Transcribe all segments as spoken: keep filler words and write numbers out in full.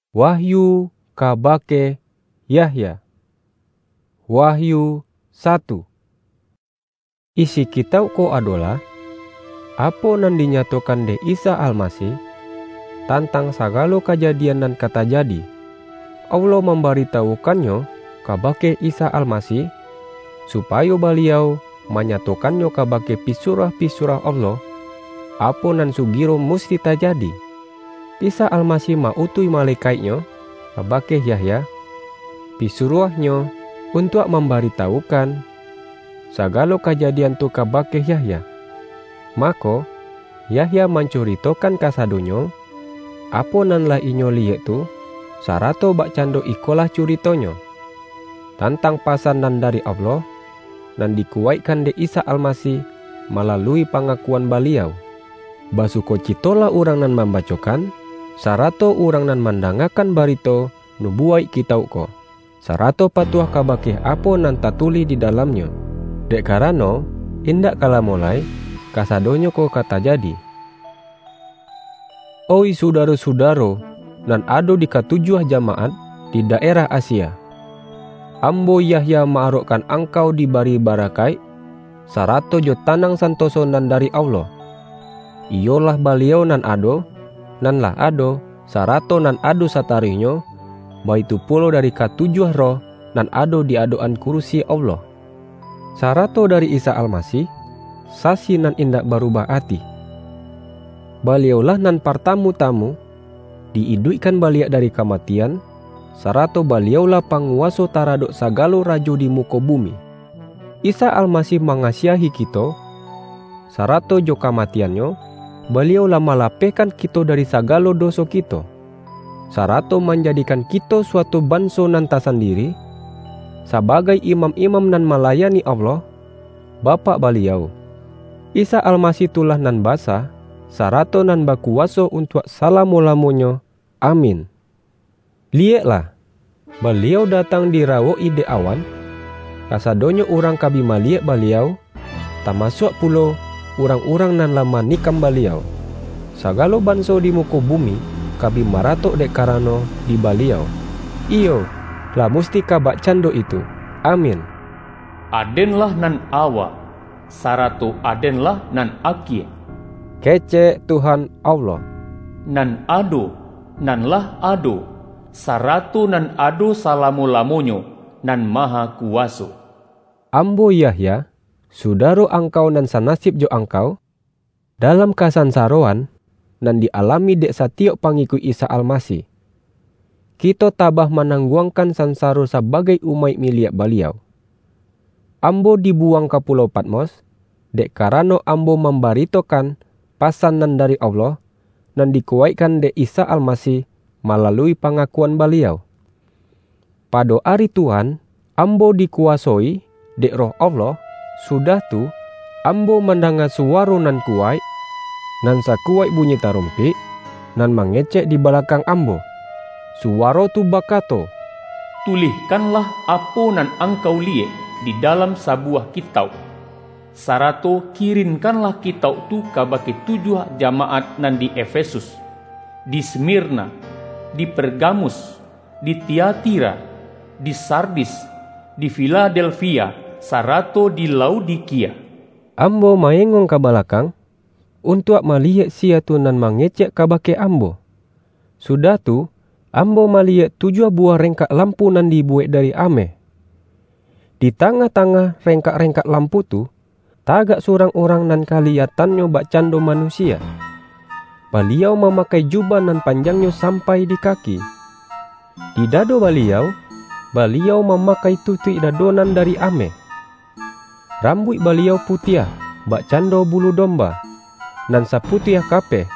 Wahyu kabake Yahya. Wahyu satu. Isi kitauk ko adolah, apo nan dinyatokan dek Isa Almasih, tantang sagalo kajadian nan ka tajadi. Allah mambaritawukannyo kabake Isa Almasih, supayo Baliau manyatokannyo kabake pisuruah-pisuruah Allah, apo nan sugiro musti tajadi. Isa Almasih ma-utuih malekaik-Nyo kabake Yahya, pisuruah-Nyo, untuak mambaritawukan sagalo kajadian tu kabake Yahya. Mako, Yahya mancuritokan kasadonyo, apo nan lah inyo liyek tu, sarato bakcando ikolah curitonyo, tantang pasan nan dari Allah, nan dikuwaikkan dek Isa Almasih malalui pangakuan Baliau. Basukocitolah urang nan mambacokan, sarato urang nan mandangakan barito nubuwaik kitauk ko, sarato patuah kabake apo nan tatulih di dalamnyo, dek karano, indak ka lamo lai, kasadonyo ko ka tajadi. Oih sudaro-sudaro nan ado di katujuah jamaat di daerah Asia! Ambo, Yahya, ma-arokkan angkau dibari barakaik, sarato jo tanang santoso nan dari Allah. Iyolah Baliau nan ado, nan lah ado, sarato nan ado sataruihnyo, baitu pulo dari katujuah roh nan ado di adok-an kurusi Allah, sarato dari Isa Almasih, Sasi nan indak barubah ati. Baliaulah nan partamu-tamu di-iduikkan baliak dari kamatian, sarato Baliaulah panguwaso taradok sagalo rajo di muko bumi. Isa Almasih mangasiahi kito, sarato jo kamatian-Nyo, Baliau lah malapehkan kito dari sagalo doso kito, sarato manjadikan kito suatu banso nan tasandiri, sabagai imam-imam nan malayani Allah, Bapak Baliau. Isa Almasih tu lah nan basa, sarato nan bakuwaso untuak salamo-lamonyo. Amin. Liyeklah! Baliau datang dirawok-i dek awan, kasadonyo urang ka bi maliyek Baliau, tamasuak pulo urang-urang nan lah manikam Baliau. Sagalo banso di muko bumi ka bi maratok dek karano di Baliau. Iyo, lah musti ka bakcando itu. Amin. Aden-lah nan awa, sarato Aden-lah nan akie. Kecek Tuhan Allah. Nan ado, nan lah ado, sarato nan ado salamo-lamonyo, Nan Mahakuwaso. Ambo, Yahya, sudaro angkau nan sanasib jo angkau, dalam kasansaroan nan di-alami dek satiyok pangikuik Isa Almasih. Kito tabah manangguangkan sansaro sabagai umaik miliak Baliau. Ambo dibuwang ka Pulau Patmos, dek karano ambo mambaritokan pasan nan dari Allah, nan dikuwaikkan dek Isa Almasih malalui pangakuan Baliau. Pado ari Tuhan, ambo dikuwasoi dek Roh Allah, sudah tu, ambo mandanga suwaro nan kuwaik, nan sakuwaik bunyi tarumpik, nan mangecek di balakang ambo. Suwaro tu bakato, "Tulihkanlah apo nan angkau liyek di dalam sabuwah kitauk, sarato kirinkanlah kitauk tu kabake tujuah jamaat nan di Efesus, di Smirna, di Pergamus, di Tiatira, di Sardis, di Filadelfia, sarato di Laodikia." Ambo maengong ka balakang, untuak maliyek siya tu nan mangecek kabake ambo. Sudah tu, ambo maliyek tujuah buwah rengkak lampu nan dibuwek dari ameh. Di tangah-tangah rengkak-rengkak lampu tu, tagak surang urang nan kaliyatannyo bakcando manusia. Baliau mamakai jubah nan panjangnyo sampai di kaki. Di dado Baliau, Baliau mamakai tutuik dado nan dari ameh. Rambuik Baliau putiah, bakcando bulu domba, nan saputiah kapeh.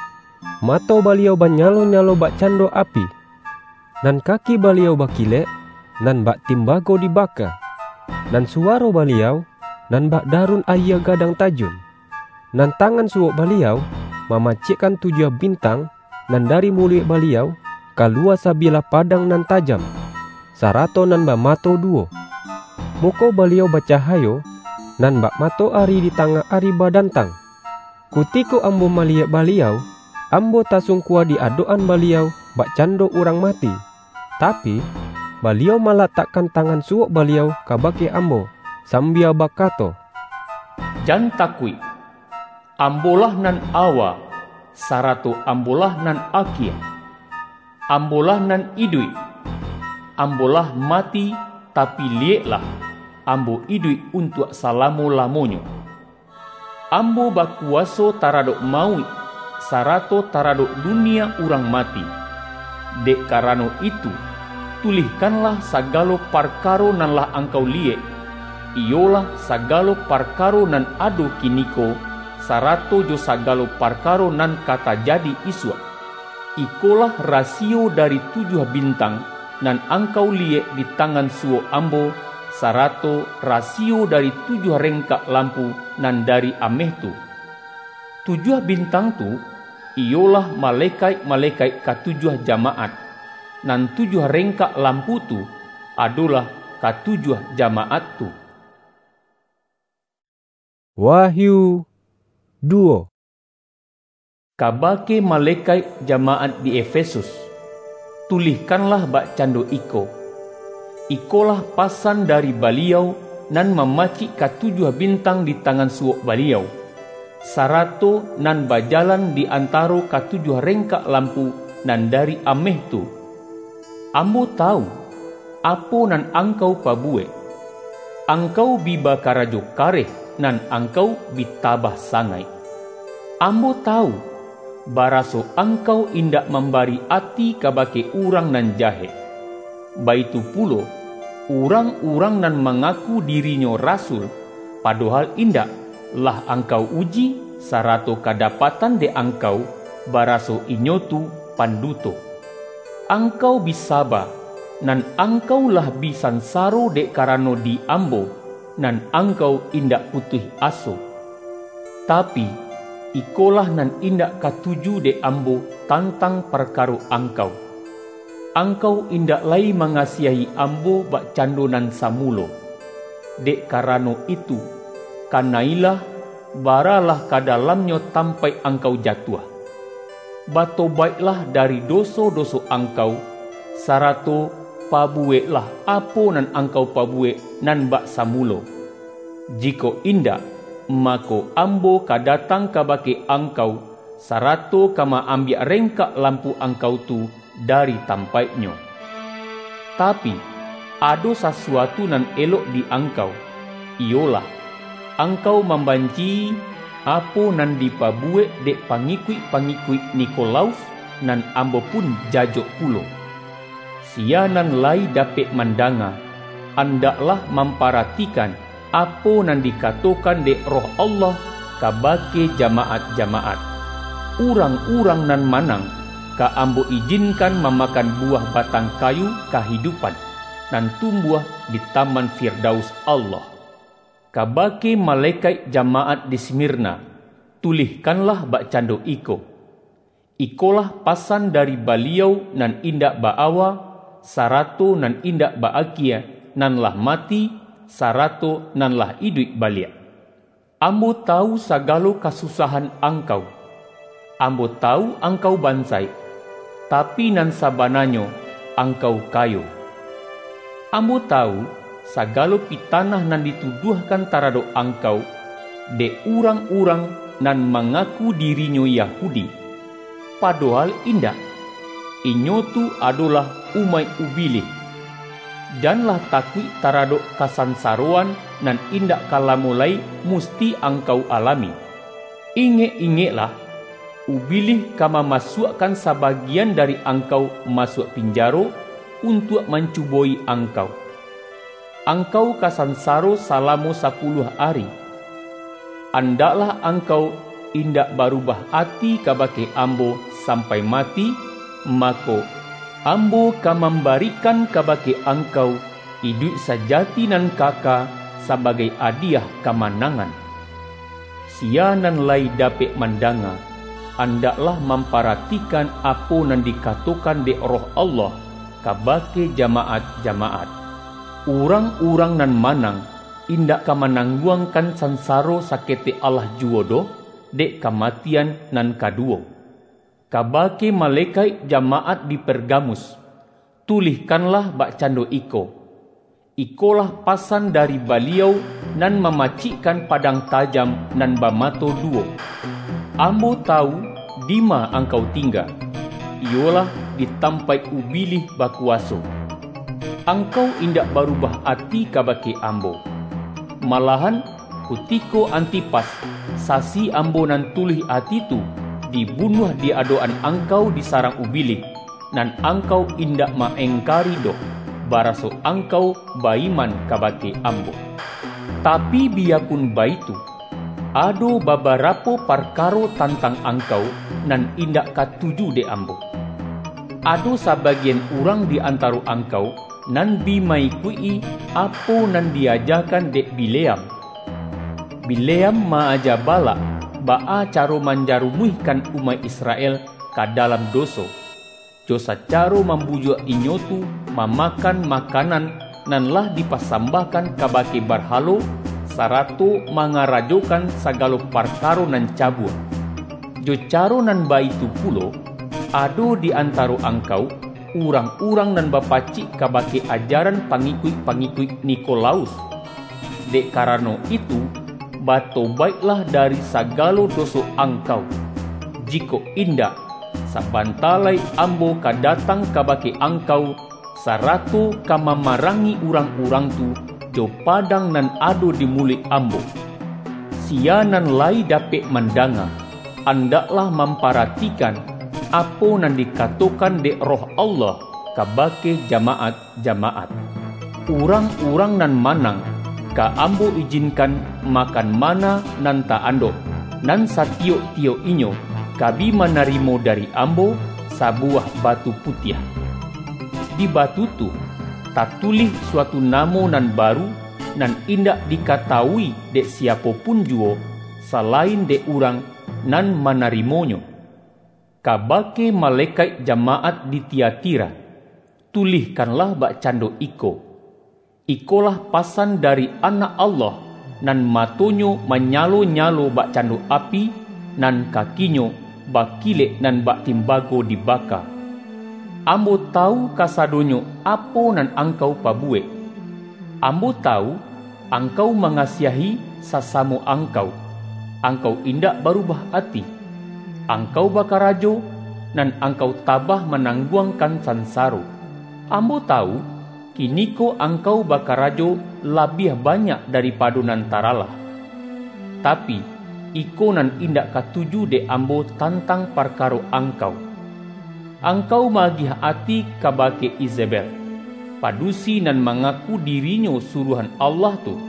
Mato Baliau banyalo-nyalo bakcando api. Nan kaki Baliau bakilek, nan bak timbago dibaka. Nan suwaro Baliau, nan bak darun ayie gadang tajun. Nan tangan suwok Baliau mamacikkan tujuah bintang, nan dari muluik Baliau kaluwa sabilah padang nan tajam, sarato nan bamato duwo. Muko Baliau bacahayo, nan bak matoari di tangah ari badantang. Kutiko ambo maliyek Baliau, ambo tasungkua di adok-an Baliau, bakcando urang mati, tapi, Baliau malatakkan tangan suok Baliau kabake ambo, sambia bakato, "Jan takuik! Ambo-lah nan awa, sarato Ambo-lah nan akie. Ambo-lah nan iduik. Ambo lah mati, tapi liyeklah, Ambo iduik untuak salamo-lamonyo. Ambo bakuwaso taradok mauik, sarato taradok dunia urang mati. Dek karano itu, tulihkanlah sagalo parkaro nan lah angkau liyek, iyolah sagalo parkaro nan ado kiniko, sarato jo sagalo parkaro nan ka tajadi isuak. Ikolah rasiyo dari tujuah bintang nan angkau liyek di tangan suwok Ambo, sarato rasiyo dari tujuah rengkak lampu nan dari ameh tu. Tujuah bintang tu, iyolah malekaik-malekaik katujuah jamaat, nan tujuah rengkak lampu tu, adolah katujuah jamaat tu." Wahyu duo. Kabake malekaik jamaat di Efesus, tulihkanlah bakcando iko: Ikolah pasan dari Baliau nan mamacik katujuah bintang di tangan suwok Baliau, sarato nan bajalan di antaro katujuah rengkak lampu nan dari ameh tu. Ambo tawu, apo nan angkau pabuwek. Angkau bi bakarajo kareh, nan angkau bi tabah sangaik. Ambo tawu, baraso angkau indak mambari ati kabake urang nan jahek. Baitu pulo, urang-urang nan mangaku dirinyo rasul, padohal indak, lah angkau uji, sarato kadapatan dek angkau, baraso inyo tu panduto. Angkau bi saba, nan angkau lah bi sansaro dek karano di Ambo, nan angkau indak putuih aso. Tapi, ikolah nan indak katuju dek Ambo tantang parkaro angkau: Angkau indak lai mangasiahi Ambo bakcando nan samulo. Dek karano itu, kanailah, baralah ka dalamnyo tampaik angkau jatuah. Batobaiklah dari doso-doso angkau, sarato pabuweklah apo nan angkau pabuwek nan bak samulo. Jikok indak, mako, Ambo ka datang kabake angkau, sarato ka ma-ambiak rengkak lampu angkau tu dari tampaiknyo. Tapi, ado sasuatu nan elok di angkau, iyolah, angkau mambanci-i apo nan dipabuwek dek pangikuik-pangikuik Nikolaus, nan Ambo pun jajok pulo. Sia nan lai dapek mandanga, andaklah mamparatikan apo nan dikatokan dek Roh Allah kabake jamaat-jamaat. Urang-urang nan manang, ka Ambo ijinkan mamakan buwah batang kayu kahidupan, nan tumbuah di Taman Firdaus Allah. Kabake malekaik jamaat di Smirna, tulihkanlah bakcando iko: Ikolah pasan dari Baliau nan indak ba-awa, sarato nan indak ba-akie, nan lah mati, sarato nan lah iduik baliak. Ambo tawu sagalo kasusahan angkau. Ambo tawu angkau bansaik, tapi nan sabananyo angkau kayo. Ambo tawu, sagalo pitanah nan dituduahkan taradok angkau, dek urang-urang nan mangaku dirinyo Yahudi, padohal indak, inyo tu adolah umaik Ubilih. Janlah takuik taradok kasansaroan nan indak ka lamo lai musti angkau alami. Ingek-ingeklah, Ubilih ka mamasuakkan sabagian dari angkau masuak pinjaro, untuak mancubo-i angkau. Angkau ka sansaro salamo sapuluah ari. Andaklah angkau indak barubah ati kabake Ambo sampai mati, mako, Ambo ka mambarikan kabake angkau iduik sajati nan kaka sabagai adiah kamanangan. Sia nan lai dapek mandanga, andaklah mamparatikan apo nan dikatokan dek Roh Allah kabake jamaat-jamaat. Urang-urang nan manang, indak ka manangguangkan sansaro saketek alah juwo doh, dek kamatian nan kaduwo. Kabake malekaik jamaat di Pergamus, tulihkanlah bakcando iko: Ikolah pasan dari Baliau nan mamacikkan padang tajam nan bamato duwo. Ambo tawu dima angkau tingga, iyolah di tampaik Ubilih bakuwaso. Angkau indak barubah ati kabake ambo. Malahan, kutiko Antipas, sasi ambo nan tuluih ati tu, dibunuah di adok-an angkau di sarang Ubilih, nan angkau indak ma-engkari doh, baraso angkau ba-iman kabake ambo. Tapi, biyapun baitu, ado babarapo parkaro tantang angkau nan indak katuju dek ambo. Ado sabagian urang di antaro angkau nan bi ma-ikuik-i apo nan di-ajakan dek Bileam. Bileam ma-aja Balak baa caro manjarumuihkan umaik Israel ka dalam doso, jo sacaro mambujuak inyo tu mamakan makanan nan lah dipasambahkan kabake barhalo, sarato mangarajokan sagalo parkaro nan cabua. Jo caro nan baitu pulo, ado di antaro angkau urang-urang nan bapacik kabake ajaran pangikuik-pangikuik Nikolaus. Dek karano itu, batobaiklah dari sagalo doso angkau. Jikok indak, sabanta lai ambo ka datang kabake angkau, sarato ka mamarangi urang-urang tu jo padang nan ado di muluik ambo. Sia nan lai dapek mandanga, andaklah mamparatikan apo nan dikatokan dek Roh Allah kabake jamaat-jamaat. Urang-urang nan manang, ka ambo ijinkan makan mana nan ta-andok, nan satiyok-tiyok inyo ka bi manarimo dari ambo sabuwah batu putiah. Di batu tu, tatulih suatu namo nan baru, nan indak dikatawui dek siapo pun juwo, salain dek urang nan manarimonyo. Kabake malekaik jamaat di Tiatira, tulihkanlah bakcando iko: Ikolah pasan dari Anak Allah, nan matonyo manyalo-nyalo bakcando api, nan kakinyo bakilek nan bak timbago dibaka. Ambo tawu kasadonyo apo nan angkau pabuwek. Ambo tawu, angkau mangasiahi sasamo angkau. Angkau indak barubah ati. Angkau bakarajo, nan angkau tabah manangguangkan sansaro. Ambo tawu, kiniko angkau bakarajo labiah banyak daripado nan taralah. Tapi, iko nan indak katuju dek ambo tantang parkaro angkau. Angkau maagiah ati kabake Izebel, padusi nan mangaku dirinyo suruahan Allah tu.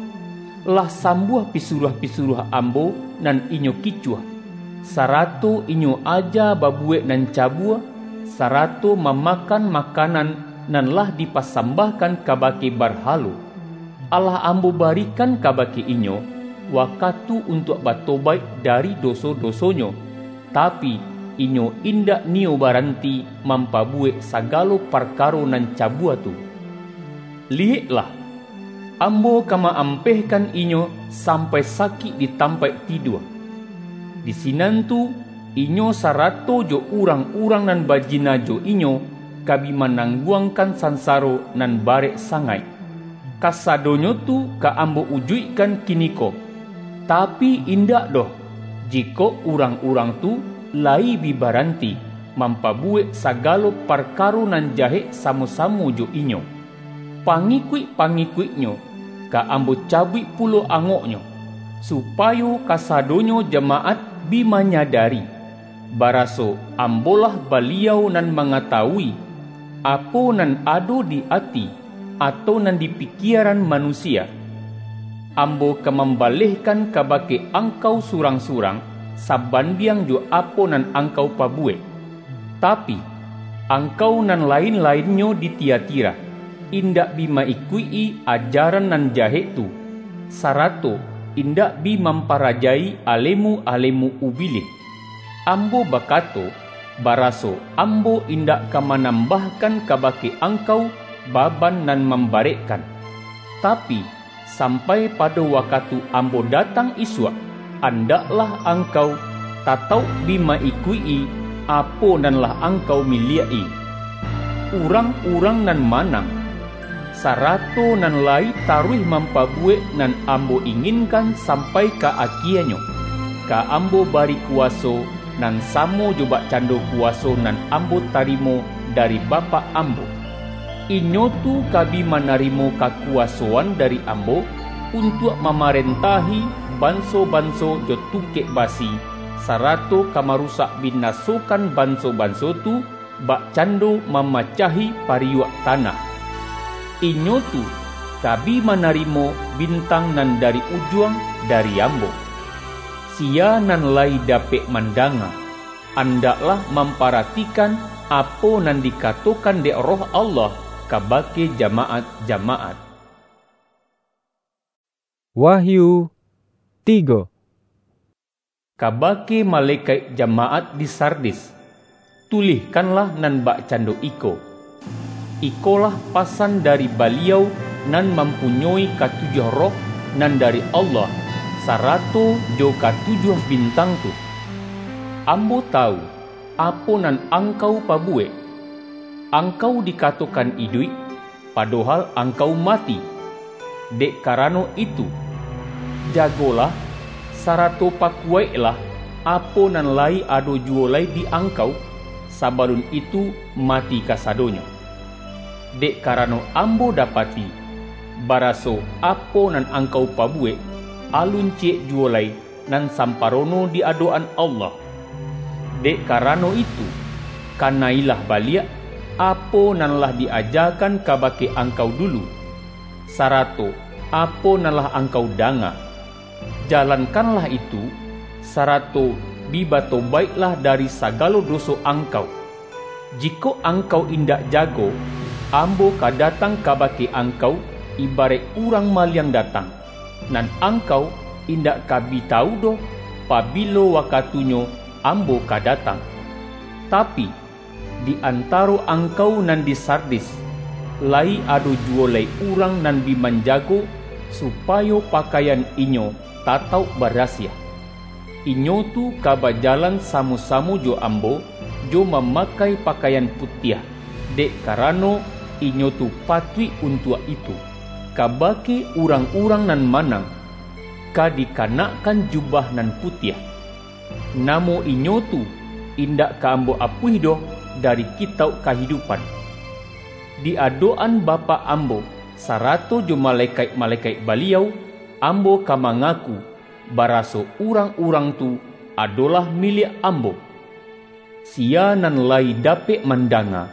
Lah sambuah pisuruah-pisuruah ambo nan inyo kicuah, sarato inyo aja babuwek nan cabua, sarato mamakan makanan nan lah dipasambahkan kabake barhalo. Alah ambo barikan kabake inyo wakatu untuak batobaik dari doso-dosonyo, tapi, inyo indak niyo baranti mampabuwek sagalo parkaro nan cabua tu. Liyeklah! Ambo ka ma-ampehkan inyo sampai sakik di tampaik tidua. Di sinan tu, inyo sarato jo urang-urang nan bajina jo inyo ka bi manangguangkan sansaro nan barek sangaik. Kasadonyo tu ka ambo ujuikkan kiniko, tapi indak doh, jikok urang-urang tu layi bi baranti mampabuwek sagalo parkaro nan jahek samo-samo jo inyo. Pangikuik-pangikuiknyo ka ambo cabuik pulo angoknyo, supayo kasadonyo jamaat bi manyadari, baraso ambolah Baliau nan mangatawui, apo nan ado di ati, atau nan di pikieran manusia. Ambo ka mambalehkan kabake angkau surang-surang, sabandiang jo apo nan angkau pabuwek. Tapi, angkau nan lain-lainnyo di Tiatira, indak bi ma-ikuik-i ajaran nan jahek tu, sarato indak bi mamparajai alemu-alemu Ubilih. Ambo bakato, baraso ambo indak ka manambahkan kabake angkau baban nan mambarekkan. Tapi, sampai pado wakatu ambo datang isuak, andaklah angkau tatauk bi ma-ikuik-i apo nan lah angkau miliak-i. Urang-urang nan manang, sarato nan layi taruih mampabuwek nan Ambo inginkan sampai ka akienyo, ka Ambo bari kuwaso nan samo jo bakcando kuwaso nan Ambo tarimo dari Bapak Ambo. Inyo tu ka bi manarimo kakuwasoan dari Ambo, untuak mamarentahi banso-banso jo tungkek basi, sarato ka marusak binasokan banso-banso tu, bakcando mamacahi pariyuak tanah. Inyo tu ka bi manarimo bintang nan dari ujuang dari Ambo. Sia nan layi dapek mandanga, andaklah mamparatikan apo nan dikatokan dek Roh Allah kabake jamaat-jamaat. Wahyu tigo. Kabake malekaik jamaat di Sardis, tulihkanlah nan bakcando iko: Ikolah pasan dari Baliau nan mampunyoi katujuah roh nan dari Allah, sarato jo katujuah bintang tu. Ambo tawu apo nan angkau pabuwek. Angkau dikatokan iduik, padohal angkau mati. Dek karano itu, jagolah, sarato pakuwaiklah apo nan layi ado juwo lai di angkau, sabalun itu mati kasadonyo. Dek karano Ambo dapati, baraso apo nan angkau pabuwek, alun ciyek juwo lai nan samparono di adok-an Allah. Dek karano itu, kanailah baliak apo nan lah di-ajakan kabake angkau dulu, sarato apo nan lah angkau danga. Jalankanlah itu, sarato bi batobaiklah dari sagalo doso angkau. Jikok angkau indak jago, Ambo ka datang kabake angkau ibaraik urang maliang datang, nan angkau indak ka bi tawu doh pabilo wakatunyo Ambo ka datang. Tapi, di antaro angkau nan di Sardis, layi ado juwo lai urang nan bi manjago, supayo pakaian inyo tatauk barasiah. Inyo tu ka bajalan samo-samo jo Ambo, jo mamakai pakaian putiah, dek karano inyo tu patuik untuak itu. Kabake urang-urang nan manang, ka dikanakkan jubah nan putiah. Namo inyo tu indak ka Ambo apuih doh dari Kitauk Kahidupan. Di adok-an Bapak Ambo, sarato jo malekaik-malekaik Baliau, Ambo ka mangaku, baraso urang-urang tu adolah miliak Ambo. Sia nan layi dapek mandanga,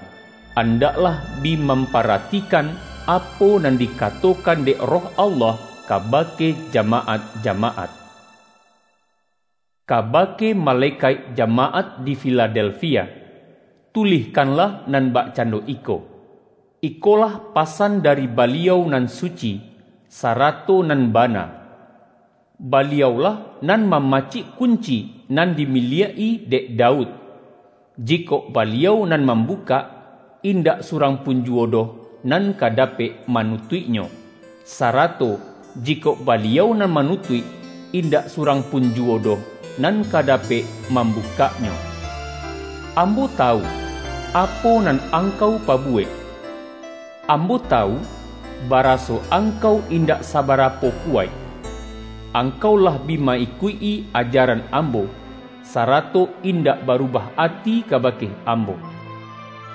andaklah bi mamparatikan apo nan dikatokan dek Roh Allah kabake jamaat-jamaat. Kabake malekaik jamaat di Filadelfia, tulihkanlah nan bakcando iko: Ikolah pasan dari Baliau nan suci, sarato nan bana. Baliaulah nan mamacik kunci nan dimiliak-i dek Daud. Jikok Baliau nan mambukak, indak surang pun juwo doh nan ka dapek manutuiknyo, sarato jikok Baliau nan manutuik, indak surang pun juwo doh nan ka dapek mambukaknyo. Ambo tawu apo nan angkau pabuwek. Ambo tawu, baraso angkau indak sabarapo kuwaik. Angkau lah bi ma-ikuik-i ajaran Ambo, sarato indak barubah ati kabake Ambo.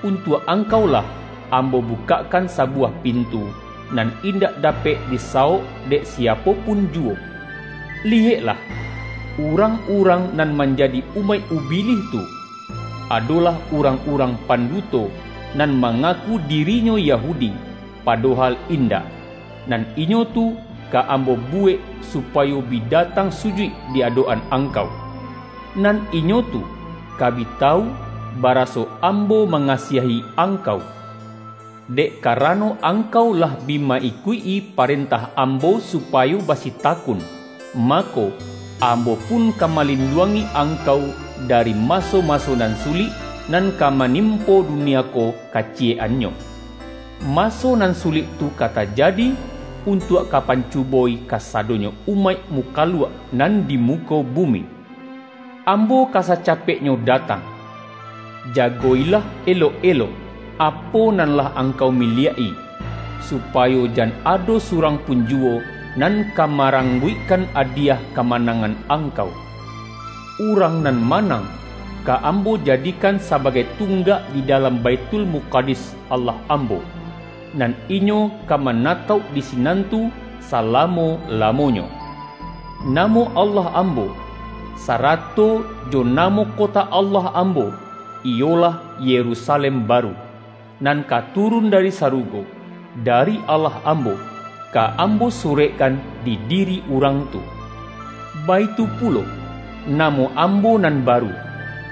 Untuak angkau lah Ambo bukakkan sabuwah pintu, nan indak dapek disawok dek siapo pun juwo. Liyeklah, urang-urang nan manjadi umaik Ubilih tu, adolah urang-urang panduto nan mangaku dirinyo Yahudi, padohal indak. Nan inyo tu ka Ambo buwek supayo bi datang sujuik di adok-an angkau. Nan inyo tu ka bi tawu, baraso Ambo mangasiahi angkau. Dek karano angkau lah bi ma-ikuik-i parentah Ambo supayo basitakun, mako, Ambo pun ka malinduangi angkau dari maso-maso nan sulik, nan ka manimpo dunia ko kaciyek-annyo. Maso nan sulik tu ka tajadi, untuak ka pancubo-i kasadonyo umaik mukaluak nan di muko bumi. Ambo ka sacapeknyo datang. Jago-ilah elok-elok apo nan lah angkau miliak-i, supayo jan ado surang pun juwo nan ka marangguikkan adiah kamanangan angkau. Urang nan manang, ka Ambo jadikan sabagai tunggak di dalam Baitul Mukadis Allah Ambo, nan inyo ka manatauk di sinan tu salamo-lamonyo. Namo Allah Ambo, sarato jo namo kota Allah Ambo, iyolah Yerusalem Baru, nan ka turun dari sarugo, dari Allah Ambo, ka Ambo surekkan di diri urang tu. Baitu pulo, namo Ambo nan baru,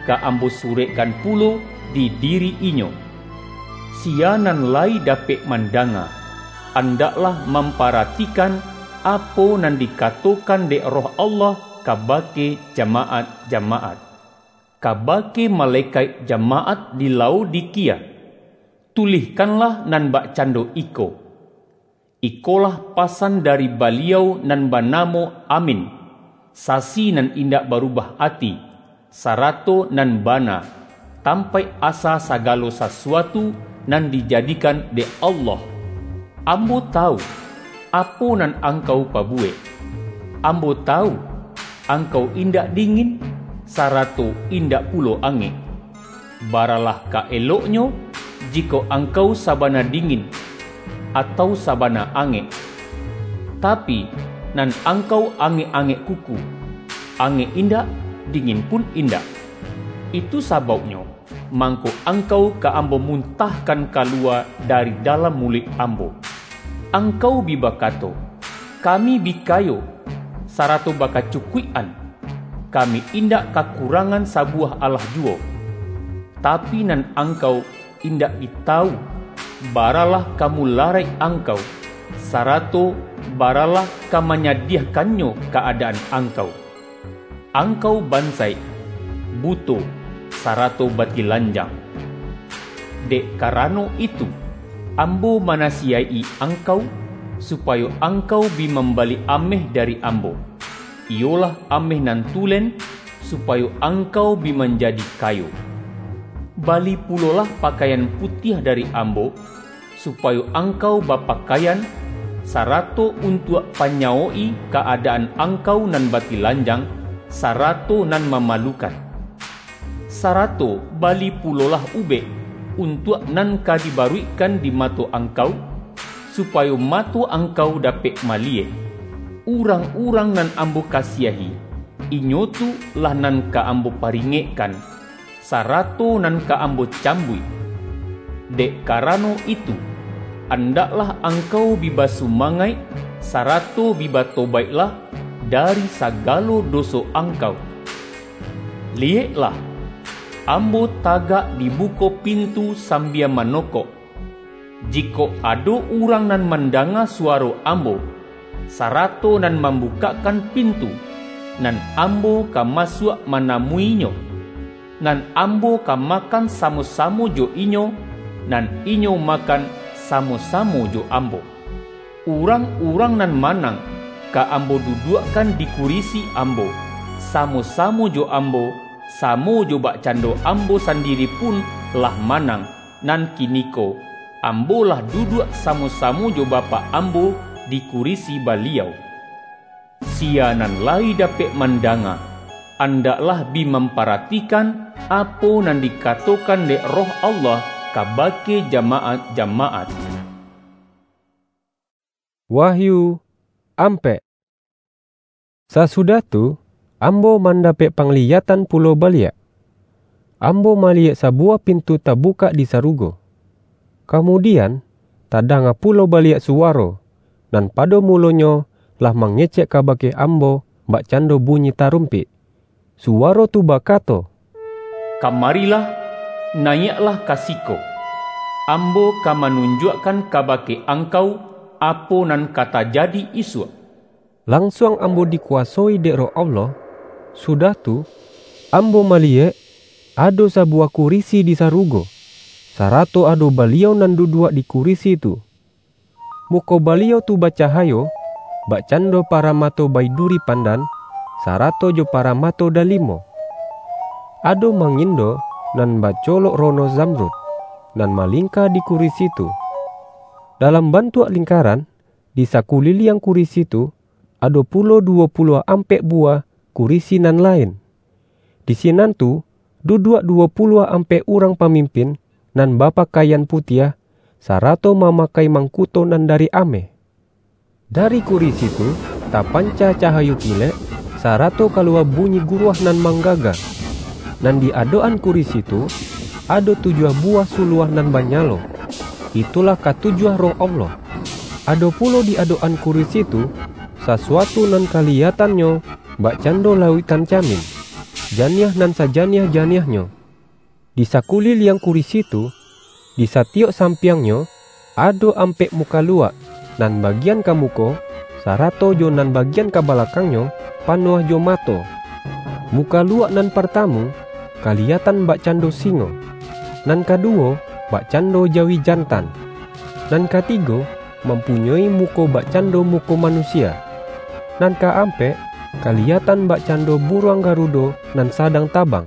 ka Ambo surekkan pulo di diri inyo. Sia nan lai dapek mandanga, andaklah mamparatikan apo nan dikatokan dek Roh Allah kabake jamaat-jamaat. Kabake malekaik jamaat di Laodikia, tulihkanlah nan bakcando iko: Ikolah pasan dari Baliau nan banamo Amin, Sasi nan indak barubah ati, sarato nan bana, tampaik asa sagalo sasuatu nan dijadikan dek Allah. Ambo tawu, apo nan angkau pabuwek. Ambo tawu, angkau indak dingin, sarato indak pulo angek. Baralah ka eloknyo, jikok angkau sabana dingin, atau sabana angek. Tapi, nan angkau angek-angek kuku, angek indak, dingin pun indak. Itu sabauknyo, mangko angkau ka Ambo muntahkan kaluwa dari dalam muluik Ambo. Angkau bi bakato, 'Kami bi kayo, sarato bakacukuik-an, kami indak kakurangan sabuwah alah juwo.' Tapi nan angkau indak bi tawu, baralah ka mularaik angkau, sarato baralah ka manyadiahkannyo ka-adaan angkau. Angkau bansaik, buto, sarato batilanjang. Dek karano itu, Ambo manasiyaik-i angkau, supayo angkau bi mambali ameh dari Ambo, iyolah ameh nan tulen, supayo angkau bi manjadi kayo. Bali pulolah pakaian putiah dari Ambo, supayo angkau bapakaian, sarato untuak panyawok-i ka-adaan angkau nan batilanjang, sarato nan mamalukan. Sarato bali pulolah ubek, untuak nan ka dibaruikkan di mato angkau, supayo mato angkau dapek maliyek. Urang-urang nan Ambo kasiahi, inyo tu lah nan ka Ambo paringekkan, sarato nan ka Ambo cambuik. Dek karano itu, andaklah angkau bi basumangaik, sarato bi batobaiklah dari sagalo doso angkau. Liyeklah, Ambo tagak di buko pintu sambia manokok. Jikok ado urang nan mandanga suwaro Ambo, sarato nan mambukakkan pintu, nan Ambo ka masuak manamuinyo, nan Ambo ka makan samo-samo jo inyo, nan inyo makan samo-samo jo Ambo. Urang-urang nan manang, ka Ambo duduakkan di kurisi Ambo, samo-samo jo Ambo, samo jo bakcando Ambo sandiri pun lah manang, nan kiniko Ambo lah duduak samo-samo jo Bapak Ambo di kurisi Baliau. Sia nan lai dapek mandanga, andaklah bi mamparatikan apo nan dikatokan dek Roh Allah kabake jamaat-jamaat. Wahyu ampek. Sasudah tu, ambo mandapek pangliyatan pulo baliak. Ambo maliyek sabuwah pintu tabukak di sarugo. Kamudian, tadanga pulo baliak suwaro, nan pado mulonyo lah mangecek kabake ambo bakcando bunyi tarumpik. Suwaro tu bakato, "Kamarilah, naiaklah ka siko. Ambo ka manunjuakkan kabake angkau, apo nan ka tajadi isuak." Lansuang ambo dikuwasoi dek Roh Allah, sudah tu, ambo maliyek, ado sabuwah kurisi di sarugo, sarato ado Baliau nan duduak di kurisi tu. Muko Baliau tu bacahayo, bakcando paramato baiduri pandan, sarato jo paramato dalimo. Ado mangindo nan bacolok rono zamrud, nan malingka di kurisi tu. Dalam bantuak lingkaran, di sakuliliang kurisi tu, ado pulo duwo puluah ampek buwah kurisi nan lain. Di sinan tu duduak duwo puluah ampek urang pamimpin nan bapakaian putiah, sarato mamakai mangkuto nan dari ameh. Dari kurisi tu tapanca cahayo kilek, sarato kalua bunyi guruah nan manggaga. Nan di adok-an kurisi tu, ado tujuah buwah suluah nan banyalo, itulah katujuah Roh Allah. Ado pulo di adok-an kurisi tu, sasuatu nan kaliyatannyo bakcando lauiktan camin, janiah nan sajaniah-janiahnyo. Di sakuliliang kurisi tu, di satiyok sampiangnyo, ado ampek mukaluak, nan bagian ka muko, sarato jo nan bagian ka balakangnyo, panuah jo mato. Mukaluak nan partamu, kaliyatan bakcando singo, nan kaduwo, bakcando jawi jantan, nan katigo, mampunyoi muko bakcando muko manusia, nan kaampek, kaliyatan bakcando buruang garudo nan sadang tabang.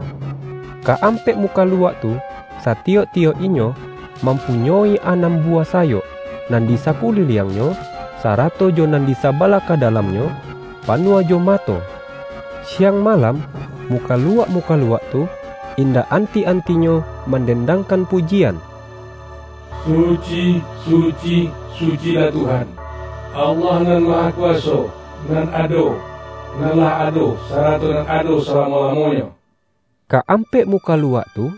Kaampek mukaluak tu, satiyok-tiyok inyo mampunyoi anam buwah sayok, nan di sakuliliangnyo, sarato jo nan di sabalah ka dalamnyo, panuah jo mato. Siang malam, mukaluak-mukaluak tu indak anti-antinyo mandendangkan pujian. Suci, suci, sucilah Tuhan, Allah Nan Mahakuwaso, nan ado, nan lah ado, sarato nan ado salamo-lamonyo. Kaampek mukaluak tu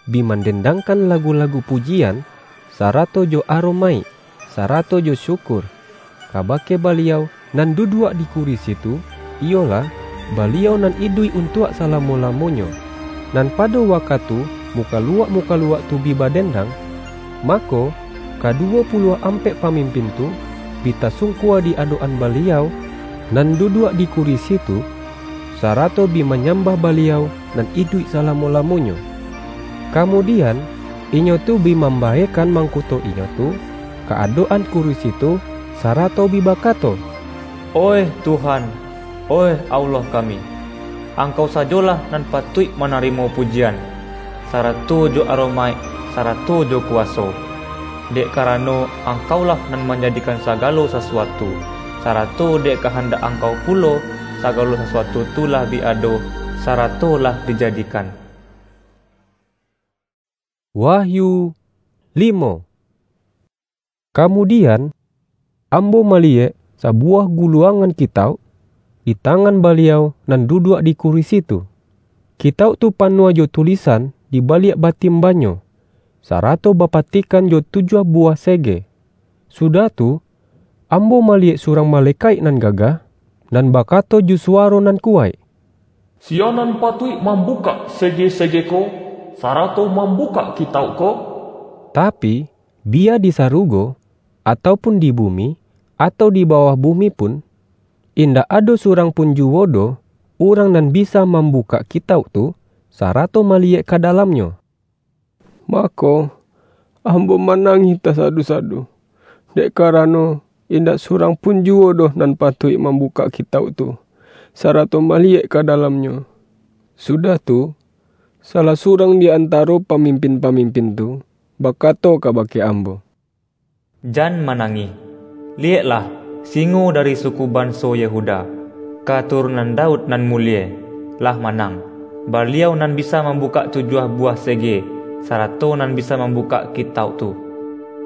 bi mandendangkan lagu-lagu pujian, sarato jo aromaik, sarato jo syukur, kabake Baliau nan duduak di kurisi tu, iyolah, Baliau nan iduik untuak salamo-lamonyo. Nan pado wakatu mukaluak-mukaluak tu bi badendang, mako, kaduwo puluah ampek pamimpin tu bi tasungkua di adok-an Baliau nan duduak di kurisi tu, sarato bi manyambah Baliau nan iduik salamo-lamonyo. Kamudian, inyo tu bi mambaekan mangkuto inyo tu ka adok-an kurisi tu, sarato bi bakato, "Oih Tuhan, oih Allah kami, Angkau sajolah nan patuik manarimo pujian, sarato jo aromaik, sarato jo kuwaso. Dek karano Angkaulah nan manjadikan sagalo sasuatu, sarato dek kahandak Angkau pulo sagalo sasuatu tu lah bi ado, sarato lah dijadikan." Wahyu limo. Kamudian, ambo maliyek sabuwah guluangan kitauk di tangan Baliau nan duduak di kurisi tu. Kitauk tu panuah jo tulisan di baliak batimbanyo, sarato bapatikan jo tujuah buwah sege. Sudah tu, ambo maliyek surang malekaik nan gagah, nan bakato jo suwaro nan kuwaik, "Siya nan patuik mambukak sege-sege ko, sarato mambukak kitauk ko?" Tapi, biya di sarugo, atau pun di bumi, atau di bawah bumi pun, indak ado surang pun juwo doh, urang nan bisa mambukak kitauk tu, sarato maliyek ka dalamnyo. Mako, ambo manangih tasadu-sadu, dek karano indak surang pun juwo doh nan patuik mambukak kitauk tu, sarato maliyek ka dalamnyo. Sudah tu, salah surang di antaro pamimpin-pamimpin tu bakato kabake ambo, "Jan manangih. Liyeklah, singo dari suku banso Yehuda, katurunan Daud nan mulie, lah manang. Baliau nan bisa mambukak tujuah buwah sege, sarato nan bisa mambukak kitauk tu."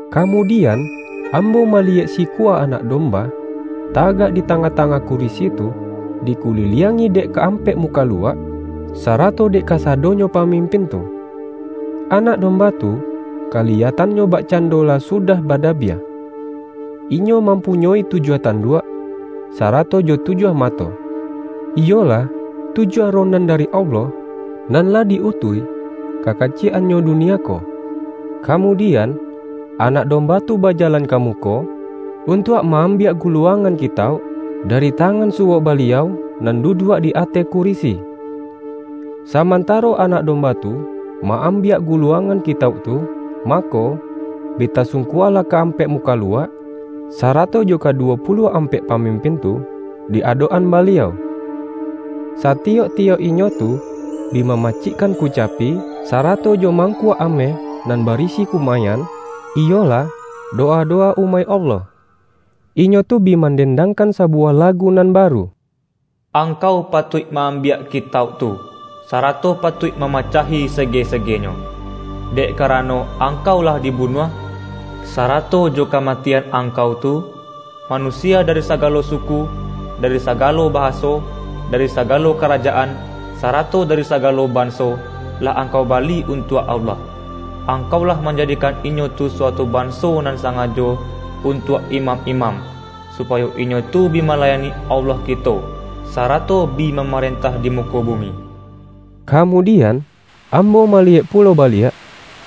Kamudian, ambo maliyek sikua Anak Domba, tagak di tangah-tangah kurisi tu, dikuliliangi dek kaampek mukaluak, sarato dek kasadonyo pamimpin tu. Anak Domba tu, kaliyatannyo bakcando lah sudah badabiah. Inyo mampunyoi tujuah tanduak, sarato jo tujuah mato, iyolah, tujuah roh nan dari Allah, nan lah di-utuih ka kaciyek-annyo dunia ko. Kamudian, Anak Domba tu bajalan ka muko, untuak ma-ambiak guluangan kitauk dari tangan suwok Baliau nan duduak di ateh kurisi. Samantaro Anak Domba tu ma-ambiak guluangan kitauk tu, mako, bi tasungkualah kaampek mukaluak, sarato jo kaduwo puluah ampek pamimpin tu, di adok-an Baliau. Satiyok-tiyok inyo tu bi mamacikkan kucapi, sarato jo mangkuak ameh nan barisi kumayan, iyolah, doa-doa umaik Allah. Inyo tu bi mandendangkan sabuwah lagu nan baru. Angkau patuik ma-ambiak kitauk tu, sarato patuik mamacahi sege-segenyo. Dek karano angkau lah dibunuah, sarato jo kamatian angkau tu, manusia dari sagalo suku, dari sagalo bahaso, dari sagalo karajaan, sarato dari sagalo banso, lah angkau bali untuak Allah. Angkau lah manjadikan inyo tu suatu banso nan sangajo untuak imam-imam, supayo inyo tu bi malayani Allah kito, sarato bi mamarentah di muko bumi. Kamudian, ambo maliyek pulo baliak,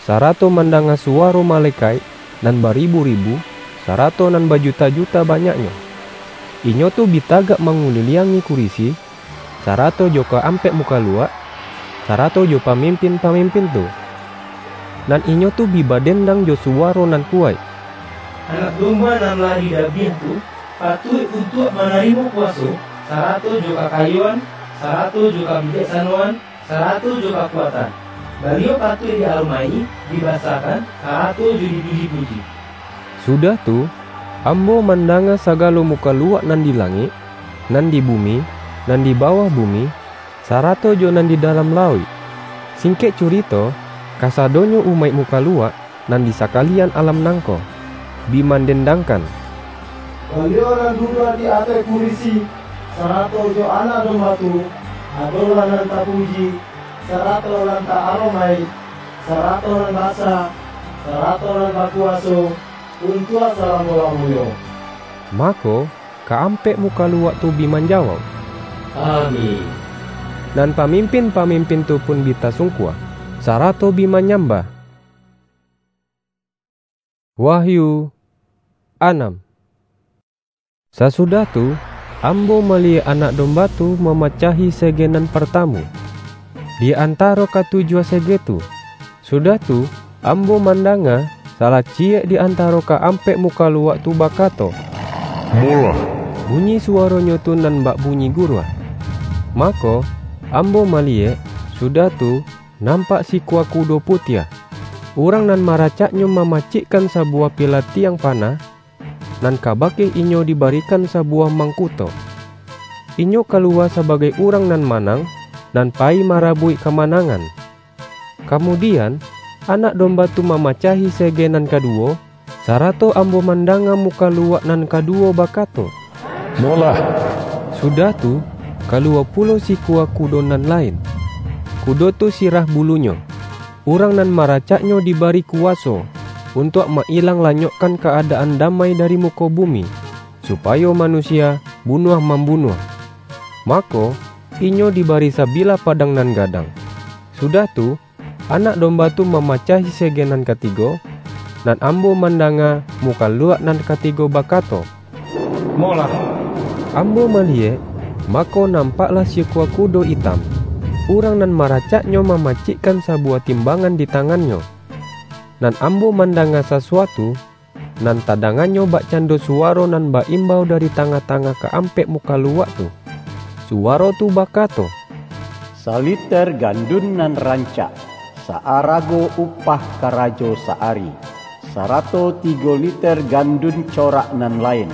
sarato mandanga suwaro malekaik nan baribu-ribu, sarato nan bajuta-juta banyaknyo. Inyo tu bi tagak manguliliangi kurisi, sarato jo ka-ampek mukaluak, sarato jo pamimpin-pamimpin tu. Nan inyo tu bi badendang jo suwaro nan kuwaik, "Anak Domba nan lah didabiah tu, patuik untuak manarimo kuwaso, sarato jo kakayoan, sarato jo kabijaksanoan, sarato jo kakuatan. Baliau patuik di-aromaik-i, dibasakan, sarato jo dipuji-puji." Sudah tu, ambo mandanga sagalo mukaluak nan di langik, nan di bumi, nan di bawah bumi, sarato jo nan di dalam lauik. Singkek curito, kasadonyo umaik mukaluak nan di sakalian alam nangko, bi mandendangkan, "Baliau nan duduak di ateh kurisi, sarato jo Anak Domba tu, adolah nan tapuji, sarato nan ta-aromaik, sarato nan basa, sarato nan bakuwaso, untuak salamo-lamonyo." Mako, ka-ampek mukaluak tu bi manjawauk, "Amin." Nan pamimpin-pamimpin tu pun bi tasungkua, sarato bi manyambah. Wahyu anam. Sasudah tu, ambo maliyek Anak Domba tu mamacahi sege nan partamu, di antaro katujuah sege tu. Sudah tu, ambo mandanga, salah ciyek di antaro ka-ampek mukaluak tu bakato, "Molah!" Bunyi suwaronyo tu nan bak bunyi guruah. Mako, ambo maliyek, sudah tu, nampak sikua kudo putiah. Urang nan maracaknyo mamacikkan sabuwah pilatiang panah, nan kabake inyo dibarikan sabuwah mangkuto. Inyo kaluwa sabagai urang nan manang, nan payi marabuik kamanangan. Kamudian, Anak Domba tu mamacahi sege nan kaduwo, sarato ambo mandanga mukaluak nan kaduwo bakato, "Molah!" Sudah tu, kaluwa pulo sikua kudo nan lain. Kudo tu sirah bulunyo. Urang nan maracaknyo dibari kuwaso untuak ma-ilang lanyokkan ka-adaan damai dari muko bumi, supayo manusia bunuah-mambunuah. Mako, inyo dibari sabilah padang nan gadang. Sudah tu, Anak Domba tu mamacahi sege nan katigo, nan ambo mandanga mukaluak nan katigo bakato, "Molah!" Ambo maliyek, mako, nampaklah sikua kudo itam. Urang nan maracaknyo mamacikkan sabuwah timbangan di tangannyo. Nan ambo mandanga sasuatu, nan tadanganyo bakcando suwaro nan ba-imbau dari tangah-tangah ka-ampek mukaluak tu. Suwaro tu bakato, "Saliter gandun nan rancak, saarago upah karajo saari, sarato tigo liter gandun corak nan lain,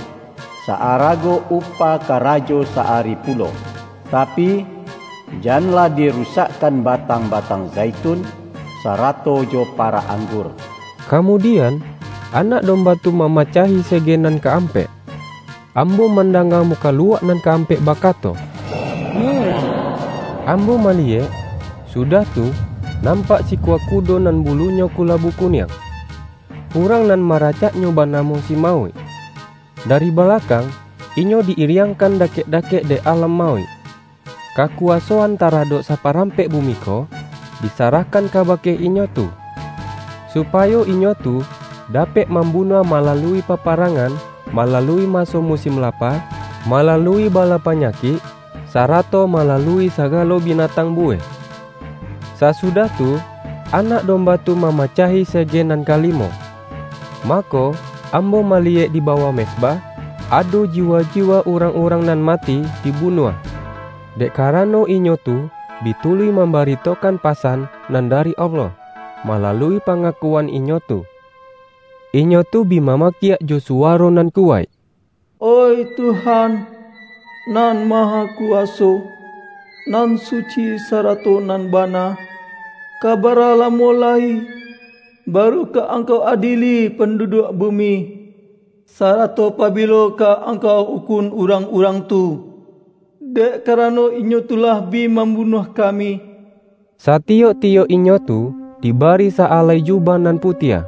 saarago upah karajo saari pulo. Tapi, janlah dirusakkan batang-batang zaitun, sarato jo parak anggur." Kamudian, Anak Domba tu mamacahi sege nan ka-ampek. Ambo mandanga mukaluak nan ka-ampek bakato, "Molah!" Ambo maliyek, sudah tu, nampak sikua kudo nan bulunyo kulabu kuniang. Urang nan maracaknyo banamo si Mauik. Dari balakang, inyo di-iriangkan dakek-dakek dek Alam Mauik. Kakuwasoan taradok saparampek bumi ko disarahkan kabake inyo tu, supayo inyo tu dapek mambunuah malalui paparangan, malalui maso musim lapa, malalui bala panyakik, sarato malalui sagalo binatang buweh. Sasudah tu, Anak Domba tu mamacahi sege nan kalimo. Mako, ambo maliyek di bawah mezbah, ado jiwa-jiwa urang-urang nan mati dibunuah, dek karano inyo tu bi tuluih mambaritokan pasan nan dari Allah, malalui pangakuan inyo tu. Inyo tu bi mamakiak jo suwaro nan kuwaik, "Oih Tuhan, Nan Mahakuwaso, Nan Suci sarato Nan Bana, ka bara lamo lai, baru ka Angkau adili panduduak bumi, sarato pabilo ka Angkau ukun urang-urang tu, dek karano inyo tu lah bi mambunuah kami." Satiyok-tiyok inyo tu dibari sa-alai jubah nan putiah.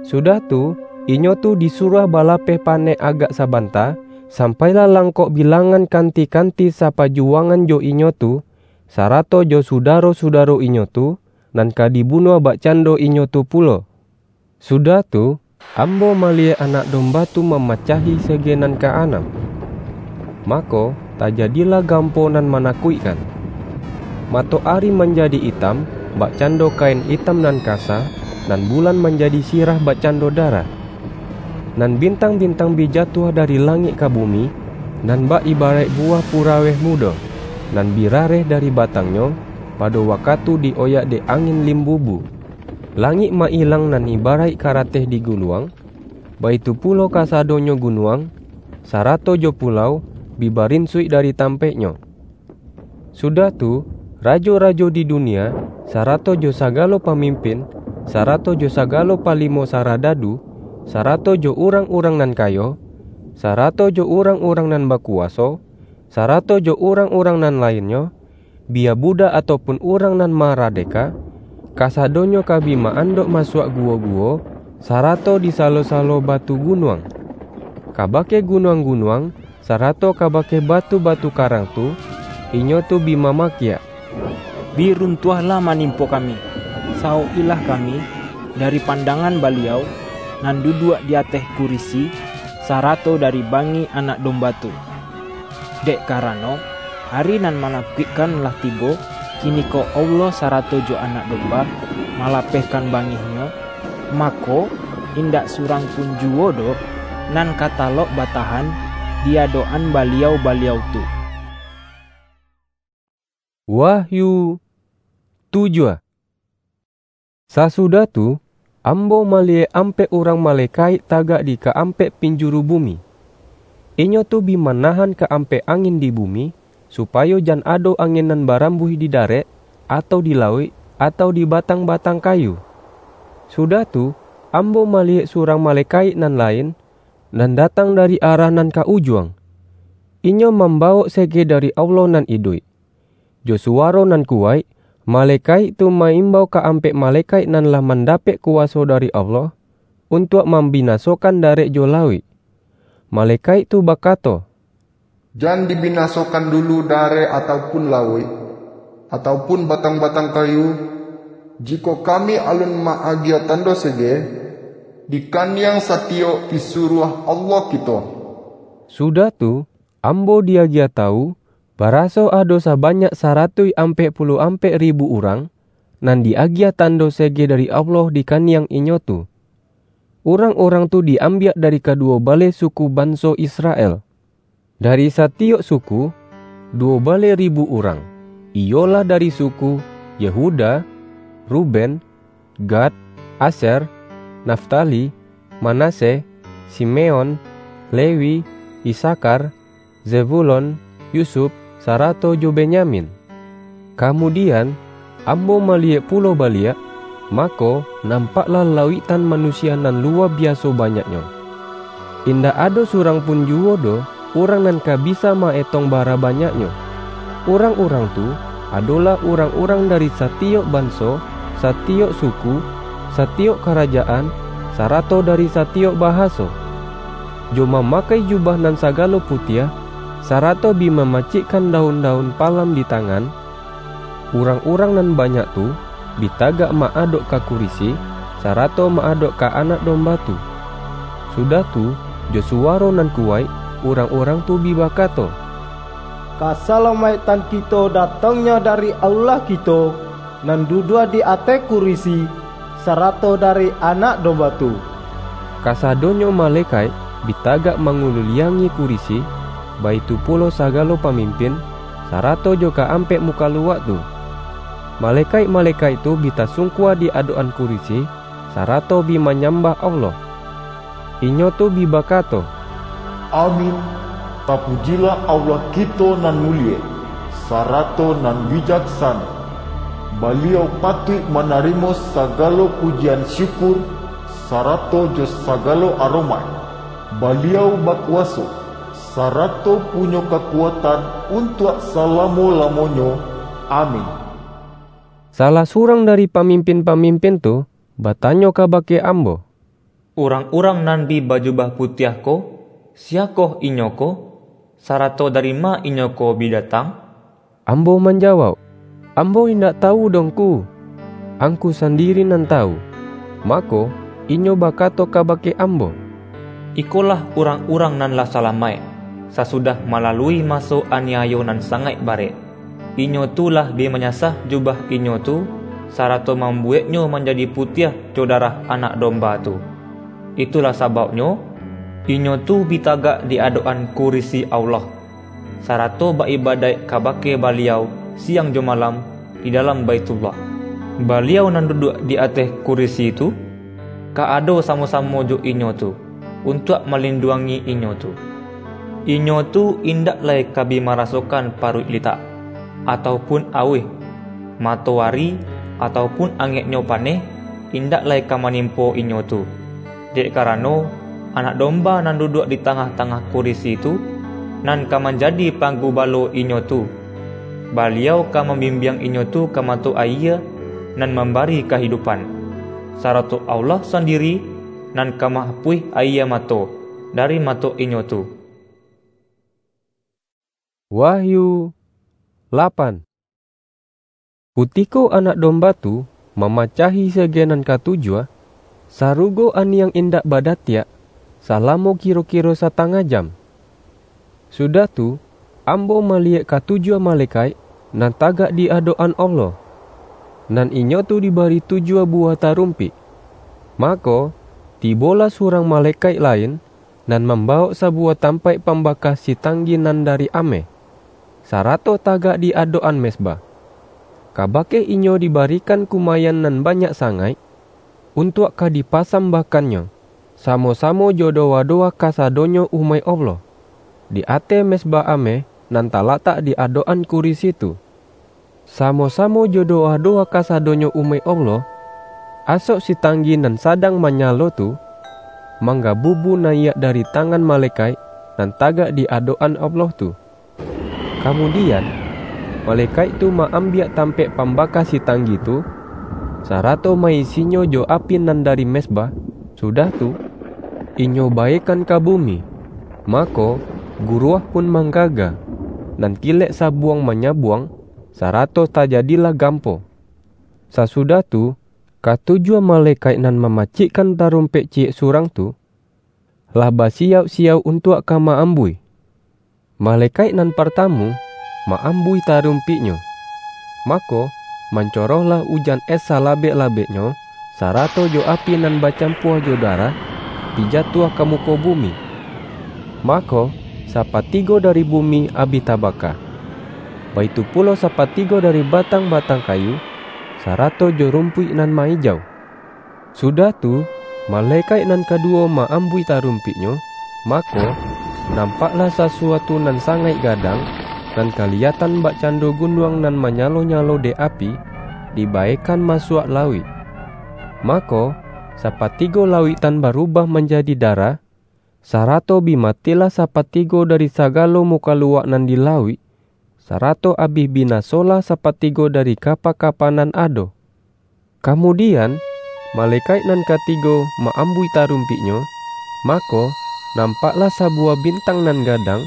Sudah tu, inyo tu disuruah balapeh panek agak sabanta, sampai lah langkok bilangan kanti-kanti sapajuwangan jo inyo tu, sarato jo sudaro-sudaro inyo tu, nan ka dibunuah bakcando inyo tu pulo. Sudah tu, ambo maliyek Anak Domba tu mamacahi sege nan ka-anam. Mako, tajadilah gampo nan manakuikkan. Matoari manjadi itam, bakcando kain itam nan kasa, nan bulan manjadi sirah bakcando darah. Nan bintang-bintang bi jatuah dari langik ka bumi, nan bak ibaraik buwah puraweh mudo, nan bi rareh dari batangnyo, pado wakatu di-oyak dek angin limbubu. Langik mailang nan ibaraik karateh diguluang, baitu pulo kasadonyo gunuang, sarato jo pulau, bi barinsuik dari tampaiknyo. Sudah tu, rajo-rajo di dunia, sarato jo sagalo pamimpin, sarato jo sagalo palimo saradadu, sarato jo urang-urang nan kayo, sarato jo urang-urang nan bakuwaso, sarato jo urang-urang nan lainnyo, bia budak ataupun urang nan maradeka, kasadonyo ka bi ma-andok masuak guwo-guwo, sarato di salo-salo batu gunuang. Kabake gunuang-gunuang, sarato kabake batu-batu karang tu, inyo tu bi mamakiak, "Bi runtuahlah manimpo kami, saukilah kami, dari pandangan Baliau nan duduak di ateh kurisi, sarato dari bangih Anak Domba tu. Dek karano, ari nan manakuikkan lah tibo, kiniko Allah sarato jo Anak Domba malapehkan bangih-Nyo, mako, indak surang pun juwo doh nan ka talok batahan di adok-an baliau-baliau tu." Wahyu tujuah. Sasudah tu, ambo maliyek ampek urang malekaik tagak di kaampek pinjuru bumi. Inyo tu bi manahan kaampek angin di bumi, supayo jan ado angin nan barambuih di darek, atau di lauik, atau di batang-batang kayu. Sudah tu, ambo maliyek surang malekaik nan lain, nan datang dari arah nan ka ujuang. Inyo mambawok sege dari Allah nan iduik. Jo suwaro nan kuwaik, malekaik tu ma-imbau kaampek malekaik nan lah mandapek kuwaso dari Allah, untuak mambinasokan darek jo lauik. Malekaik tu bakato, "Jan dibinasokan dulu darek ataupun lauik, ataupun batang-batang kayu, jikok kami alun ma-agiah tando sege, di kaniang satiyok pisuruah Allah kito." Sudah tu, ambo diagiah tawu, baraso ado sabanyak saratuih ampek puluah ampek ribu urang, nan diagiah tando sege dari Allah di kaniang inyo tu. Urang-urang tu diambiak dari kaduwo baleh suku banso Israel. Dari satiyok suku, duwo baleh ribu urang, iyolah dari suku Yehuda, Ruben, Gad, Aser, Naftali, Manasye, Simeon, Lewi, Isakhar, Zebulon, Yusuf, sarato jo Benyamin. Kamudian, ambo maliyek pulo baliak, mako, nampaklah lauiktan manusia nan luwa biaso banyaknyo. Indak ado surang pun juwo doh urang nan ka bisa ma-etong bara banyaknyo. Urang-urang tu adolah urang-urang dari satiyok banso, satiyok suku, satiyok karajaan, sarato dari satiyok bahaso. Jo mamakai jubah nan sagalo putiah, sarato bi mamacikkan daun-daun palam di tangan, urang-urang nan banyak tu bi tagak ma-adok ka kurisi, sarato ma-adok ka Anak Domba tu. Sudah tu, jo suwaro nan kuwaik, urang-urang tu bi bakato, "Kasalamaiktan kito datangnyo dari Allah kito, nan duduak di ateh kurisi, sarato dari Anak Domba tu." Kasadonyo malekaik bi tagak manguliliangi kurisi, baitu pulo sagalo pamimpin, sarato jo kaampek mukaluak tu. Malekaik-malekaik tu bi tasungkua di adok-an kurisi, sarato bi manyambah Allah. Inyo tu bi bakato, "Amin! Tapujilah Allah kito nan mulie, sarato nan bijaksano. Baliau patuik manarimo sagalo pujian syukur, sarato jo sagalo aromaik. Baliau bakuwaso, sarato punyo kakuatan untuak salamo-lamonyo. Amin." Salah surang dari pamimpin-pamimpin tu batanyo kabake ambo, "Urang-urang nan bi bajubah putiah ko, siyakoh inyo ko, sarato dari ma inyo ko bi datang?" Ambo manjawauk, "Ambo indak tawu doh, Ngku. Angku sandiri nan tawu." Mako, inyo bakato kabake ambo, "Ikolah urang-urang nan lah salamaik, sasudah malalui maso aniayo nan sangaik barek. Inyo tu lah bi manyasah jubah inyo tu, sarato mambuweknyo manjadi putiah jo darah Anak Domba tu. Itulah sabauknyo, inyo tu bi tagak di adok-an kurisi Allah, sarato ba-ibadaik kabake Baliau siang jo malam di dalam Baithullah. Baliau nan duduak di ateh kurisi tu, ka ado samo-samo jo inyo tu, untuak malinduangi inyo tu. Inyo tu indak lai ka bi marasokan paruik litak, atau pun auih, matoari, atau pun angeknyo paneh, indak lai ka manimpo inyo tu. Dek karano, Anak Domba nan duduak di tangah-tangah kurisi tu, nan ka manjadi panggubalo inyo tu. Baliau ka mambimbiang inyo tu ka mato ayie nan mambari kahidupan, sarato Allah sandiri nan ka mahapuih ayie mato dari mato inyo tu." Wahyu lapan. Kutiko Anak Domba tu mamacahi sege nan katujuah, sarugo aniang indak badatiak salamo kiro-kiro satangah jam. Sudah tu, ambo maliyek katujuah malekaik nan tagak di adok-an Allah, nan inyo tu dibari tujuah buwah tarumpik. Mako, tibolah surang malekaik lain, nan mambawok sabuwah tampaik pambaka sitanggi nan dari ameh, sarato tagak di adok-an mezbah. Kabake inyo dibarikan kumayan nan banyak sangaik, untuak ka dipasambahkannyo, samo-samo jo dowa-dowa kasadonyo umaik Allah, di ateh mezbah ameh nan talatak di adok-an kurisi tu. Samo-samo jo dowa-dowa kasadonyo umaik Allah, asok sitanggi nan sadang manyalo tu, manggabubu nayiak dari tangan malekaik nan tagak di adok-an Allah tu. Kamudian, malekaik tu ma-ambiak tampaik pambaka sitanggi tu, sarato ma-isinyo jo api nan dari mezbah, sudah tu, inyo baekan ka bumi. Mako, guruah pun manggaga, nan kilek sabuang manyabuang, sarato tajadilah gampo. Sasudah tu, katujuah malekaik nan mamacikkan tarumpek ciyek surang tu, lah basiyauk-siyauk untuak ka ma-ambuih. Malekaik nan partamu ma-ambuih tarumpiknyo, mako, mancorohlah ujan es salabek-labeknyo, sarato jo api nan bacampua jo darah, bi jatuah ka muko bumi. Mako, sapatigo dari bumi abih tabaka. Baitu pulo sapatigo dari batang-batang kayu, sarato jo rumpuik nan ma-ijau. Sudah tu, malekaik nan kaduwo ma-ambuih tarumpiknyo, mako, nampaklah sasuatu nan sangaik gadang, nan kaliyatan bakcando gunuang nan manyalo-nyalo dek api, dibaekan masuak lauik. Mako, sapatigo lauik tan barubah manjadi darah, sarato bi matilah sapatigo dari sagalo mukaluak nan di lauik, sarato abih binasolah sapatigo dari kapa-kapa nan ado. Kamudian, malekaik nan katigo ma-ambuih tarumpiknyo, mako, nampaklah sabuwah bintang nan gadang,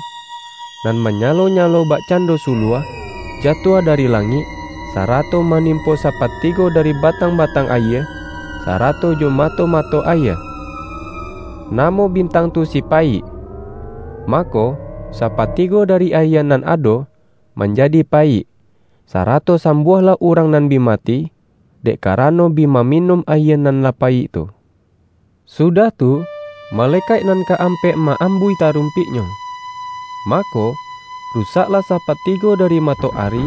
nan manyalo-nyalo bakcando suluah, jatuah dari langik, sarato manimpo sapatigo dari batang-batang ayie, sarato jo mato-mato ayie. Namo bintang tu si Payik. Mako, sapatigo dari ayie nan ado manjadi payik, sarato sambuahlah urang nan bi mati, dek karano bi maminum ayie nan lah payik tu. Sudah tu, malekaik nan kaampek ma-ambuih tarumpiknyo. Mako, rusaklah sapatigo dari matoari,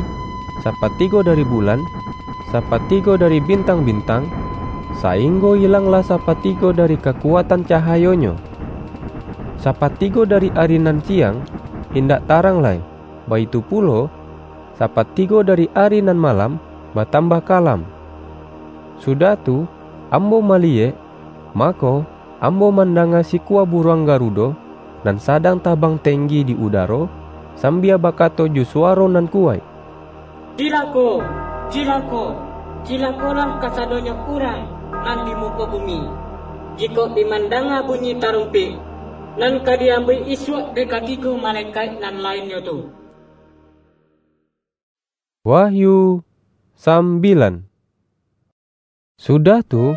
sapatigo dari bulan, sapatigo dari bintang-bintang, sainggo ilanglah sapatigo dari kakuatan cahayonyo. Sapatigo dari ari nan siang indak tarang lai, baitu pulo, sapatigo dari ari nan malam batambah kalam. Sudah tu, ambo maliyek, mako, ambo mandanga sikua buruang garudo, nan sadang tabang tenggi di udaro, sambia bakato jo suwaro nan kuwaik, "Cilako! Cilako! Cilakolah kasadonyo urang nan di muko bumi, jikok bi mandanga bunyi tarumpik, nan ka di-ambiak isuak dek katigo malekaik nan lainnyo tu." Wahyu sambilan. Sudah tu,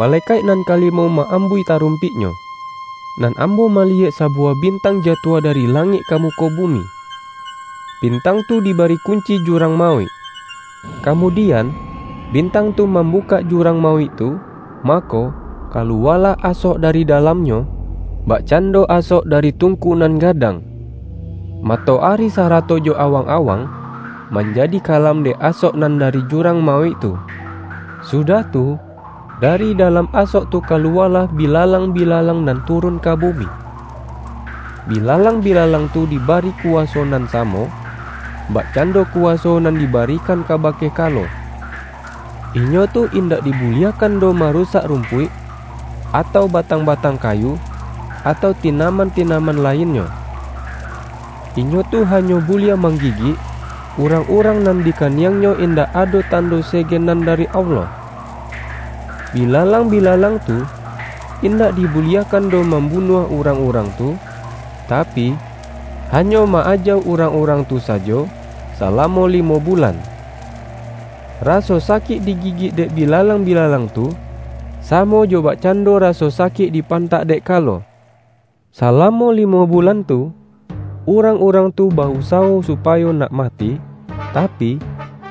malekaik nan kalimo ma-ambuih tarumpiknyo, nan ambo maliyek sabuwah bintang jatuah dari langik ka muko bumi. Bintang tu dibari kunci jurang mauik. Kamudian, bintang tu mambukak jurang mauik tu, mako, kaluwalah asok dari dalamnyo, bakcando asok dari tungku nan gadang. Matoari sarato jo awang-awang manjadi kalam dek asok nan dari jurang mauik tu. Sudah tu, dari dalam asok tu kaluwalah bilalang-bilalang nan turun ka bumi. Bilalang-bilalang tu dibari kuwaso nan samo, bakcando kuwaso nan dibarikan kabake kalo. Inyo tu indak dibuliahkan doh marusak rumpuik, atau batang-batang kayu, atau tinaman-tinaman lainnyo. Inyo tu hanyo buliah manggigik urang-urang nan di kaniangnyo indak ado tando segenan dari Allah. Bilalang-bilalang tu indak dibuliahkan doh mambunuah urang-urang tu, tapi, hanyo ma-aja urang-urang tu sajo salamo limo bulan. Raso sakik digigik dek bilalang-bilalang tu, samo jo bakcando raso sakik dipantak dek kalo. Salamo limo bulan tu, urang-urang tu ba-usawo supayo nak mati, tapi,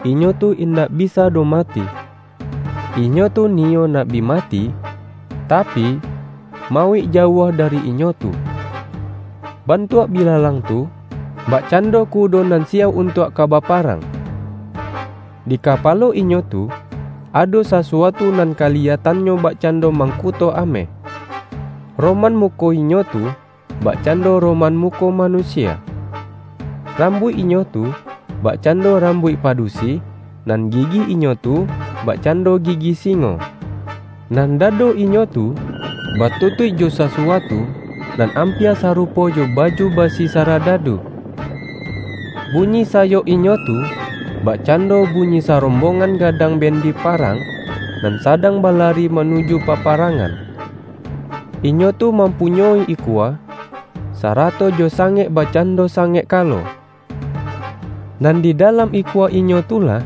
inyo tu indak bisa doh mati. Inyo tu niyo nak bi mati, tapi, mauik jauah dari inyo tu. Bantuak bilalang tu, bakcando kudo nan siap untuak ka baparang. Di kapalo inyo tu, ado sasuatu nan kaliyatannyo bakcando mangkuto ameh. Roman muko inyo tu, bakcando roman muko manusia. Rambuik inyo tu, bakcando rambuik padusi, nan gigi inyo tu, bakcando gigi singo. Nan dado inyo tu, batutuik jo sasuatu, nan ampia sarupo jo baju basi saradadu. Bunyi sayok inyo tu, bakcando bunyi sarombongan gadang bandi parang, nan sadang balari manuju paparangan. Inyo tu mampunyoi ikua, sarato jo sangek bakcando sangek kalo. Nan di dalam ikua inyo tu lah,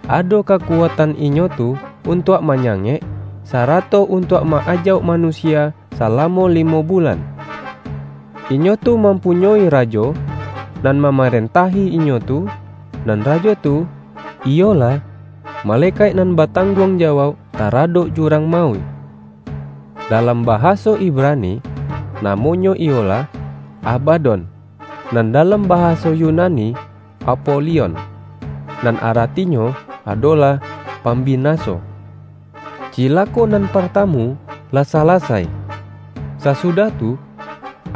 ado kakuatan inyo tu untuak manyangek, sarato untuak ma-ajauk manusia salamo limo bulan. Inyo tu mampunyoi rajo, nan mamarentahi inyo tu, nan rajo tu, iyolah, malekaik nan batangguang jawauk taradok jurang mauik. Dalam bahaso Ibrani, namonyo iyolah Abadon, nan dalam bahaso Yunani Apolion, nan aratinyo adolah pambinaso. Cilako nan partamu lah salasai. Sasudah tu,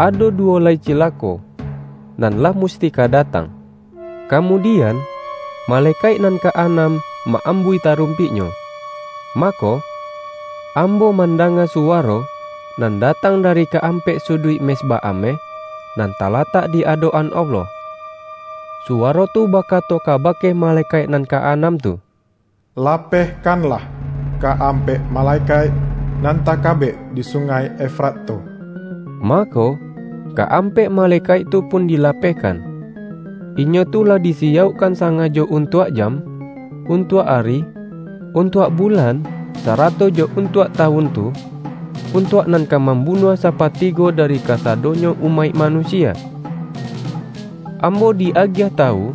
ado duwo lai cilako, nan lah musti ka datang. Kamudian, malekaik nan kaanam ma-ambuih tarumpiknyo. Mako, ambo mandanga suwaro nan datang dari kaampek suduik mezbah ameh nan talatak di adok-an Allah. Suwaro tu bakato kabake malekaik nan kaanam tu, "Lapehkanlah kaampek malekaik nan takabek di Sungai Efrat tu." Mako, kaampek malekaik tu pun dilapehkan. Inyo tu lah disiyaukkan sangajo untuak jam, untuak ari, untuak bulan, sarato jo untuak tawun tu, untuak nan ka mambunuah sapatigo dari kasadonyo umaik manusia. Ambo di-agiah tawu,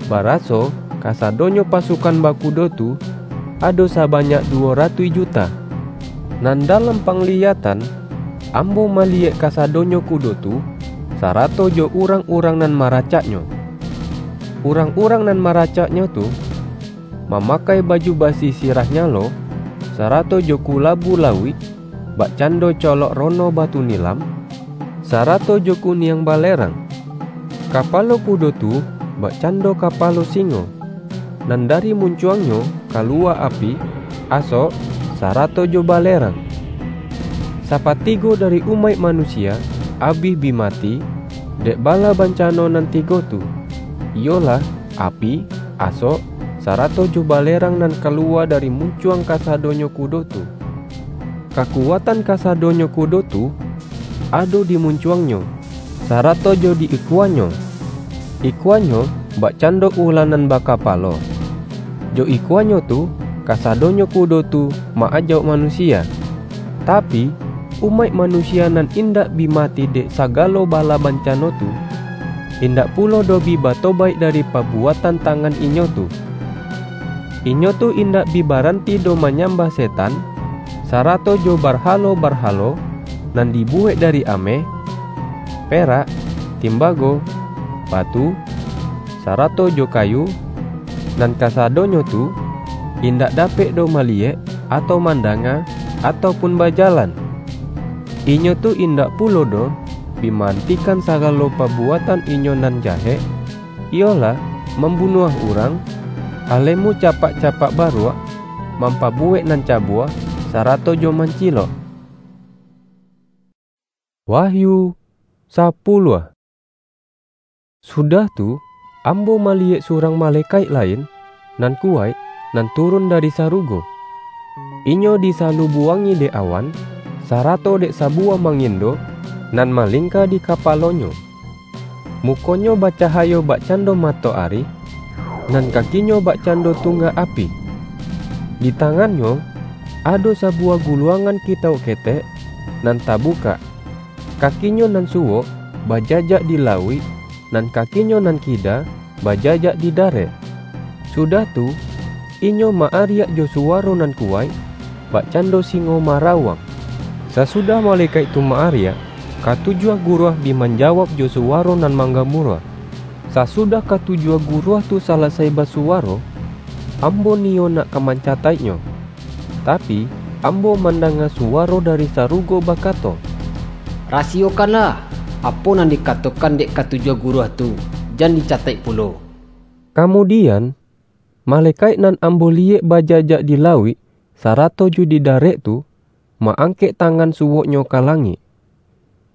baraso kasadonyo pasukan bakudo tu ado sabanyak duwo ratuih juta. Nan dalam pangliyatan, ambo maliyek kasadonyo kudo tu, sarato jo urang-urang nan maracaknyo. Urang-urang nan maracaknyo tu, mamakai baju basi sirah nyalo, sarato jo kulabu lauik, bakcando colok rono batu nilam, sarato jo kuniang balerang. Kapalo kudo tu bakcando kapalo singo, nan dari muncuangnyo kalua api, asok, sarato jo balerang. Sapatigo dari umaik manusia abih bi mati dek bala bancano nan tigo tu, iyolah, api, asok, sarato jo balerang nan kalua dari muncuang kasadonyo kudo tu. Kakuatan kasadonyo kudo tu ado di muncuangnyo, sarato jo di ikuanyo. Ikuanyo bakcando ulah nan bakapalo. Jo ikuanyo tu, kasadonyo kudo tu ma-ajauk manusia. Tapi, umaik manusia nan indak bi mati dek sagalo bala bancano tu, indak pulo doh bi batobaik dari pabuatan tangan inyo tu. Inyo tu indak bi baranti doh manyambah setan, sarato jo barhalo-barhalo nan dibuwek dari ameh, perak, timbago, batu, sarato jo kayu, nan kasadonyo tu indak dapek doh maliyek, atau mandanga, atau pun bajalan. Inyo tu indak pulo doh bi maantikan sagalo pabuatan inyo nan jahek, iyolah, mambunuah urang, alemu capak-capak baruak, mampabuwek nan cabuah, sarato jo mancilok. Wahyu sapuluah. Sudah tu, ambo maliyek surang malekaik lain, nan kuwaik, nan turun dari sarugo. Inyo disalubuangi dek awan, sarato dek sabuwah mangindo nan malingka di kapalonyo. Mukonyo bacahayo bakcando matoari, nan kakinyo bakcando tunggak api. Di tangannyo ado sabuwah guluangan kitauk ketek nan tabukak. Kakinyo nan suwok bajajak di lauik, nan kakinyo nan kida bajajak di darek. Sudah tu, inyo ma-ariak jo suwaro nan kuwaik, bakcando singo marawang. Sasudah malekaik tu ma-ariak, katujuah guruah bi manjawab jo suwaro nan manggamuruah. Sasudah katujuah guruah tu salasai basuwaro, ambo niyo nak ka mancataiknyo. Tapi, ambo mandanga suwaro dari sarugo bakato, "Rasiyokanlah, apo nan dikatokan dek katujuah guruah tu, jan dicataik pulo." Kamudian, malekaik nan ambo liyek bajajak di lauik, sarato jo di darek tu, ma-angkek tangan suwoknyo ka langik.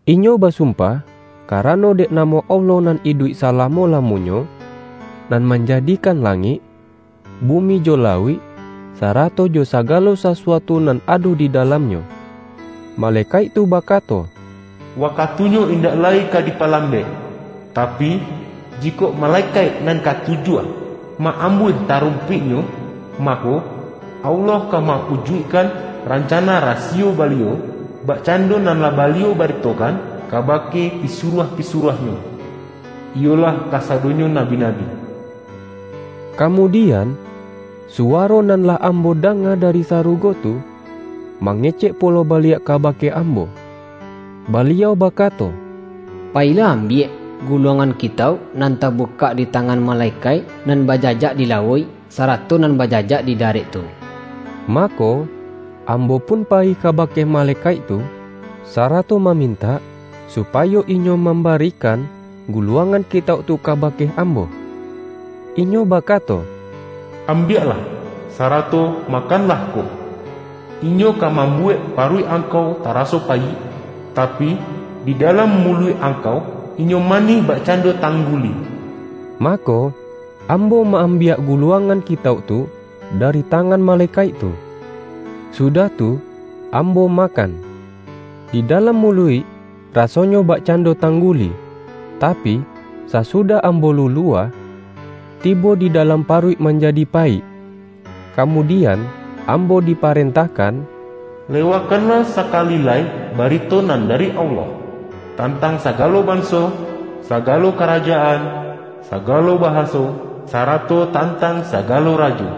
Inyo basumpah, karano dek namo Allah nan iduik salamo-lamonyo, nan manjadikan langik, bumi jo lauik, sarato jo sagalo sasuatu nan ado di dalamnyo. Malekaik tu bakato, "Wakatunyo indak lai ka dipalambek, tapi, jikok malekaik nan katujuah ma-ambuih tarumpiknyo, mako, Allah ka maujuikkan rancana rasiyo Baliau, bakcando nan lah Baliau baritokan kabake pisuruah-pisuruah-Nyo, iyolah kasadonyo nabi-nabi." Kamudian, suwaro nan lah ambo danga dari sarugo tu, mangecek pulo baliak kabake ambo. Baliau bakato, "Payilah ambiak guluangan kitauk nan tabukak di tangan malekaik nan bajajak di lauik, sarato nan bajajak di darek tu." Mako, ambo pun payi kabake malekaik tu, sarato mamintak supayo inyo mambarikan guluangan kitauk tu kabake ambo. Inyo bakato, "Ambiaklah, sarato makanlah ko. Inyo ka mambuwek paruik angkau taraso payik, tapi, di dalam muluik angkau, inyo manih bakcando tangguli." Mako, ambo ma-ambiak guluangan kitauk tu dari tangan malekaik tu. Sudah tu, ambo makan. Di dalam muluik, rasonyo bakcando tangguli, tapi, sasudah ambo lulua, tibo di dalam paruik manjadi payik. Kamudian, ambo diparentahkan, "Lewakanlah sakali lai barito nan dari Allah, tantang sagalo banso, sagalo karajaan, sagalo bahaso, sarato tantang sagalo rajo."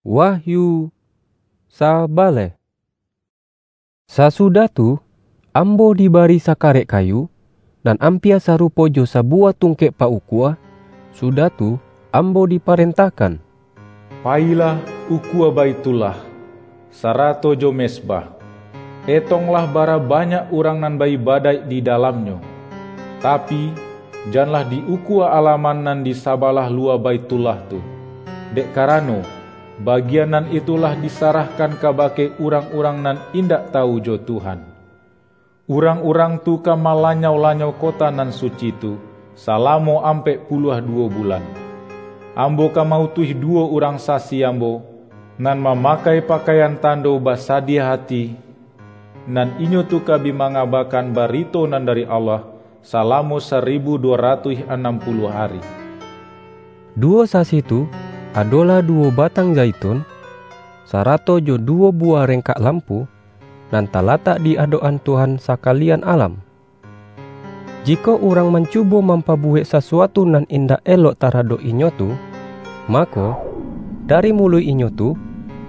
Wahyu sabaleh. Sasudah tu, ambo dibari sakarek kayu, nan ampia sarupo jo sabuwah tungkek paukua, sudah tu, ambo diparentahkan, "Payilah ukua Baithullah, sarato jo mezbah. Etonglah bara banyak urang nan ba-ibadaik di dalamnyo. Tapi, janlah di-ukua alaman nan di sabalah luwa Baithullah tu, dek karano, bagian nan itu lah disarahkan kabake urang-urang nan indak tawu jo Tuhan. Urang-urang tu ka malanyau-lanyau kota nan suci tu, salamo ampek puluah duwo bulan. Ambo ka ma-utuih duwo urang sasi ambo, nan mamakai pakaian tando basadiah ati, nan inyo tu ka bi mangabakan barito nan dari Allah, salamo saribu duwo ratuih anam puluah ari." Duwo sasi tu adolah duwo batang zaitun, sarato jo duwo buwah rengkak lampu, nan talatak di adok-an Tuhan sakalian alam. Jikok urang mancubo mampabuwek sasuatu nan indak elok taradok inyo tu, mako, dari muluik inyo tu,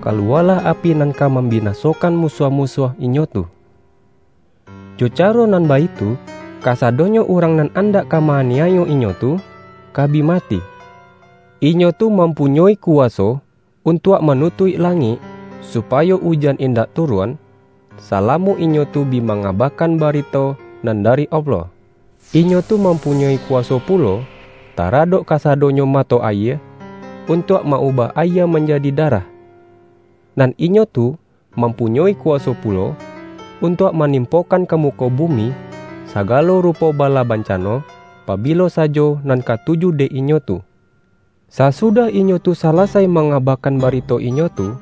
kaluwalah api nan ka mambinasokan musuah-musuah inyo tu. Jo caro nan baitu, kasadonyo urang nan andak ka ma-aniayo inyo tu, ka bi mati. Inyo tu mampunyoi kuwaso untuak manutuik langik, supayo ujan indak turun, salamo inyo tu bi mangabakan barito nan dari Allah. Inyo tu mampunyoi kuwaso pulo taradok kasadonyo mato ayie, untuak ma-ubah ayie manjadi darah. Nan inyo tu mampunyoi kuwaso pulo untuak manimpokan ka muko bumi sagalo rupo bala bancano, pabilo sajo nan katuju dek inyo tu. Sasudah inyo tu salasai mangabakan barito inyo tu,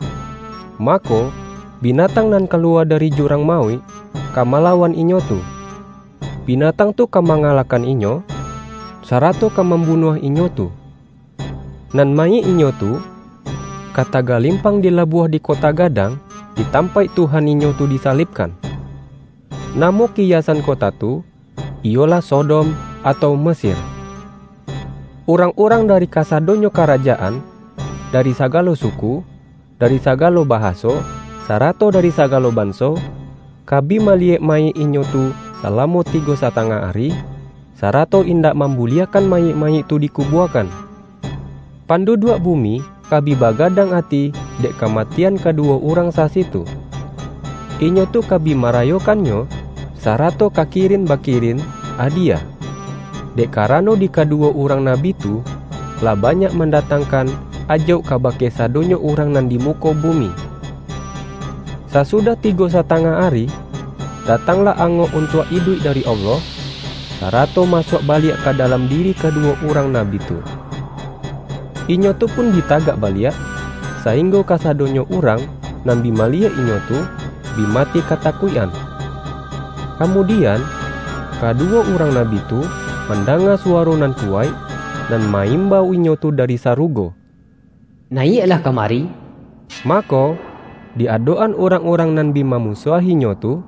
mako, binatang nan kaluwa dari jurang mauik ka malawan inyo tu. Binatang tu ka mangalahkan inyo, sarato ka mambunuah inyo tu. Nan mayik inyo tu ka tagalimpang di labuah di kota gadang, di tampaik Tuhan inyo tu disalibkan. Namo kiyasan kota tu, iyolah Sodom atau Mesir. Urang-urang dari kasadonyo karajaan, dari sagalo suku, dari sagalo bahaso, sarato dari sagalo banso, ka bi maliyek mayik inyo tu salamo tigo satangah ari, sarato indak mambuliahkan mayik-mayik tu dikubuakan. Panduduak bumi ka bi bagadang ati dek kamatian kaduwo urang sasi tu. Inyo tu ka bi marayokannyo, sarato ka kirin-bakirin adiyah, dek karano di kaduwo urang nabi tu lah banyak mandatangkan ajauk kabake sadonyo urang nan di muko bumi. Sasudah tigo satangah ari, datanglah angok untuak iduik dari Allah, sarato masuak baliak ka dalam diri kaduwo urang nabi tu. Inyo tu pun bi tagak baliak, sainggo kasadonyo urang nan bi maliyek inyo tu, bi mati katakuik-an. Kamudian, kaduwo urang nabi tu mandanga suwaro nan kuwaik, nan ma-imbau inyo tu dari sarugo, "Nayiaklah kamari!" Mako, di adok-an urang-urang nan bi mamusuahinyo tu,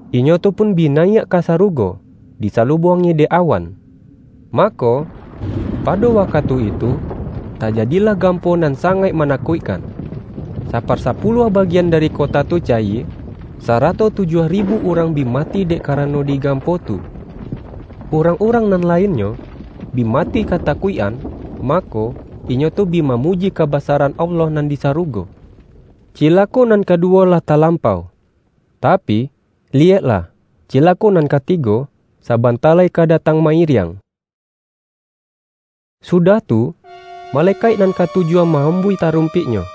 inyo tu pun bi nayiak ka sarugo, disalubuangi dek awan. Mako, pado wakatu itu, tajadilah gampo nan sangaik manakuikkan. Saparsapuluah bagian dari kota tu cayie, sarato tujuah ribu urang bi mati dek karano di gampo tu. Urang-urang nan lainnyo bi mati katakuik-an, mako, inyo tu bi mamuji kabasaran Allah nan di sarugo. Cilako nan kaduwo lah talampau. Tapi, liyeklah, cilako nan katigo sabanta lai ka datang mairiang. Sudah tu, malekaik nan katujuah ma-ambuih tarumpiknyo.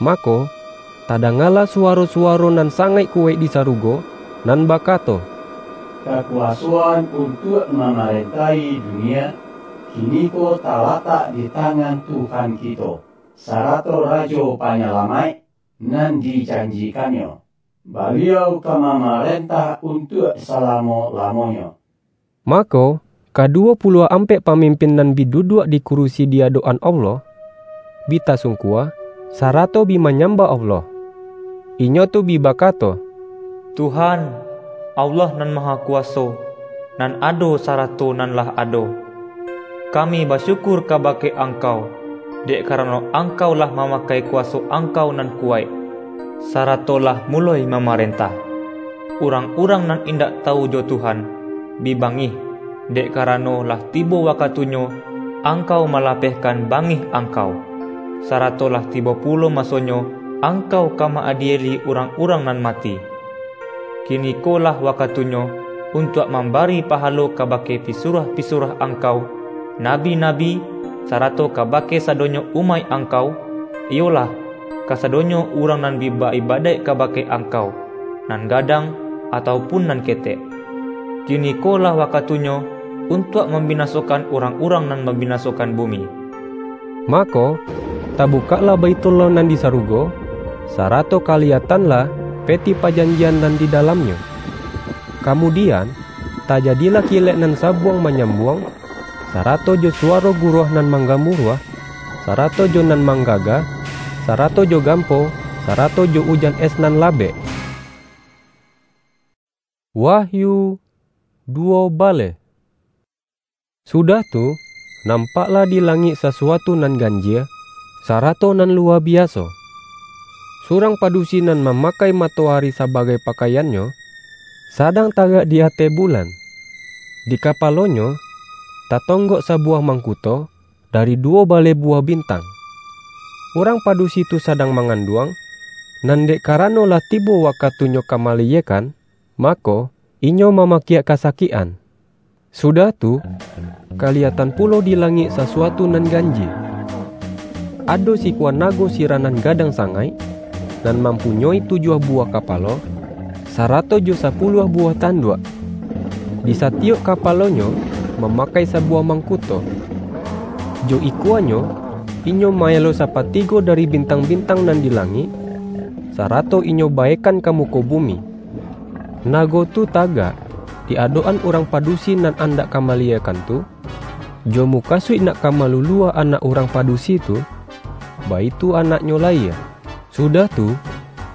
Mako, tadangalah suwaro-suwaro nan sangaik kuwaik di sarugo, nan bakato, "Kakuwasoan untuak mamarentahi dunia, kiniko talatak di tangan Tuhan kito, sarato Rajo Panyalamaik nan dijanjikan-Nyo. Baliau ka mamarentah untuak salamo-lamonyo." Mako, kaduwo puluah ampek pamimpin nan bi duduak di kurusi di adok-an Allah, bi tasungkua, sarato bi manyambah Allah. Inyo tu bi bakato, "Tuhan, Allah Nan Mahakuwaso, nan ado sarato nan lah ado. Kami basyukur kabake Angkau, dek karano Angkau lah mamakai kuwaso Angkau nan kuwaik, sarato lah muloi mamarentah. Urang-urang nan indak tawu jo Tuhan, bi bangih, dek karano lah tibo wakatunyo Angkau malapehkan bangih Angkau, sarato lah tibo pulo masonyo Angkau ka ma-adieli urang-urang nan mati. Kiniko lah wakatunyo untuak mambari pahalo kabake pisuruah-pisuruah Angkau, nabi-nabi, sarato kabake sadonyo umaik Angkau, iyolah, kasadonyo urang nan bi ba-ibadaik kabake Angkau, nan gadang, atau pun nan ketek. Kiniko lah wakatunyo untuak mambinasokan urang-urang nan mambinasokan bumi. Mako, tabukaklah Baithullah nan di sarugo, sarato kaliyatanlah Peti Pajanjian nan di dalamnyo. Kamudian, tajadilah kilek nan sabuang manyambuang, sarato jo suwaro guruah nan manggamuruah, sarato jo nan manggaga, sarato jo gampo, sarato jo ujan es nan labek. Wahyu duwo baleh. Sudah tu, nampaklah di langik sasuatu nan ganjie, sarato nan luwa biaso. Surang padusi nan mamakai matoari sabagai pakaiannyo, sadang tagak di ateh bulan. Di kapalonyo, tatonggok sabuwah mangkuto dari duwo baleh buwah bintang. Urang padusi tu sadang manganduang, nan dek karano lah tibo wakatunyo ka malayiakan, mako, inyo mamakiak kasakikan. Sudah tu, kaliyatan pulo di langik sasuatu nan ganjie. Ado sikua nago sirah nan gadang sangaik, nan mampunyoi tujuah buwah kapalo, sarato jo sapuluah buwah tanduak. Di satiyok kapalonyo mamakai sabuwah mangkuto. Jo ikuanyo, inyo maelo sapatigo dari bintang-bintang nan di langik, sarato inyo baekan ka muko bumi. Nago tu tagak di adok-an urang padusi nan andak ka malayiakan tu, jo mukasuik nak ka maluluah anak urang padusi tu, baitu anaknyo layie. Sudah tu,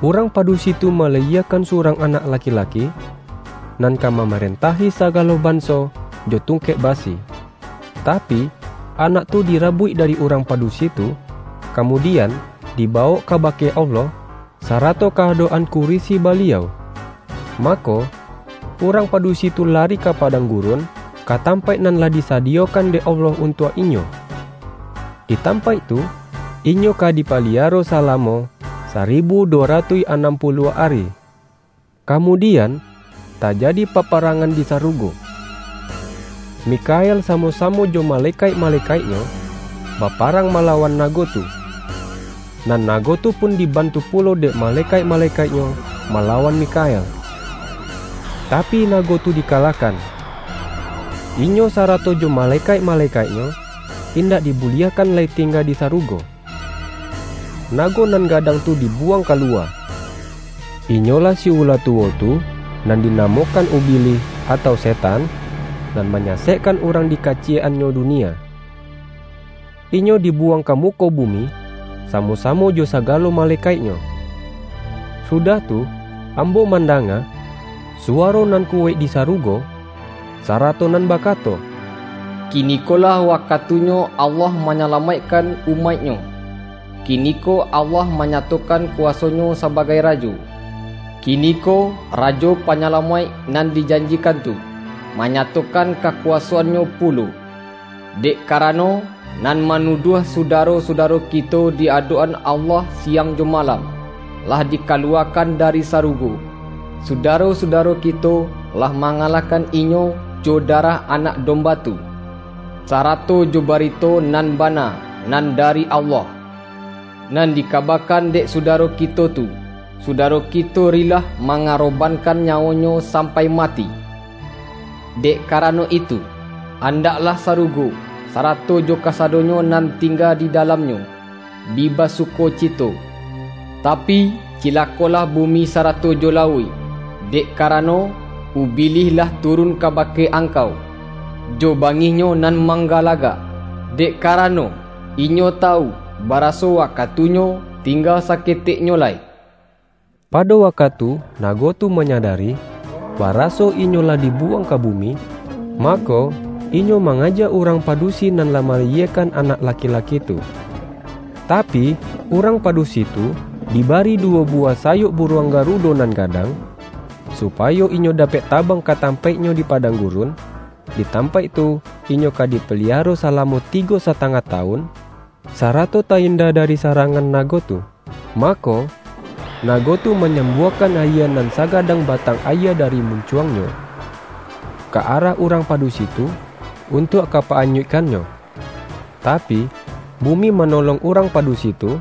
urang padusi tu malayiakan surang anak laki-laki, nan ka mamarentahi sagalo banso jo tungkek basi. Tapi, anak tu dirabuik dari urang padusi tu, kamudian, dibawok kabake Allah, sarato ka adok-an kurisi Baliau. Mako, urang padusi tu lari ka padang gurun, ka tampaik nan lah disadiyokan dek Allah untuak inyo. Di tampaik tu, inyo ka dipaliaro salamo saribu duwo ratuih anam puluah ari. Kamudian, tajadi paparangan di sarugo. Mikael samo-samo jo malekaik-malekaiknyo baparang malawan nago tu. Nan nago tu pun dibantu pulo dek malekaik-malekaiknyo malawan Mikael. Tapi, nago tu dikalahkan. Inyo sarato jo malekaik-malekaiknyo indak dibuliahkan lai tingga di sarugo. Nago nan gadang tu dibuwang kaluwa. Inyolah si ula tuwo tu, nan dinamokan Ubilih atau Setan, nan manyasekkan urang di kaciyek-annyo dunia. Inyo dibuwang ka muko bumi, samo-samo jo sagalo malekaiknyo. Sudah tu, ambo mandanga suwaro nan kuwaik di sarugo, sarato nan bakato, "Kinikolah wakatunyo Allah manyalamaikkan umaik-Nyo. Kiniko Allah manyatokan kuwaso-Nyo sabagai Rajo. Kiniko Rajo Panyalamaik nan dijanjikan tu, manyatokan kakuwasoan-Nyo pulo. Dek karano, nan manuduah sudaro-sudaro kito di adok-an Allah siang jo malam, lah dikaluwakan dari sarugo. Sudaro-sudaro kito lah mangalahkan inyo jo darah Anak Domba tu, sarato jo barito nan bana nan dari Allah, nan dikabakan dek sudaro kito tu. Sudaro kito rilah mangarobankan nyawonyo sampai mati. Dek karano itu, andaklah sarugo, sarato jo kasadonyo nan tingga di dalamnyo, bi basukocito. Tapi, cilakolah bumi sarato jo lauik, dek karano, Ubilih lah turun kabake angkau, jo bangihnyo nan manggalagak, dek karano, inyo tawu, baraso wakatunyo tingga saketeknyo lai." Pado wakatu nago tu manyadari, baraso inyo lah dibuwang ka bumi, mako, inyo mangaja urang padusi nan lah malayiakan anak laki-laki tu. Tapi, urang padusi tu dibari duwo buwah sayok buruang garudo nan gadang, supayo inyo dapek tabang ka tampaiknyo di padang gurun, di tampaik tu inyo ka dipaliaro salamo tigo satangah tawun, sarato tainda dari sarangan nago tu. Mako, nago tu manyambuakan ayie nan sagadang batang ayie dari muncuangnyo, ka arah urang padusi tu, untuak ka pa-anyuikkannyo. Tapi, bumi manolong urang padusi tu,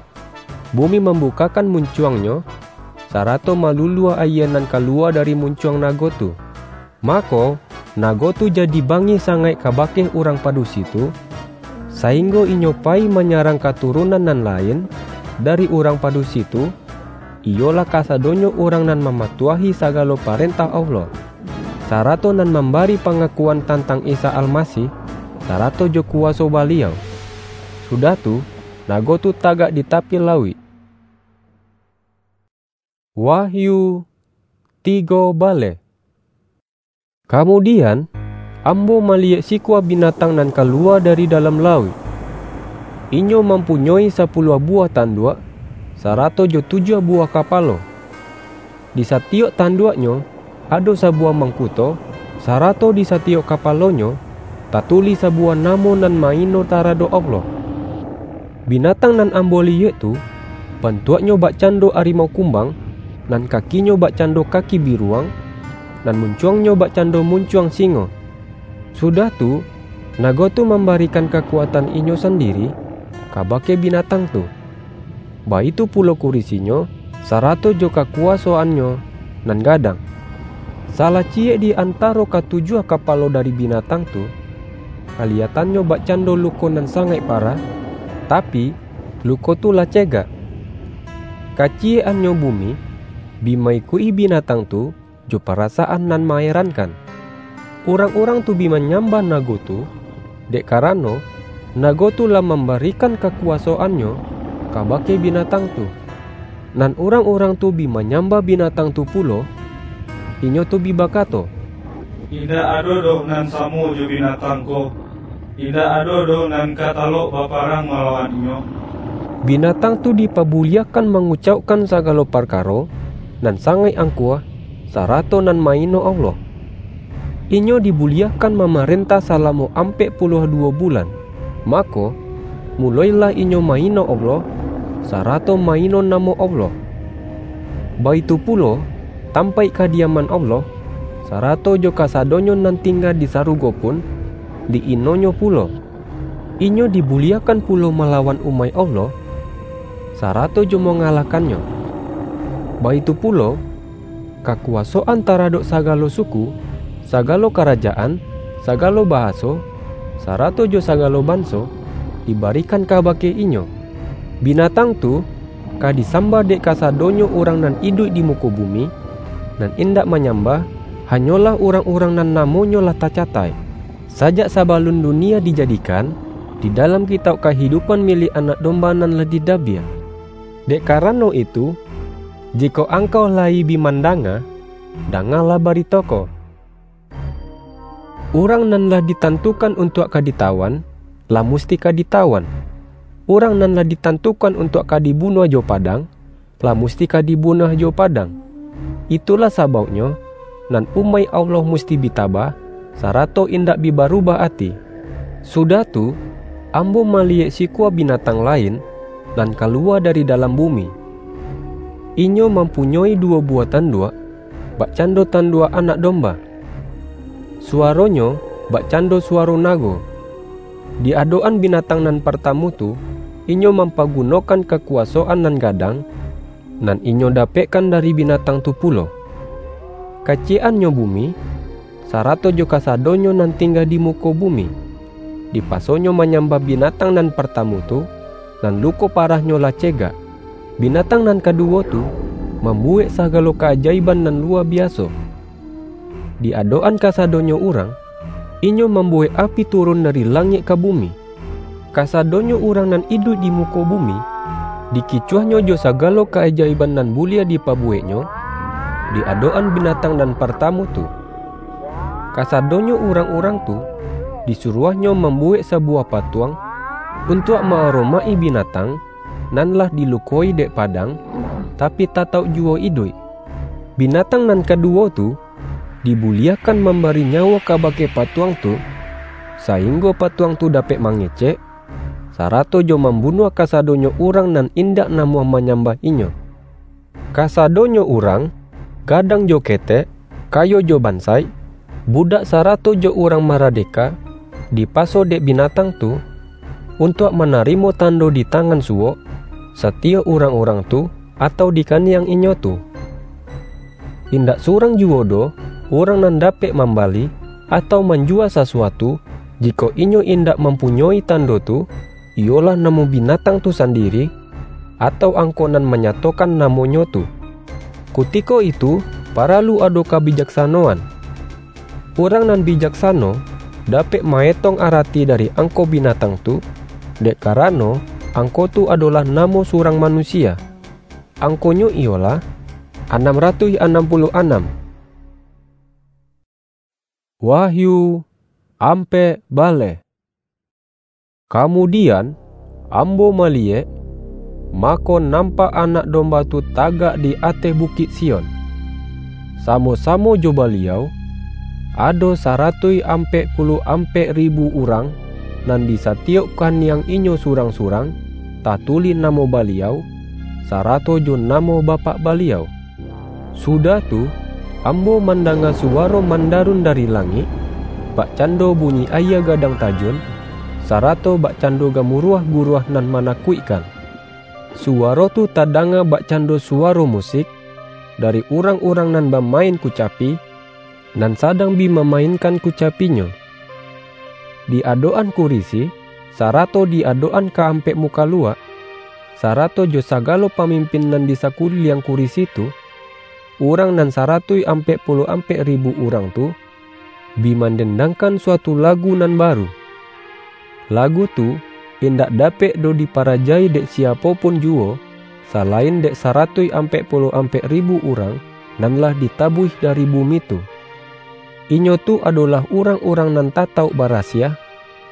bumi mambukakan muncuangnyo, sarato malulua ayie nan kalua dari muncuang nago tu. Mako, nago tu jadi bangih sangaik kabake urang padusi tu, sainggo inyo payi manyarang katurunan nan lain dari urang padusi tu, iyolah kasadonyo urang nan mamatuahi sagalo parentah Allah, sarato nan mambari pangakuan tantang Isa Almasih, sarato jo kuwaso Baliau. Sudah tu, nago tu tagak di tapi lauik. Wahyu tigo baleh. Kamudian, ambo maliyek sikua binatang nan kalua dari dalam lauik. Inyo mampunyoi sapuluah buwah tanduak, sarato jo tujuah buwah kapalo. Di satiyok tanduaknyo ado sabuwah mangkuto, sarato di satiyok kapalonyo tatulih sabuwah namo nan maino taradok Allah. Binatang nan ambo liyek tu, bantuaknyo bakcando arimau kumbang, nan kakinyo bakcando kaki biruang, nan muncuangnyo bakcando muncuang singo. Sudah tu, nago tu mambarikan kakuatan inyo sandiri kabake binatang tu. Baitu pulo kurisinyo, sarato jo kakuwasoannyo nan gadang. Salah ciyek di antaro katujuah kapalo dari binatang tu, kaliyatannyo bakcando luko nan sangaik parah, tapi, luko tu lah cegak. Kaciyek-annyo bumi, bi ma-ikuik-i binatang tu, jo parasaan nan maerankan. Urang-urang tu bi manyambah nago tu, dek karano, nago tu lah mambarikan kakuwasoannyo kabake binatang tu. Nan urang-urang tu bi manyambah binatang tu pulo, inyo tu bi bakato, "Indak ado doh nan samo jo binatang ko, indak ado doh nan ka talok baparang malawan inyo." Binatang tu dipabuliahkan mangucaukkan sagalo parkaro nan sangaik angkuah, sarato nan maino Allah. Inyo dibuliahkan mamarentah salamo ampek puluah duwo bulan. Mako, muloilah inyo maino Allah, sarato maino namo Allah. Baitu pulo, tampaik kadiaman Allah, sarato jo kasadonyo nan tingga di sarugo pun, di-inonyo pulo. Inyo dibuliahkan pulo malawan umaik Allah, sarato jo mangalahkannyo. Baitu pulo, kakuwasoan taradok sagalo suku, sagalo karajaan, sagalo bahaso, sarato jo sagalo banso, dibarikan kabake inyo. Binatang tu ka disambah dek kasadonyo urang nan iduik di muko bumi, nan indak manyambah, hanyolah urang-urang nan namonyo lah tacataik sajak sabalun dunia dijadikan, di dalam kitauk kahidupan milik Anak Domba nan lah didabiah. Dek karano itu, jikok angkau layi bi mandanga, dangalah barito ko. Urang nan lah ditantukan untuak ka ditawan, lah musti ka ditawan. Urang nan lah ditantukan untuak ka dibunuah jo padang, lah musti ka dibunuah jo padang. Itulah sabauknyo, nan umaik Allah musti bi tabah, sarato indak bi barubah ati. Sudah tu, ambo maliyek sikua binatang lain, nan kalua dari dalam bumi. Inyo mampunyoi duwo buwah tanduak, bakcando tanduak Anak Domba. Suwaronyo bakcando suwaro nago. Di adok-an binatang nan partamu tu, inyo mampagunokan kakuwasoan nan gadang, nan inyo dapekkan dari binatang tu pulo. Kaciyek-annyo bumi, sarato jo kasadonyo nan tingga di muko bumi, dipasonyo manyambah binatang nan partamu tu, nan luko parahnyo lah cegak. Binatang nan kaduwo tu mambuwek sagalo kaajaiban nan luwa biaso. Di adok-an kasadonyo urang, inyo mambuwek api turun dari langik ka bumi. Kasadonyo urang nan iduik di muko bumi, dikicuahnyo jo sagalo kaajaiban nan buliah dipabuweknyo, di adok-an binatang nan partamu tu. Kasadonyo urang-urang tu, disuruahnyo mambuwek sabuwah patuang, untuak ma-aromaik-i binatang, nan lah dilukoi dek padang, tapi tatauk juwo iduik. Binatang nan kaduwo tu, dibuliahkan mambari nyawo kabake patuang tu, sainggo patuang tu dapek mangecek, sarato jo mambunuah kasadonyo urang nan indak namuah manyambah inyo. Kasadonyo urang, gadang jo ketek, kayo jo bansaik, budak sarato jo urang maradeka, dipaso dek binatang tu, untuak manarimo tando di tangan suwok, satiyok urang-urang tu, atau di kaniang inyo tu. Indak surang juwo doh, urang nan dapek mambali, atau manjua sasuatu, jikok inyo indak mampunyoi tando tu, iyolah namo binatang tu sandiri, atau angko nan manyatokan namonyo tu. Kutiko itu, paralu ado kabijaksanoan. Urang nan bijaksano dapek maetong arati dari angko binatang tu, dek karano angko tu adolah namo surang manusia. Angkonyo iyolah anam ratuih anam puluah anam. Wahyu ampek baleh. Kamudian, ambo maliyek, mako nampak Anak Domba tu tagak di ateh Bukik Sion. Samo-samo jo Baliau, ado saratuih ampek puluah ampek ribu urang, nan di satiyok kaniang inyo surang-surang, tatulih namo Baliau, sarato jo namo Bapak Baliau. Sudah tu, ambo mandanga suwaro mandarun dari langik, bakcando bunyi aia gadang tajun, sarato bakcando gamuruah-guruah nan manakuikkan. Suwaro tu tadanga bakcando suwaro musik dari urang-urang nan bamain kucapi, nan sadang bi mamainkan kucapinyo. Di adok-an kurisi, sarato di adok-an ka ampek mukaluak, sarato jo sagalo pamimpin nan di sakuliliang kurisi tu, urang nan saratuih ampek puluah ampek ribu urang tu, bi mandendangkan suatu lagu nan baru. Lagu tu indak dapek doh diparajai dek siapo pun juwo, salain dek saratuih ampek puluah ampek ribu urang nan lah ditabuih dari bumi tu. Inyo tu adolah urang-urang nan tatauk barasiah,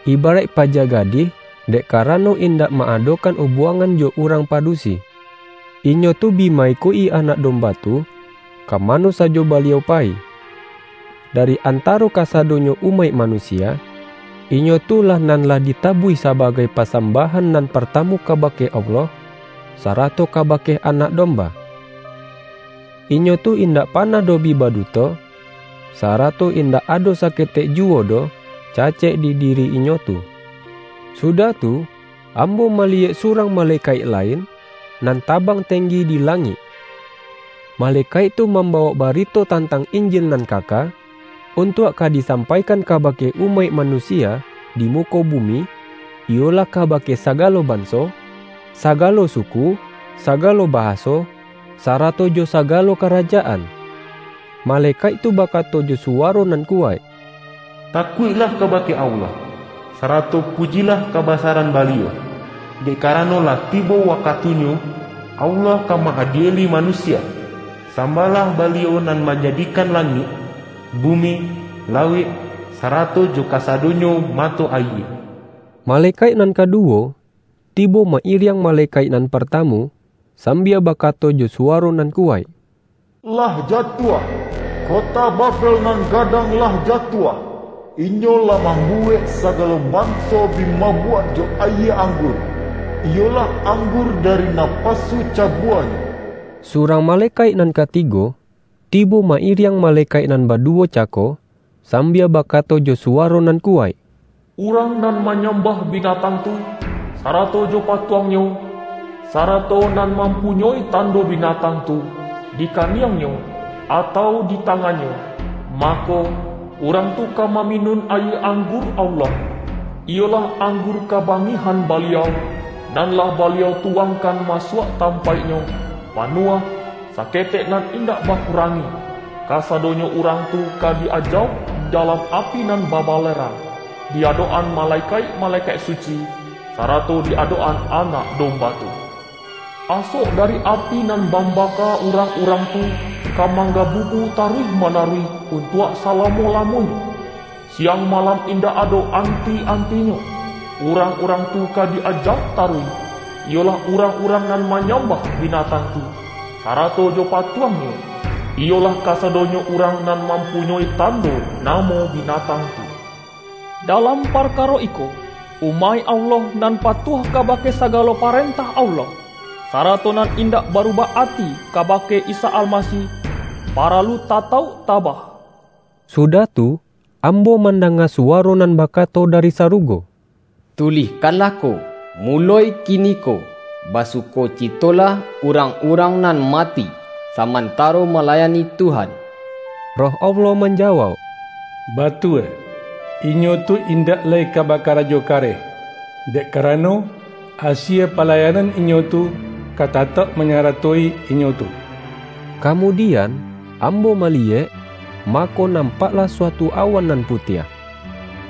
ibaraik paja gadih, dek karano indak ma-adokan ubuangan jo urang padusi. Inyo tu bi ma-ikuik-i Anak Domba tu, ka mano sajo Baliau payi. Dari antaro kasadonyo umaik manusia, inyo tu lah nan lah ditabuih sabagai pasambahan nan partamu kabake Allah, sarato kabake Anak Domba. Inyo tu indak panah doh bi baduto, sarato indak ado saketek juwo doh cacek di diri inyo tu. Sudah tu, ambo maliyek surang malekaik lain, nan tabang tenggi di langik. Malekaik tu mambawok barito tantang Injil nan kaka, untuak ka disampaikan kabake umaik manusia di muko bumi, iyolah kabake sagalo banso, sagalo suku, sagalo bahaso, sarato jo sagalo karajaan. Malekaik tu bakato jo suwaro nan kuwaik, "Takuiklah kabake Allah, sarato pujilah kabasaran Baliau, dek karano lah tibo wakatunyo Allah ka ma-adieli manusia. Sambahlah Baliau nan manjadikan langik, bumi, lauik, sarato jo kasadonyo mato ayie." Malekaik nan kaduwo tibo ma-iriang malekaik nan partamu, sambia bakato jo suwaro nan kuwaik, "Lah jatuah! Kota Babel nan gadang lah jatuah! Inyo lah mambuwek sagalo banso bi mabuak jo ayie anggur, iyolah anggur dari napasu cabuanyo." Surang malekaik nan katigo tibo ma-iriang malekaik nan baduwo cako, sambia bakato jo suwaro nan kuwaik, "Urang nan manyambah binatang tu, sarato jo patuangnyo, sarato nan mampunyoi tando binatang tu di kaniangnyo atau di tangannyo, mako, urang tu ka maminun ayie anggur Allah, iyolah anggur kabangihan Baliau, nan lah Baliau tuwangkan masuak tampaiknyo, panuah, saketek nan indak bakurangi. Kasadonyo urang tu ka di-ajauk dalam api nan babalerang, di adok-an malekaik-malekaik suci, sarato di adok-an Anak Domba tu. Asok dari api nan mambaka urang-urang tu ka manggabubu taruih-manaruih untuak salamo-lamonyo. Siang malam indak ado anti-antinyo. Urang-urang tu ka di-ajauk taruih, iyolah urang-urang nan manyambah binatang tu, sarato jo patuangnyo, iyolah kasadonyo urang nan mampunyoi tando namo binatang tu. Dalam parkaro iko, umaik Allah nan patuah kabake sagalo parentah Allah, sarato nan indak barubah ati kabake Isa Almasih, paralu tatauk tabah. Sudah tu, ambo mandanga suwaro nan bakato dari sarugo, "Tulihkanlah ko, muloi kiniko, basukocitolah urang-urang nan mati, samantaro malayani Tuhan." Roh Allah manjawauk, "Batua, inyo tu indak lai ka bakarajo kareh, dek karano, asie palayanan inyo tu ka tatauk manyaratoi inyo tu." Kamudian, ambo maliyek, mako, nampaklah suatu awan nan putiah.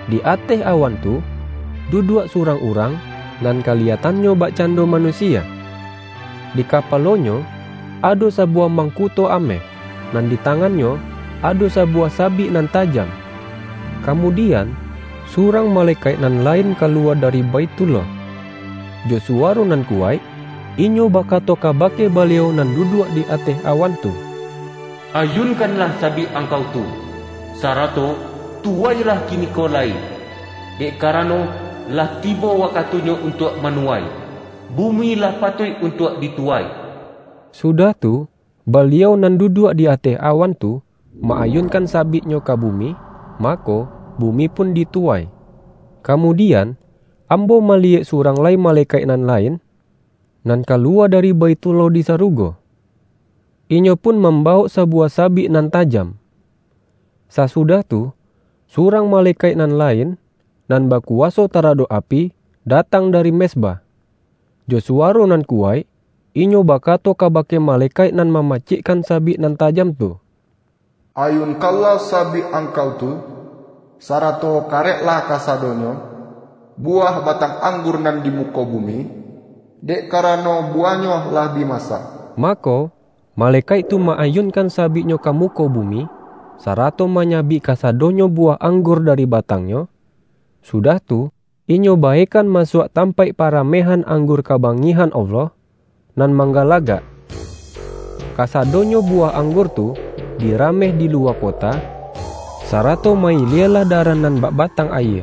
Di ateh awan tu, duduak surang urang, nan kaliyatannyo bakcando manusia. Di kapalonyo ado sabuwah mangkuto ameh, nan di tangannyo ado sabuwah sabik nan tajam. Kamudian, surang malekaik nan lain kaluwa dari Baithullah. Jo suwaro nan kuwaik, inyo bakato kabake Baliau nan duduak di ateh awan tu, "Ayunkanlah sabik Angkau tu, sarato tuwailah kiniko lai, dek karano, lah tibo wakatunyo untuak manuwai. Bumi lah patuik untuak dituwai." Sudah tu, Baliau nan duduak di ateh awan tu ma-ayunkan sabik-Nyo ka bumi, mako, bumi pun dituwai. Kamudian, ambo maliyek surang lai malekaik nan lain, nan kaluwa dari Baithullah di sarugo. Inyo pun mambawok sabuwah sabik nan tajam. Sasudah tu, surang malekaik nan lain, nan bakuwaso taradok api, datang dari mezbah. Jo suwaro nan kuwaik, inyo bakato kabake malekaik nan mamacikkan sabik nan tajam tu, "Ayunkanlah sabik angkau tu, sarato kareklah kasadonyo buwah batang anggur nan di muko bumi, dek karano buwahnyo lah bi masak." Mako, malekaik tu ma-ayunkan sabiknyo ka muko bumi, sarato manyabik kasadonyo buwah anggur dari batangnyo. Sudah tu, inyo baekan masuak tampaik paramehan anggur kabangihan Allah, nan manggalagak. Kasadonyo buwah anggur tu dirameh di luwa kota, sarato mailialah daran nan bak batang ayie,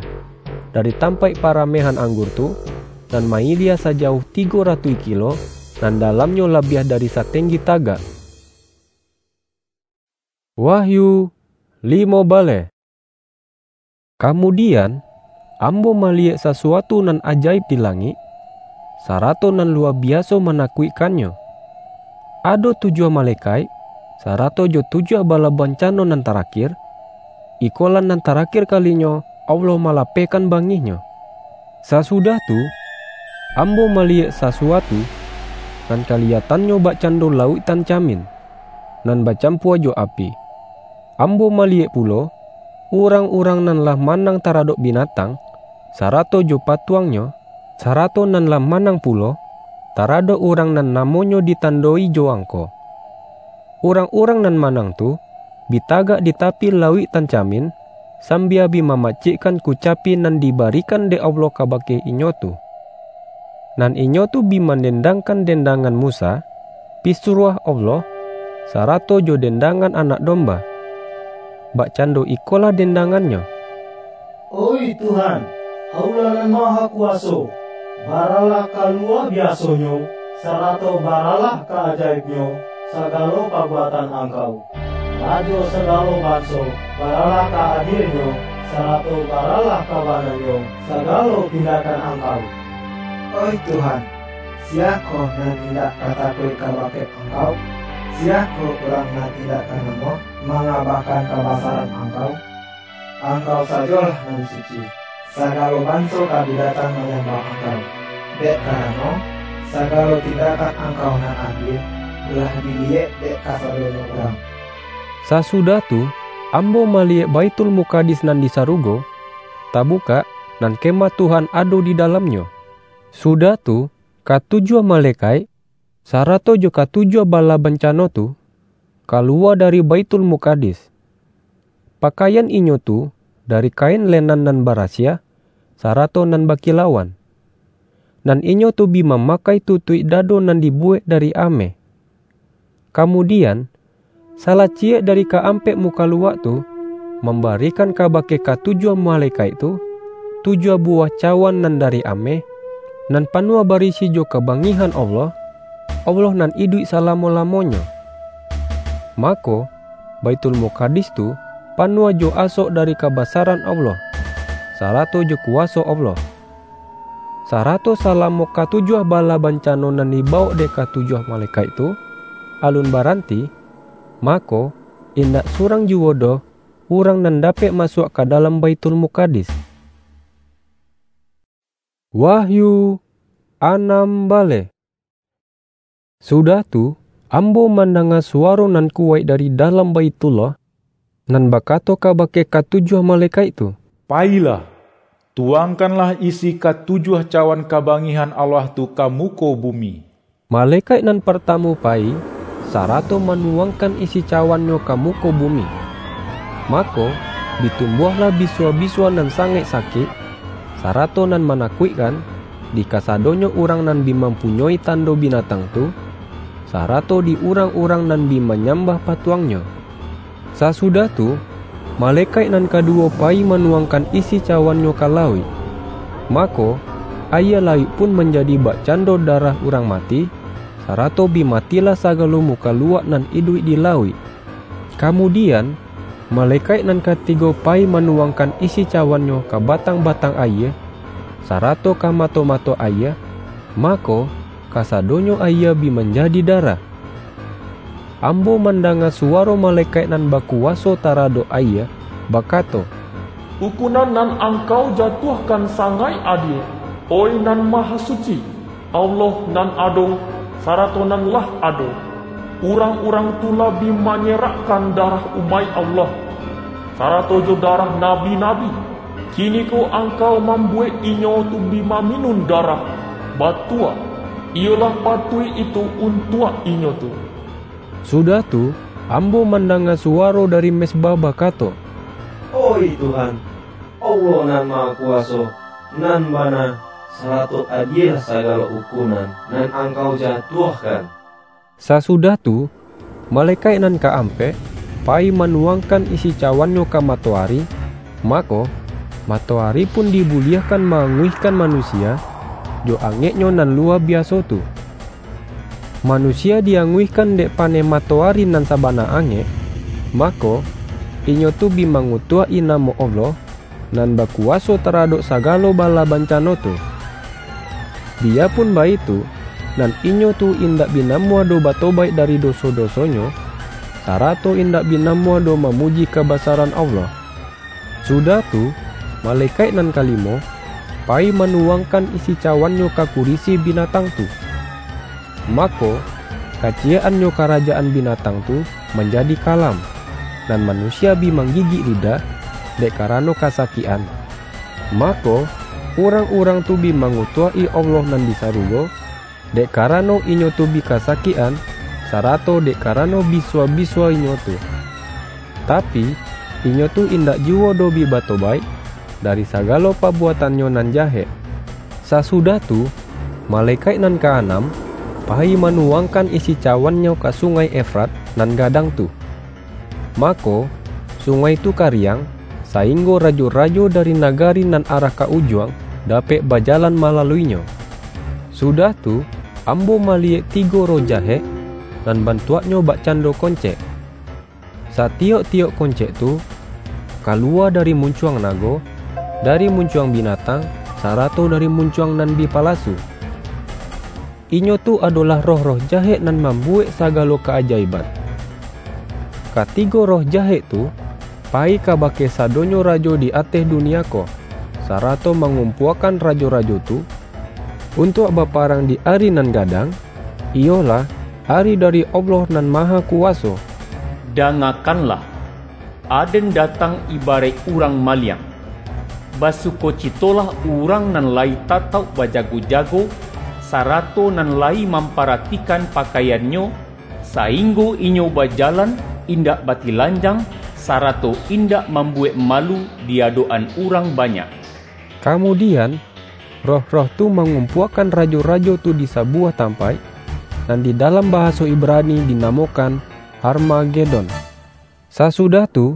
dari tampaik paramehan anggur tu, nan mailia sajauah tigo ratuih kilo, nan dalamnyo labiah dari satenggi tagak. Wahyu limo baleh. Kamudian, ambo maliyek sasuatu nan ajaib di langik, sarato nan luwa biaso manakuikkannyo. Ado tujuah malekaik, sarato jo tujuah bala bancano nan tarakir, ikolah nan tarakir kalinyo Allah malapehkan bangihnyo. Sasudah tu, ambo maliyek sasuatu, nan kaliyatannyo bakcando lauik tancamin, nan bacampua jo api. Ambo maliyek pulo, urang-urang nan lah manang taradok binatang, sarato jo patuangnyo, sarato nan lah manang pulo, taradok urang nan namonyo ditandoi jo angko. Urang-urang nan manang tu, bi tagak di tapi lauik tancamin, sambia bi mamacikkan kucapi nan dibarikan dek Allah kabake inyo tu. Nan inyo tu bi mandendangkan dendangan Musa, pisuruah Allah, sarato jo dendangan Anak Domba. Bakcando ikolah dendangannyo, "Oih Tuhan, Allah Nan Mahakuwaso, baralah ka luwa biasonyo, sarato baralah ka ajaibnyo sagalo pabuatan Angkau. Rajo sagalo banso, baralah ka adienyo, sarato baralah ka bananyo sagalo tindakan Angkau. Oih Tuhan, siyakoh nan indak ka takuik kabake Angkau? Siyakoh urang nan indak ka namuah mangabakan kabasaran Angkau? Angkau sajolah nan suci. Sagalo banso ka bi datang manyambah Angkau, dek karano, sagalo tindakan Angkau nan adie, lah diliyek dek kasadonyo urang." Sasudah tu, ambo maliyek Baitul Mukadis nan di sarugo, tabukak, nan Kemah Tuhan ado di dalamnyo. Sudah tu, katujuah malekaik, sarato jo katujuah bala bancano tu, kaluwa dari Baitul Mukadis. Pakaian inyo tu dari kain lenan nan barasiah, sarato nan bakilauan. Nan inyo tu bi mamakai tutuik dado nan dibuwek dari ameh. Kamudian, salaciyek dari kaampek mukaluak tu mambarikan kabake katujuah malekaik tu, tujuah buwah cawan nan dari ameh, nan panuah barisi jo kabangihan Allah, Allah nan iduik salamo-lamonyo. Mako, Baitul Mukadis tu panuah jo asok dari kabasaran Allah, sarato jo kuwaso Allah. Sarato salamo katujuah bala bancano nan dibawok dek katujuah malekaik tu, alun baranti, mako, indak surang juwo doh urang nan dapek masuak ka dalam Baitul Mukadis. Wahyu anam baleh. Sudah tu, ambo mandanga suwaro nan kuwaik dari dalam Baitullah, nan bakato kabake katujuah malekaik tu, "Payilah, tuwangkanlah isi katujuah cawan kabangihan Allah tu ka muko bumi." Malekaik nan partamu payi, sarato manuwangkan isi cawannyo ka muko bumi. Mako, bitumbuahlah bisuah-bisuah nan sangaik sakik, sarato nan manakuikkan, di kasadonyo urang nan bi mampunyoi tando binatang tu, sarato di urang-urang nan bi manyambah patuangnyo. Sasudah tu, malekaik nan kaduwo payi manuwangkan isi cawannyo ka lauik. Mako, ayie lauik pun manjadi bakcando darah urang mati, sarato bi matilah sagalo mukaluak nan iduik di lauik. Kamudian, malekaik nan katigo payi manuwangkan isi cawannyo ka batang-batang ayie, sarato ka mato-mato ayie, mako, kasadonyo ayie bi manjadi darah. Ambo mandanga suwaro malekaik nan bakuwaso taradok ayie, bakato, "Ukunan nan Angkau jatuahkan sangaik adie, oih Nan Mahasuci, Allah nan ado, sarato nan lah ado. Urang-urang tu lah bi manyerakkan darah umaik Allah, sarato jo darah nabi-nabi. Kiniko Angkau mambuwek inyo tu bi maminun darah, batua, iyolah patuik itu untuak inyo tu." Sudah tu, ambo mandanga suwaro dari mezbah bakato, "Oih Tuhan, Allah Nan Mahakuwaso, nan bana, sarato adie sagalo ukunan nan Angkau jatuahkan." Sasudah tu, malekaik nan kaampek payi manuwangkan isi cawannyo ka matoari, mako, matoari pun dibuliahkan maanguihkan manusia jo angeknyo nan luwa biaso tu. Manusia dianguihkan dek paneh matoari nan sabana angek, mako, inyo tu bi mangutuak-i namo Allah, nan bakuwaso taradok sagalo bala bancano tu. Biyapun baitu, nan inyo tu indak bi namuah doh batobaik dari doso-dosonyo, sarato indak bi namuah doh mamuji kabasaran Allah. Sudah tu, malekaik nan kalimo, payi manuwangkan isi cawannyo ka kurisi binatang tu. Mako, kaciyek-annyo karajaan binatang tu manjadi kalam, nan manusia bi manggigik lidah, dek karano kasakikan. Mako, urang-urang tu bi mangutuak-i Allah nan di sarugo, dek karano inyo tu bi kasakikan, sarato dek karano bisuah-bisuah inyo tu. Tapi, inyo tu indak juwo doh bi batobaik dari sagalo pabuatannyo nan jahek. Sasudah tu, malekaik nan kaanam payi manuwangkan isi cawannyo ka Sungai Efrat nan gadang tu. Mako, sungai tu kariang, sainggo rajo-rajo dari nagari nan arah ka ujuang dapek bajalan malaluinyo. Sudah tu, ambo maliyek tigo roh jahek, nan bantuaknyo bakcando koncek. Satiyok-tiyok koncek tu kaluwa dari muncuang nago, dari muncuang binatang, sarato dari muncuang nan bi palasu. Inyo tu adolah roh-roh jahek nan mambuwek sagalo ka-ajaiban. Katigo roh jahek tu payi kabake sadonyo rajo di ateh dunia ko, sarato mangumpuakan rajo-rajo tu, untuak baparang di ari nan gadang, iyolah, ari dari Allah Nan Mahakuwaso. Dangakanlah! Aden datang ibaraik urang maliang. Basukocitolah urang nan layi tatauk bajago-jago, sarato nan layi mamparatikan pakaiannyo, sainggo inyo bajalan indak batilanjang, sarato indak mambuwek malu di adok-an urang banyak. Kamudian, roh-roh tu mangumpuakan rajo-rajo tu di sabuwah tampaik, nan di dalam bahaso Ibrani dinamokan Harmagedon. Sasudah tu,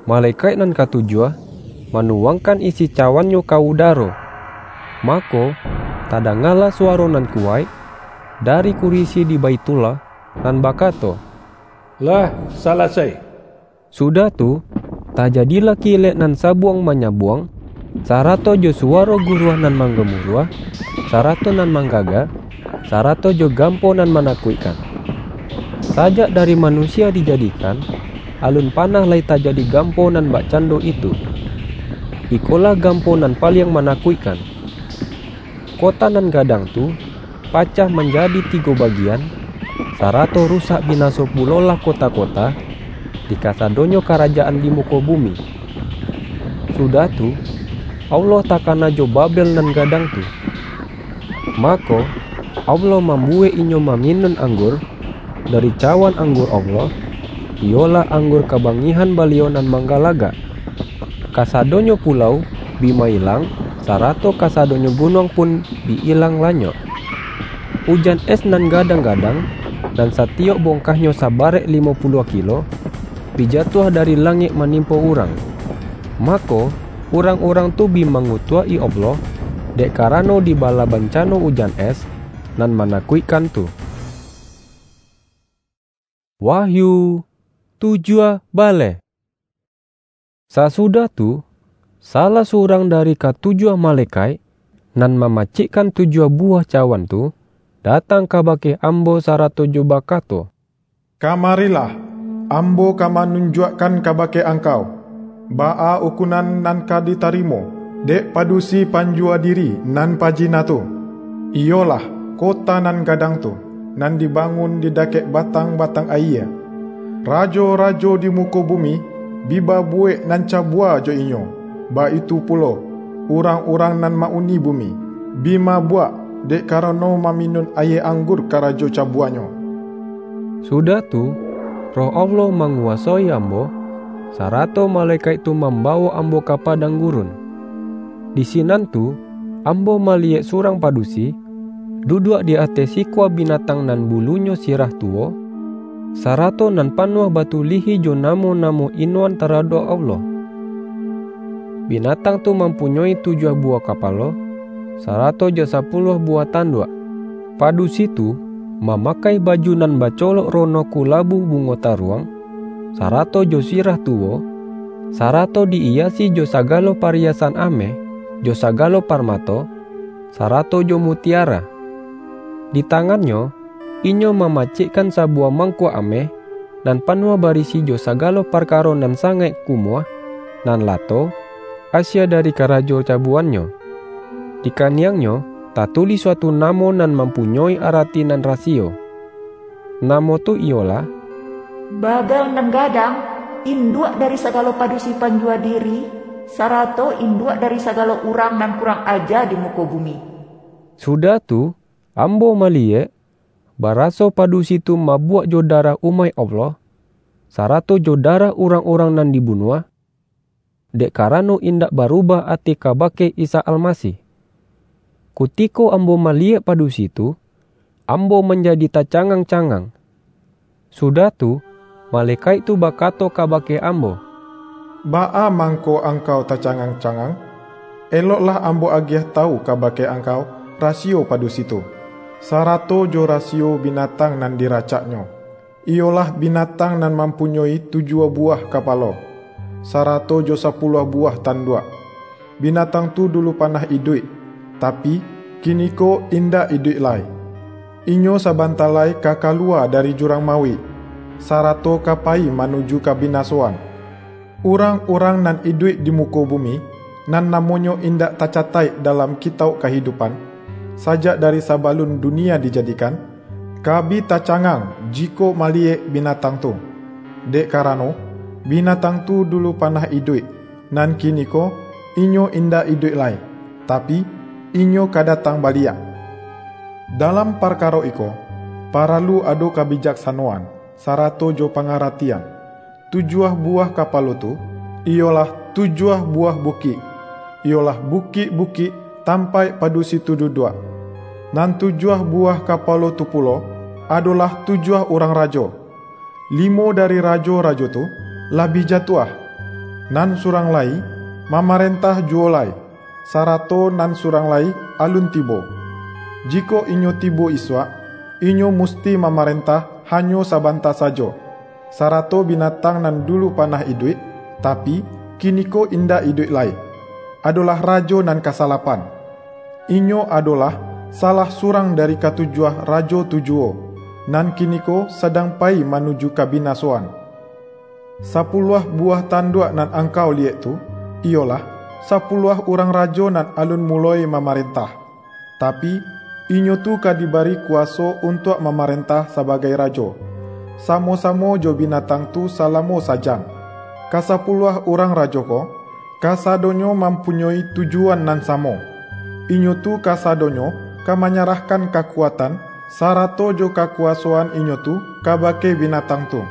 malekaik nan katujuah manuwangkan isi cawannyo ka udaro. Mako, tadangalah suwaro nan kuwaik dari kurisi di Baithullah, nan bakato, "Lah salasai!" Sudah tu, tajadilah kilek nan sabuang-manyabuang, sarato jo suwaro guruah nan manggamuruah, sarato nan manggaga, sarato jo gampo nan manakuikkan. Sajak dari manusia dijadikan, alun panah lai tajadi gampo nan bakcando itu. Ikolah gampo nan paliang manakuikkan. Kota nan gadang tu pacah manjadi tigo bagian, sarato rusak binaso pulolah kota-kota di kasadonyo karajaan di muko bumi. Sudah tu, Allah takana jo Babel nan gadang tu. Mako, Allah mambuwek inyo maminun anggur dari cawan anggur Allah, iyolah anggur kabangihan Baliau nan manggalagak. Kasadonyo pulau bi mailang, sarato kasadonyo gunuang pun bi ilang lanyok. Ujan es nan gadang-gadang, nan satiyok bongkahnyo sabarek limo puluah kilo, bi jatuah dari langik manimpo urang. Mako, urang-urang tu bi mangutuak-i Allah, dek karano dibala bancano ujan es nan manakuikkan tu. Wahyu tujuah baleh. Sasudah tu, salah surang dari katujuah malekaik, nan mamacikkan tujuah buwah cawan tu, datang kabake ambo sarato jo bakato, "Kamarilah, ambo ka manunjuakkan kabake angkau, baa ukunan nan ka ditarimo dek padusi panjua diri nan pajina tu, iyolah kota nan gadang tu, nan dibangun di dakek batang-batang ayie. Rajo-rajo di muko bumi bi babuwek nan cabua jo inyo, baitu pulo urang-urang nan ma-uni bumi, bi mabuak dek karano maminun ayie anggur karajo cabuanyo." Sudah tu, Roh Allah manguwasoi ambo, sarato malekaik tu mambawok ambo ka padang gurun. Di sinan tu, ambo maliyek surang padusi, duduak di ateh sikua binatang nan bulunyo sirah tuwo, sarato nan panuah batulihi jo namo-namo inoan taradok Allah. Binatang tu mampunyoi tujuah buwah kapalo, sarato jo sapuluah buwah tanduak. Padusi tu mamakai baju nan bacolok rono kulabu bungo taruang, sarato jo sirah tuwo, sarato di-iyasi jo sagalo pariyasan ameh, jo sagalo parmato, sarato jo mutiara. Di tangannyo, inyo mamacikkan sabuwah mangkuak ameh, nan panuah barisi jo sagalo parkaro nan sangaik kumuah, nan lato, asie dari karajo cabuannyo. Di kaniangnyo tatulih suatu namo nan mampunyoi arati nan rasiyo. Namo tu iyolah, Babel nan gadang, induak dari sagalo padusi panjua diri, sarato induak dari sagalo urang nan kurang aja di muko bumi. Sudah tu, ambo maliyek, baraso padusi tu mabuak jo darah umaik Allah, sarato jo darah urang-urang nan dibunuah, dek karano indak barubah ati kabake Isa Almasih. Kutiko ambo maliyek padusi tu, ambo manjadi tacangang-cangang. Sudah tu, malekaik tu bakato kabake ambo, "Baa mangko angkau tacangang-cangang? Eloklah ambo agiah tawu kabake angkau rasiyo padusi tu, sarato jo rasiyo binatang nan diracaknyo, iyolah binatang nan mampunyoi tujuah buwah kapalo, sarato jo sapuluah buwah tanduak. Binatang tu dulu panah iduik, tapi, kiniko indak iduik lai. Inyo sabanta lai ka kaluwa dari jurang mauik, sarato ka payi manuju kabinasoan. Urang-urang nan iduik di muko bumi, nan namonyo indak tacataik dalam Kitauk Kahidupan, sajak dari sabalun dunia dijadikan, ka bi tacangang jikok maliyek binatang tu. Dek karano, binatang tu dulu panah iduik, nan kiniko inyo indak iduik lai, tapi, inyo ka datang baliak. Dalam parkaro iko, paralu ado kabijaksanoan, sarato jo pangaratian. Tujuah buwah kapalo tu, iyolah tujuah buwah bukik, iyolah bukik-bukik tampaik padusi tu duduak. Nan tujuah buwah kapalo tu pulo, adolah tujuah urang rajo. Limo dari rajo-rajo tu lah bi jatuah, nan surang lai mamarentah juwo lai, sarato nan surang lai alun tibo. Jikok inyo tibo isuak, inyo musti mamarentah hanyo sabanta sajo, sarato binatang nan dulu panah iduik, tapi, kiniko indak iduik lai, adolah rajo nan kasalapan. Inyo adolah salah surang dari katujuah rajo tu juwo, nan kiniko sadang payi manuju kabinasoan. Sapuluah buwah tanduak nan angkau liyek tu, iyolah, sapuluah urang rajo nan alun muloi mamarentah. Tapi, inyo tu ka dibari kuwaso untuak mamarentah sabagai rajo, samo-samo jo binatang tu salamo sajam. Kasapuluah urang rajo ko, kasadonyo mampunyoi tujuan nan samo. Inyo tu kasadonyo ka manyarahkan kakuatan, sarato jo kakuwasoan inyo tu kabake binatang tu.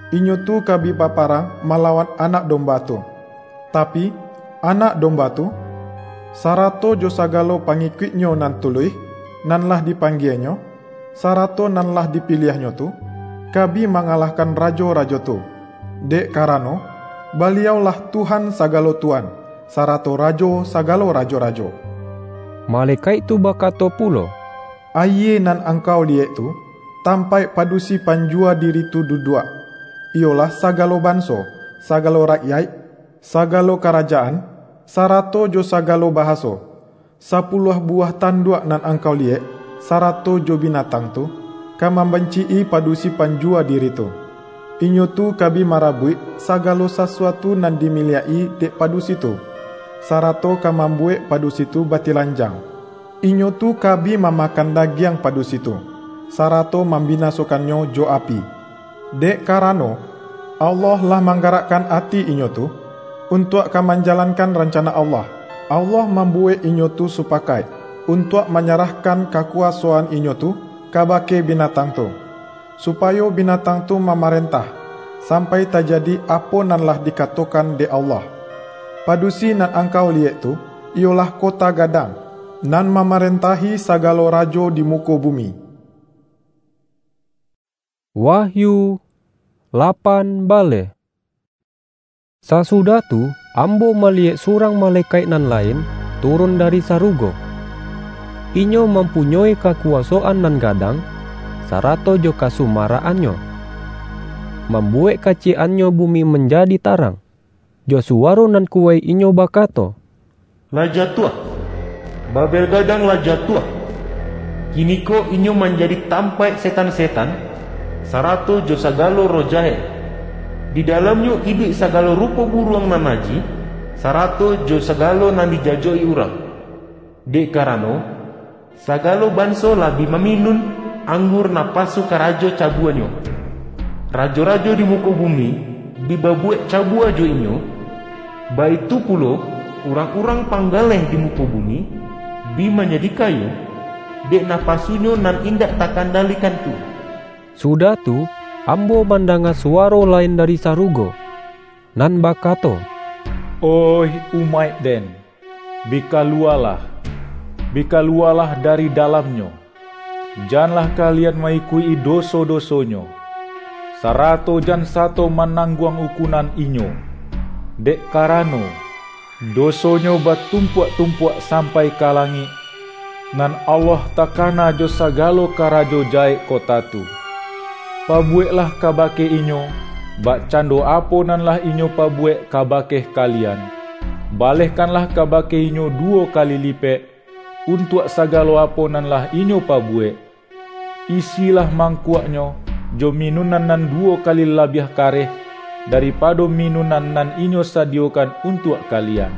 Inyo tu ka bi baparang malawan Anak Domba tu. Tapi, Anak Domba tu, sarato jo sagalo pangikuik-Nyo nan tuluih, nan lah dipanggie-Nyo, sarato nan lah dipiliah-Nyo tu, ka bi mangalahkan rajo-rajo tu, dek karano, Baliau-lah Tuhan sagalo tuan, sarato Rajo sagalo rajo-rajo. Malekaik tu bakato pulo, Ayie nan angkau liyek tu, tampaik padusi panjuwa diri tu duduak, iyolah sagalo banso, sagalo rakyaik, sagalo karajaan, sarato jo sagalo bahaso. Sapuluah buwah tanduak nan angkau liyek, sarato jo binatang tu, ka mambancik-i padusi panjuwa diri tu. Inyo tu ka bi marabuik sagalo sasuatu nan dimiliak-i dek padusi tu, sarato ka mambuwek padusi tu batilanjang. Inyo tu ka bi mamakan dagiang padusi tu, sarato mambinasokannyo jo api. Dek karano, Allah lah manggarakkan ati inyo tu, untuak ka manjalankan rancana Allah. Allah mambuwek inyo tu supakaik, untuak manyarahkan kakuwasoan inyo tu kabake binatang tu, supayo binatang tu mamarentah, sampai tajadi apo nan lah dikatokan dek Allah. Padusi nan angkau liyek tu, iyolah kota gadang, nan mamarentahi sagalo rajo di muko bumi. Wahyu lapan baleh. Sasudah tu, ambo maliyek surang malekaik nan lain turun dari sarugo. Inyo mampunyoi kakuwasoan nan gadang, sarato jo kasumarakannyo, mambuwek kaciyek-annyo bumi manjadi tarang. Jo suwaro nan kuwaik inyo bakato, "Lah jatuah! Babel gadang lah jatuah! Kiniko inyo manjadi tampaik setan-setan, sarato jo sagalo roh jahek. Di dalamnyo iduik sagalo rupo buruang nan najih, sarato jo sagalo nan dijajoki urang. Dek karano, sagalo banso lah bi maminun anggur napasu karajo cabuanyo. Rajo-rajo di muko bumi bi babuwek cabua jo inyo, baitu pulo urang-urang panggaleh di muko bumi bi manjadi kayo, dek napasunyo nan indak takandalikan tu." Sudah tu, ambo mandanga suwaro lain dari sarugo, nan bakato, "Oih umaik-Den, bi kaluwalah, bi kaluwalah dari dalamnyo! Janlah kalian ma-ikuik-i doso-dosonyo, sarato jan sato manangguang ukunan inyo, dek karano, dosonyo batumpuak-tumpuak sampai ka langik, nan Allah takana jo sagalo karajo jahek kota tu. Pabuweklah kabake inyo, bakcando apo nan lah inyo pabuwek kabake kalian. Balehkanlah kabake inyo duwo kali lipek, untuak sagalo apo nan lah inyo pabuwek. Isilah mangkuaknyo jo minunan nan duwo kali labiah kareh daripado minunan nan inyo sadiyokan untuak kalian.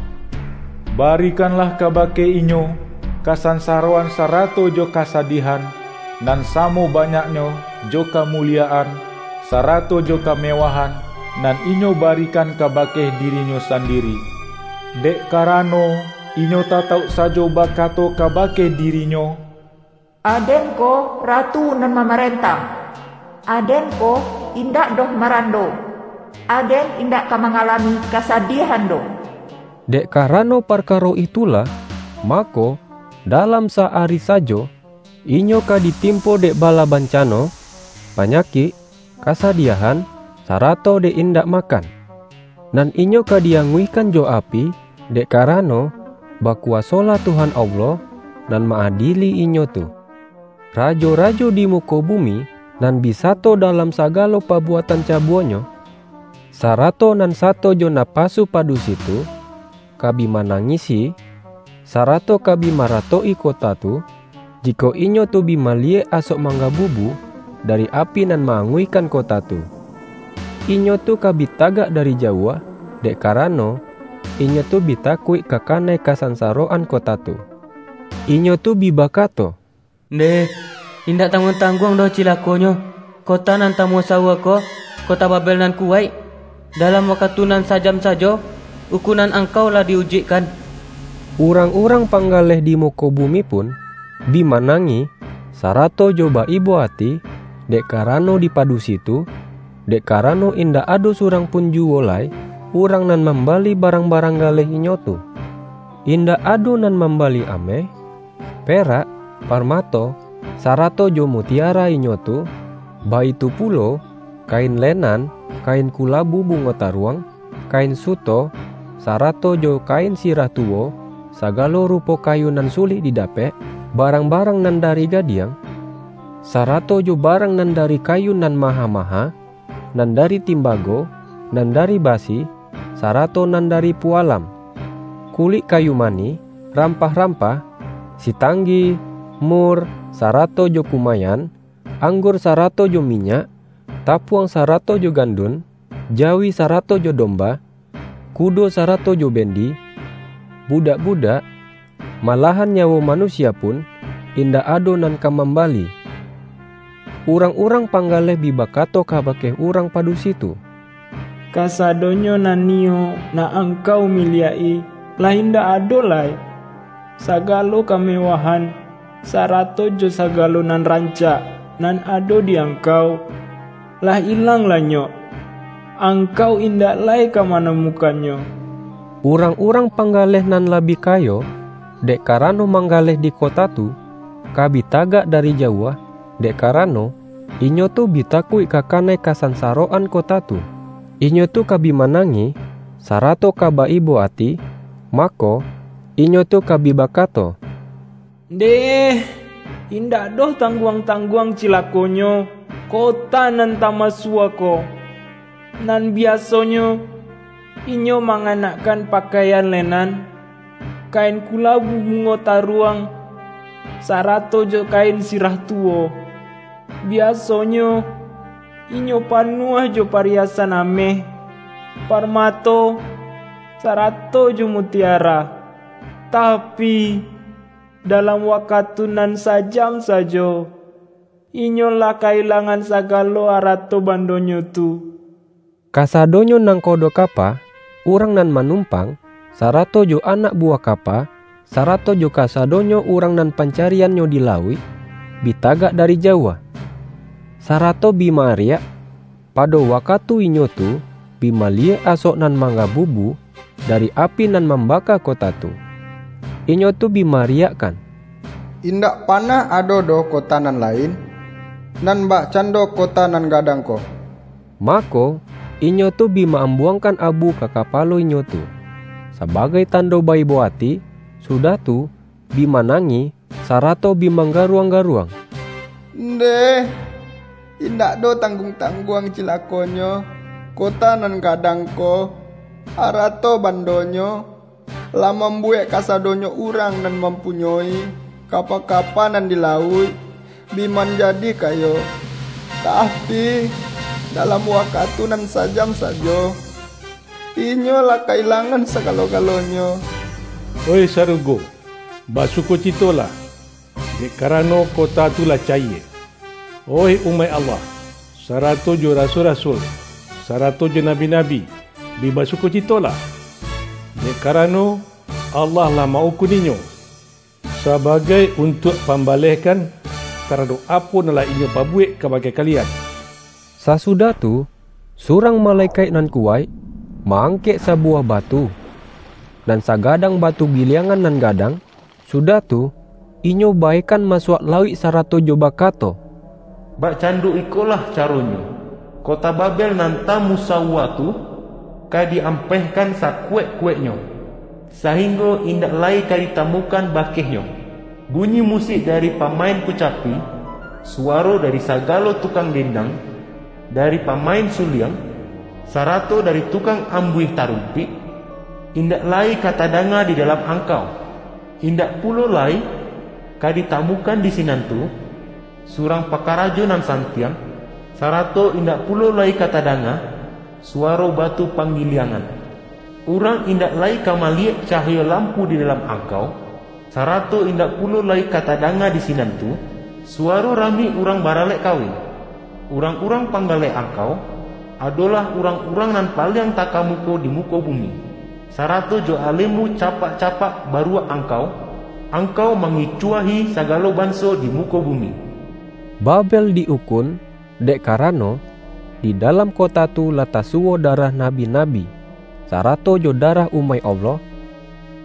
Barikanlah kabake inyo kasansaroan sarato jo kasadiahan, nan samo banyaknyo jo kamuliyaan, sarato jo kamewahan, nan inyo barikan kabake dirinyo sandiri. Dek karano, inyo tatauk sajo bakato kabake dirinyo, 'Aden ko Ratu nan mamarentah. Aden ko indak doh marando. Aden indak ka mangalami kasadiahan doh.' Dek karano parkaro itulah, mako, dalam sa-ari sajo, inyo ka ditimpo dek bala bancano, panyakik, kasadiahan, sarato dek indak makan. Nan inyo ka di-anguihkan jo api, dek karano, bakuwasolah Tuhan Allah, nan ma-adili inyo tu. Rajo-rajo di muko bumi, nan bi sato dalam sagalo pabuatan cabuanyo, sarato nan sato jo napasu padusi tu, ka bi manangisi, sarato ka bi maratok-i kota tu, jikok inyo tu bi maliyek asok manggabubu dari api nan ma-anguihkan kota tu. Inyo tu ka bi tagak dari jauah, dek karano, inyo tu bi takuik ka kanai kasansaroan kota tu. Inyo tu bi bakato, "Ndeh, indak tangguang-tangguang doh cilakonyo, kota nan tamusawua ko, kota Babel nan kuwaik! Dalam wakatu nan sajam sajo, ukunan angkau lah di-ujuikkan." Urang-urang panggaleh di muko bumi pun, bi manangih, sarato jo ba-ibo ati, dek karano di padusi tu, dek karano indak ado surang pun juwo lai urang nan mambali barang-barang galeh inyo tu. Indak ado nan mambali ameh, perak, parmato, sarato jo mutiara inyo tu, baitu pulo, kain lenan, kain kulabu bungo taruang, kain suto, sarato jo kain sirah tuwo, sagalo rupo kayu nan sulik didapek, barang-barang nan dari gadiang, sarato jo barang nan dari kayu nan maha-maha, nan dari timbago, nan dari basi, sarato nan dari pualam, kulik kayu manih, rampah-rampah, sitanggi, mur, sarato jo kumayan, anggur sarato jo minyak, tapuang sarato jo gandun, jawi sarato jo domba, kudo sarato jo bendi, budak-budak, malahan nyawo manusia pun, indak ado nan ka mambali. Urang-urang panggaleh bi bakato kabake urang padusi tu, "Kasadonyo nan iyo nan angkau miliak-i, lah indak ado lai. Sagalo kamewahan, sarato jo sagalo nan rancak nan ado di angkau, lah ilang lanyok. Angkau indak lai ka manamukannyo." Urang-urang panggaleh nan labiah kayo, dek karano manggaleh di kota tu, ka bi tagak dari jauah, dek karano, inyo tu bi takuik ka kanai kasansaroan kota tu. Inyo tu ka bi manangih, sarato ka ba-ibo ati, mako, inyo tu ka bi bakato, "Ndeh, indak doh tangguang-tangguang cilakonyo, kota nan tamusawua ko! Nan biasonyo, inyo manganakkan pakaian lenan, kain kulabu bungo taruang, sarato jo kain sirah tuwo. Biasonyo, inyo panuah jo pariasan ameh, parmato, sarato jo mutiara. Tapi, dalam wakatu nan sajam sajo, inyo lah kailangan sagalo arato bandonyo tu." Kasadonyo nangkodo kapa, urang nan manumpang, sarato jo anak buwah kapa, sarato jo kasadonyo urang nan pancariannyo di lauik, bi tagak dari jauah, sarato bi ma-ariak, pado wakatu inyo tu bi maliyek asok nan manggabubu dari api nan mambaka kota tu. Inyo tu bi ma-ariakkan, "Indak panah ado doh kota nan lain, nan bakcando kota nan gadang ko." Mako, inyo tu bi ma-ambuangkan abu ka kapalo inyo tu, sabagai tando ba-ibo ati, sudah tu, bi manangih, sarato bi manggaruang-garuang, "Ndeh, indak doh tangguang-tangguang cilakonyo, kota nan gadang ko! Arato bandonyo lah mambuwek kasadonyo urang nan mampunyoi kapa-kapa nan di lauik bi manjadi kayo. Tapi, dalam wakatu nan sajam sajo, inyo lah kailangan sagalo-galonyo." Oih sarugo, basukocitolah, dek karano kota tu lah cayie. Oih umaik Allah, sarato jo rasul-rasul, sarato jo nabi-nabi, bi basukocitolah, dek karano Allah lah ma-ukun inyo, sabagai untuak pambalehkan taradok apo nan lah inyo pabuwek kabake kalian. Sasudah tu, surang malekaik nan kuwaik ma-angkek sabuwah batu, nan sagadang batu giliangan nan gadang, sudah tu, inyo baekan masuak lauik sarato jo bakato, "Bakcando ikolah caronyo, kota Babel nan tamusawua tu, ka diampehkan sakuwaik-kuwaiknyo, sahinggo indak lai ka ditamukan bakehnyo. Bunyi musik dari pamain kucapi, suwaro dari sagalo tukang dendang, dari pamain suliang, sarato dari tukang ambuih tarumpik, indak lai ka tadanga di dalam angkau. Indak pulo lai ka ditamukan di sinan tu, surang pakarajo nan santiang, sarato indak pulo lai ka tadanga suwaro batu panggiliangan. Urang indak lai ka maliyek cahayo lampu di dalam angkau, sarato indak pulo lai ka tadanga di sinan tu, suwaro rami urang baralek kawin. Urang-urang panggaleh angkau, adolah urang-urang nan paliang takamuko di muko bumi, sarato jo alemu capak-capak baruak angkau, angkau mangicuahi sagalo banso di muko bumi. Babel di-ukun, dek karano, di dalam kota tu lah tasuwo darah nabi-nabi, sarato jo darah umaik Allah,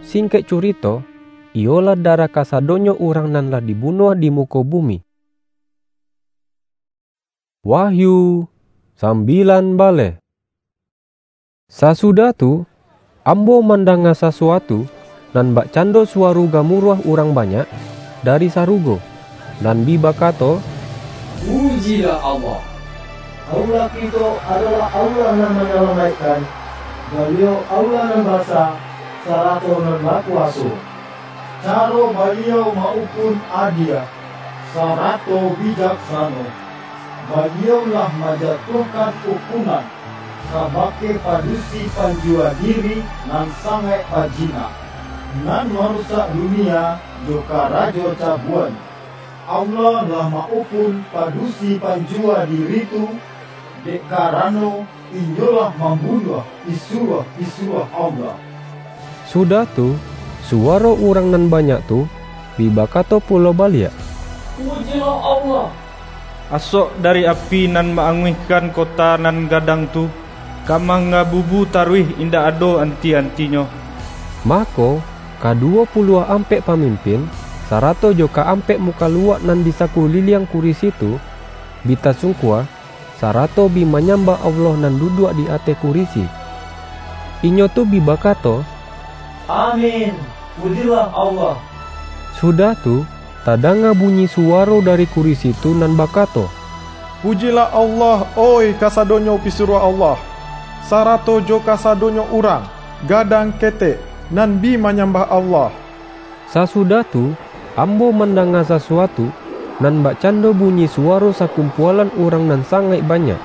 singkek curito, iyolah darah kasadonyo urang nan lah dibunuah di muko bumi. Wahyu sambilan baleh. Sasudah tu, ambo mandanga sasuatu nan bakcando suwaro gamuruah urang banyak dari sarugo, nan bi bakato, "Pujilah Allah! Allah kito adolah Allah nan manyalamaikkan, Baliau Allah nan basa, sarato nan bakuwaso. Caro Baliau ma-ukun adie, sarato bijaksano. Baliau lah manjatuahkan ukunan kabake padusi panjua diri nan sangaik bajina, nan marusak dunia jo karajo cabuan. Allah lah ma-ukun padusi panjua diri tu, dek karano inyo lah mambunuah pisuruah-pisuruah Allah." Sudah tu, suwaro urang nan banyak tu bi bakato pulo baliak, "Pujilah Allah! Asok dari api nan ma-anguihkan kota nan gadang tu, ka mangabubu taruih indak ado anti-antinyo." Mako, kaduwo puluah ampek pamimpin, sarato jo ka-ampek mukaluak nan di sakuliliang kurisi tu, bi tasungkua, sarato bi manyambah Allah nan duduak di ateh kurisi. Inyo tu bi bakato, "Amin! Pujilah Allah!" Sudah tu, tadanga bunyi suwaro dari kurisi tu nan bakato, "Pujilah Allah, oih kasadonyo pisuruah Allah, sarato jo kasadonyo urang, gadang ketek, nan bi manyambah Allah!" Sasudah tu, ambo mandanga sasuatu, nan bakcando bunyi suwaro sakumpualan urang nan sangaik banyak.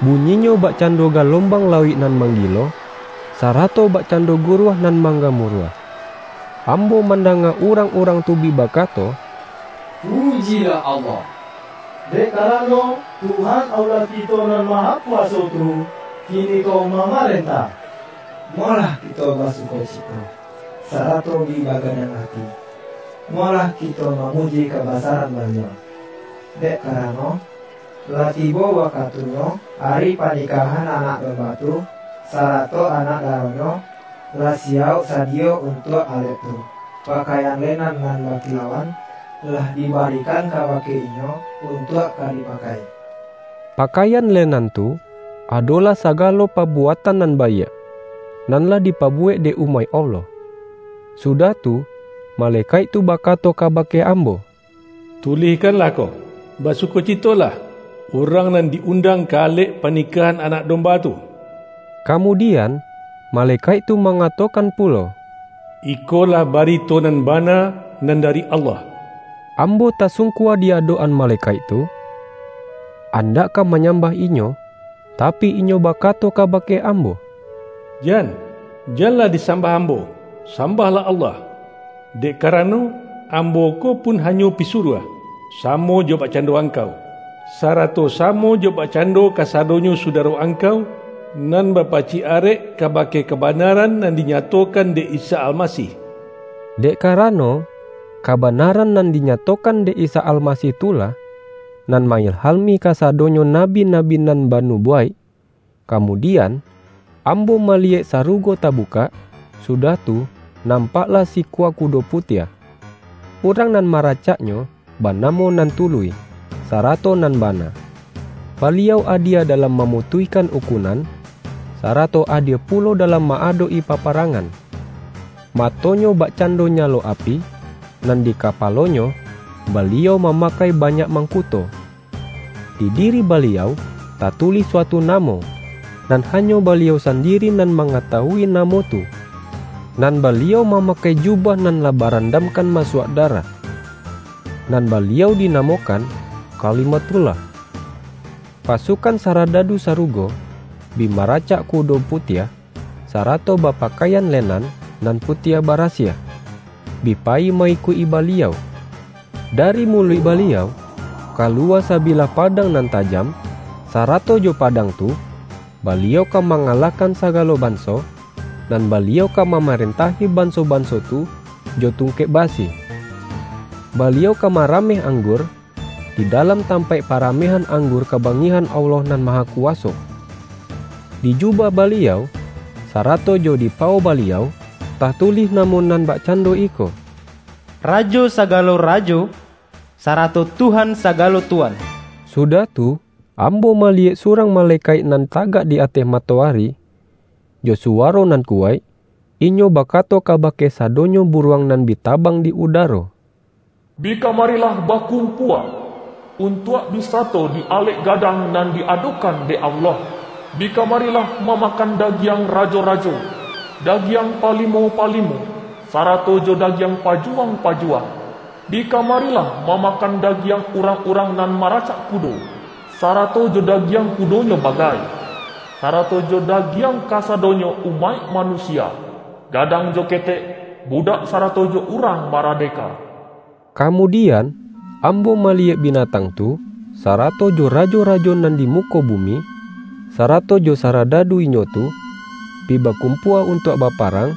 Bunyinyo bakcando galombang lauik nan manggilo, sarato bakcando guruah nan manggamuruah. Ambo mandanga urang-urang tu bi bakato, "Pujilah Allah! Dek karano, Tuhan Allah kito Nan Mahakuwaso tu, kiniko mamarentah. Molah kito basukocito, sarato bi baganang ati. Molah kito mamuji kabasaran Baliau. Dek karano, lah tibo wakatunyo ari panikahan Anak Domba tu, sarato anak daronyo lah siyauk sadiyo untuak alek tu. Pakaian lenan nan bakilauan lah dibarikan kabake inyo untuak ka dipakai." Pakaian lenan tu adolah sagalo pabuatan nan baiak, nan lah dipabuwek dek umaik Allah. Sudah tu, malekaik tu bakato kabake ambo, "Tulihkanlah ko, 'Basukocitolah, urang nan di-undang ka alek panikahan Anak Domba tu.'" Kamudian, malekaik tu mangatokan pulo, "Ikolah barito nan bana nan dari Allah." Ambo tasungkua di adok-an malekaik tu, andak ka manyambah inyo, tapi inyo bakato kabake ambo, "Jan, janlah disambah ambo, sambahlah Allah! Dek karano, ambo ko pun hanyo pisuruah, samo jo bakcando angkau, sarato samo jo bakcando kasadonyo sudaro angkau, nan bapacik arek kabake kabanaran nan dinyatokan dek Isa Almasih." Dek karano, kabanaran nan dinyatokan dek Isa Almasih tu lah, nan mailhami kasadonyo nabi-nabi nan banubuwaik. Kamudian, ambo maliyek sarugo tabukak, sudah tu, nampaklah sikua kudo putiah. Urang nan maracaknyo banamo Nan Tuluih, sarato Nan Bana. Baliau adie dalam mamutuihkan ukunan, sarato adie pulo dalam ma-adok-i paparangan. Matonyo bakcando nyalo api, nan di kapalonyo Baliau mamakai banyak mangkuto. Di diri Baliau tatulih suatu namo, nan hanyo Baliau sandiri nan mangatawui namo tu. Nan Baliau mamakai jubah nan lah barandamkan masuak darah, nan Baliau dinamokan Kalimatullah. Pasukan saradadu sarugo bi maracak kudo putiah, sarato bapakaian lenan nan putiah barasiah, bi payi ma-ikuik-i Baliau. Dari muluik Baliau, kaluwa sabilah padang nan tajam, sarato jo padang tu, Baliau ka mangalahkan sagalo banso, nan Baliau ka mamarentahi banso-banso tu jo tungkek basi. Baliau ka marameh anggur di dalam tampaik paramehan anggur kabangihan Allah Nan Mahakuwaso. Di jubah Baliau, sarato jo di pawo Baliau, tatulih namo nan bakcando iko, Rajo sagalo rajo, sarato Tuhan sagalo tuan. Sudah tu, ambo maliyek surang malekaik nan tagak di ateh matoari, jo suwaro nan kuwaik, inyo bakato kabake sadonyo buruang nan bi tabang di udaro, Bi kamarilah bakumpua, untuak bi sato di alek gadang nan diadokan dek Allah. Bi kamarilah mamakan dagiang rajo-rajo, dagiang palimo-palimo, sarato jo dagiang pajuwang-pajuwang. Bi kamarilah mamakan dagiang urang-urang nan maracak kudo, sarato jo dagiang kudonyo bagai, sarato jo dagiang kasadonyo umaik manusia, gadang jo ketek, budak sarato jo urang maradeka. Kamudian, ambo maliyek binatang tu, sarato jo rajo-rajo nan di muko bumi, sarato jo saradadu inyo tu, bi bakumpua untuak baparang,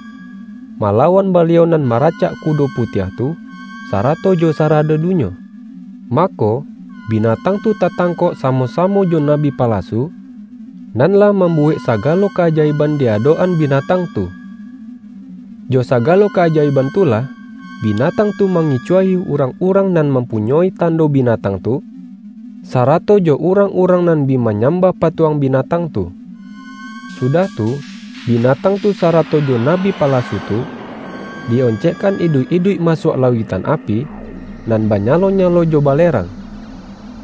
malawan Baliau nan maracak kudo putiah tu, sarato jo saradadunyo. Mako, binatang tu tatangkok samo-samo jo nabi palasu, nan lah mambuwek sagalo kaajaiban di adok-an binatang tu. Jo sagalo kaajaiban tu lah, binatang tu mangicuahi urang-urang nan mampunyoi tando binatang tu, sarato jo urang-urang nan bi manyambah patuang binatang tu. Sudah tu, binatang tu sarato jo nabi palasu tu, di-oncekkan iduik-iduik masuak lauiktan api, nan banyalo-nyalo jo balerang.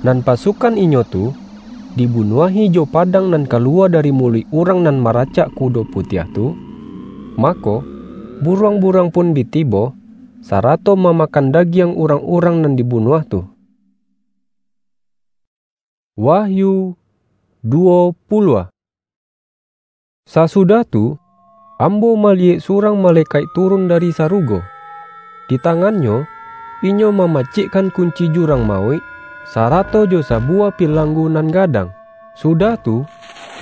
Nan pasukan inyo tu, dibunuahi jo padang nan kaluwa dari muluik urang nan maracak kudo putiah tu, mako, buruang-buruang pun bi tibo, sarato mamakan dagiang urang-urang nan dibunuah tu. Wahyu duwo puluah. Sasudah tu, ambo maliyek surang malekaik turun dari sarugo. Di tangannyo, inyo mamacikkan kunci jurang mauik, sarato jo sabuwah pilanggu nan gadang. Sudah tu,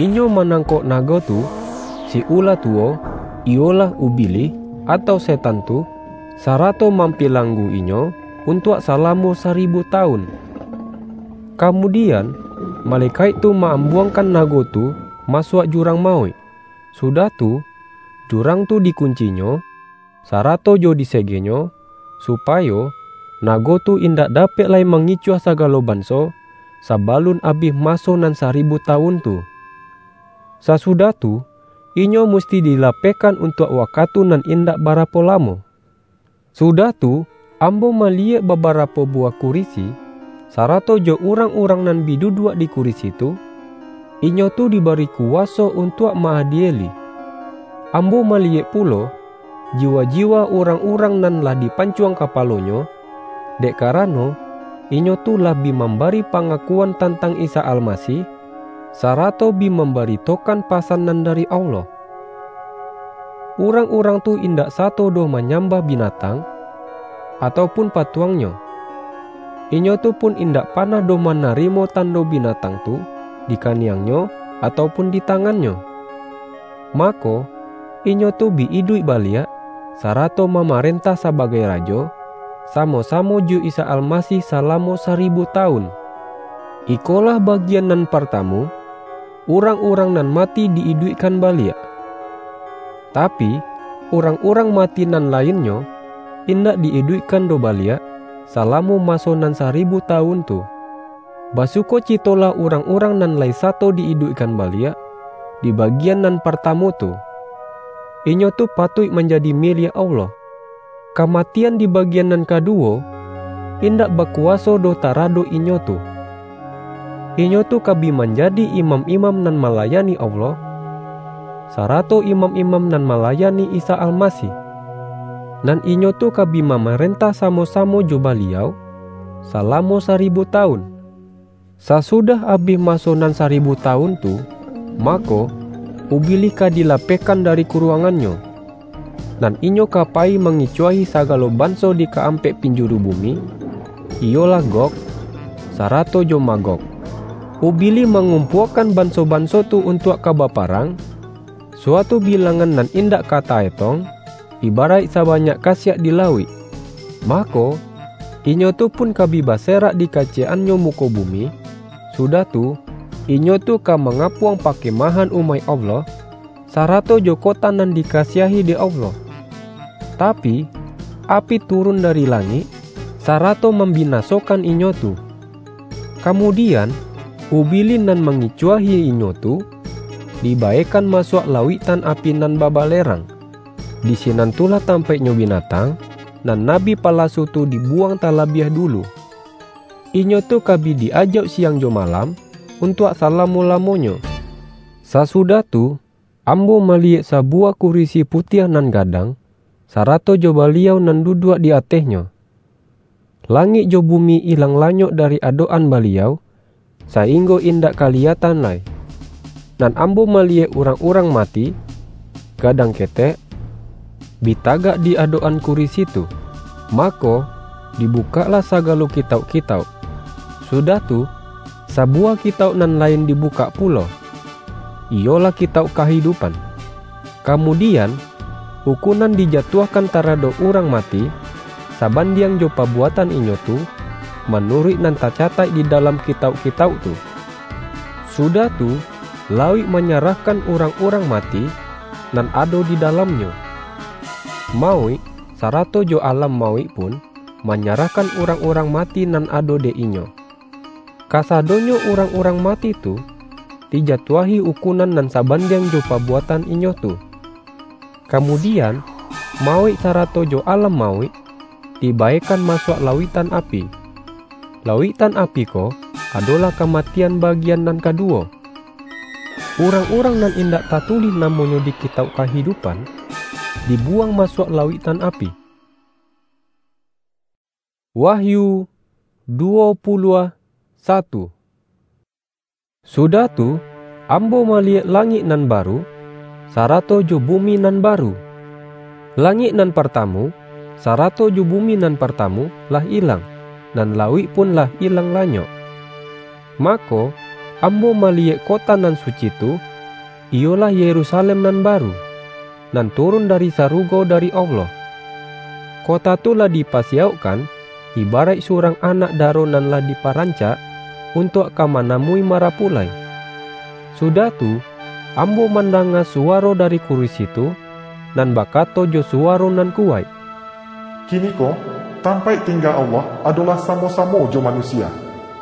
inyo manangkok nago tu, si ula tuwo, iyolah Ubilih, atau Setan tu, sarato mampilanggu inyo untuak salamo saribu tawun. Kamudian, malekaik tu ma-ambuangkan nago tu masuak jurang mauik. Sudah tu, jurang tu dikuncinyo, sarato jo disegenyo, supayo nago tu indak dapek lai mangicuah sagalo banso, sabalun abih maso nan saribu tawun tu. Sasudah tu, inyo musti dilapehkan untuak wakatu nan indak barapo lamo. Sudah tu, ambo maliyek babarapo buwah kurisi, sarato jo urang-urang nan bi duduak di kurisi tu, inyo tu dibari kuwaso untuak ma-adieli. Ambo maliyek pulo, jiwa-jiwa urang-urang nan lah dipancuang kapalonyo, dek karano, inyo tu lah bi mambari pangakuan tantang Isa Almasih, sarato bi mambaritokan pasan nan dari Allah. Urang-urang tu indak sato doh manyambah binatang, atau pun patuangnyo. Inyo tu pun indak panah doh manarimo tando binatang tu di kaniangnyo atau pun di tangannyo. Mako, inyo tu bi iduik baliak, sarato mamarentah sabagai rajo, samo-samo jo Isa Almasih salamo saribu tawun. Ikolah bagian nan partamu, urang-urang nan mati di-iduikkan baliak. Tapi, urang-urang mati nan lainnyo, indak di-iduikkan doh baliak, salamo maso nan saribu tawun tu. Basukocitolah urang-urang nan lai sato di-iduikkan baliak, di bagian nan partamu tu, inyo tu patuik manjadi miliak Allah. Kamatian di bagian nan kaduwo, indak bakuwaso doh taradok inyo tu. Inyo tu ka bi manjadi imam-imam nan malayani Allah, sarato imam-imam nan malayani Isa Almasih. Nan inyo tu ka bi mamarentah samo-samo jo Baliau, salamo saribu tawun. Sasudah abih maso nan saribu tawun tu, mako, Ubilih ka dilapehkan dari kuruangannyo, nan inyo ka payi mangicuahi sagalo banso di kaampek pinjuru bumi, iyolah Gog, sarato jo Magog. Ubilih mangumpuakan banso-banso tu untuak ka baparang, suatu bilangan nan indak ka taetong, ibaraik sabanyak kasiak di lauik. Mako, inyo tu pun ka bi baserak di kaciyek-annyo muko bumi, sudah tu, inyo tu ka mangapuang pakemahan umaik Allah, sarato jo kota nan dikasiahi dek Allah. Tapi, api turun dari langik, sarato mambinasokan inyo tu. Kamudian, Ubilih nan mangicuahi inyo tu, dibaekan masuak lauiktan api nan babalerang. Di sinan tulah tampaiknyo binatang, nan nabi palasu tu dibuwang talabiah dulu. Inyo tu ka bi di-ajauk siang jo malam, untuak salamo-lamonyo. Sasudah tu, ambo maliyek sabuwah kurisi putiah nan gadang, sarato jo Baliau nan duduak di atehnyo. Langik jo bumi ilang lanyok dari adok-an Baliau, sainggo indak kaliyatan lai. Nan ambo maliyek urang-urang mati, gadang ketek, bi tagak di adok-an kurisi tu. Mako, dibukaklah sagalo kitauk-kitauk. Sudah tu, sabuwah kitauk nan lain dibukak pulo, iyolah kitauk kahidupan. Kamudian, ukunan dijatuahkan taradok urang mati, sabandiang jo pabuatan inyo tu, manuruik nan tacataik di dalam kitauk-kitauk tu. Sudah tu, lauik manyarahkan urang-urang mati nan ado di dalamnyo. Mauik, sarato jo alam mauik pun manyarahkan urang-urang mati nan ado dek inyo. Kasadonyo urang-urang mati tu, dijatuahi ukunan nan sabandiang jo pabuatan inyo tu. Kamudian, mauik sarato jo alam mauik dibaekan masuak lauiktan api. Lauiktan api ko adolah kamatian bagian nan kaduwo. Urang-urang nan indak tatulih namonyo di Kitauk Kahidupan, dibuwang masuak lauiktan api. Wahyu duwo puluah satu. Sudah tu, ambo maliyek langik nan baru, sarato jo bumi nan baru. Langik nan partamu, sarato jo bumi nan partamu lah ilang, nan lauik pun lah ilang lanyok. Mako, ambo maliyek kota nan suci tu, iyolah Yerusalem nan baru, nan turun dari sarugo dari Allah. Kota tu lah dipasiyaukkan, ibaraik surang anak daro nan lah diparancak, untuak ka manamui marapulai. Sudah tu, ambo mandanga suwaro dari kurisi tu, nan bakato jo suwaro nan kuwaik, "Kiniko, tampaik tingga Allah adolah samo-samo jo manusia.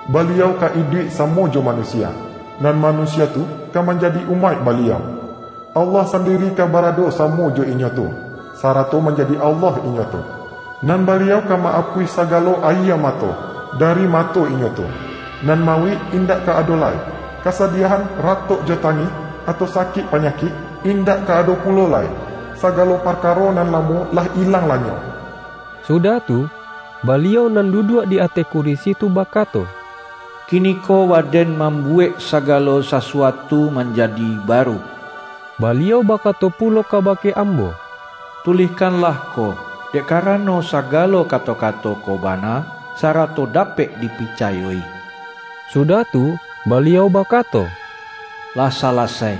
Baliau ka iduik samo jo manusia, nan manusia tu ka manjadi umaik Baliau. Allah sandiri ka barado samo jo inyo tu, sarato manjadi Allah inyo tu. Nan Baliau ka ma-apuih sagalo ayie mato dari mato inyo tu. Nan mauik indak ka ado lai, kasadiahan, ratok jo tangih, atau sakik panyakik, indak ka ado pulo lai. Sagalo parkaro nan lamo lah ilang lanyok." Sudah tu, Baliau nan duduak di ateh kurisi tu bakato, "Kiniko Waden mambuwek sagalo sasuatu manjadi baru." Baliau bakato pulo kabake ambo, "Tulihkanlah ko, dek karano sagalo kato-kato ko bana, sarato dapek dipicayoi." Sudah tu, Baliau bakato, "Lah salasai.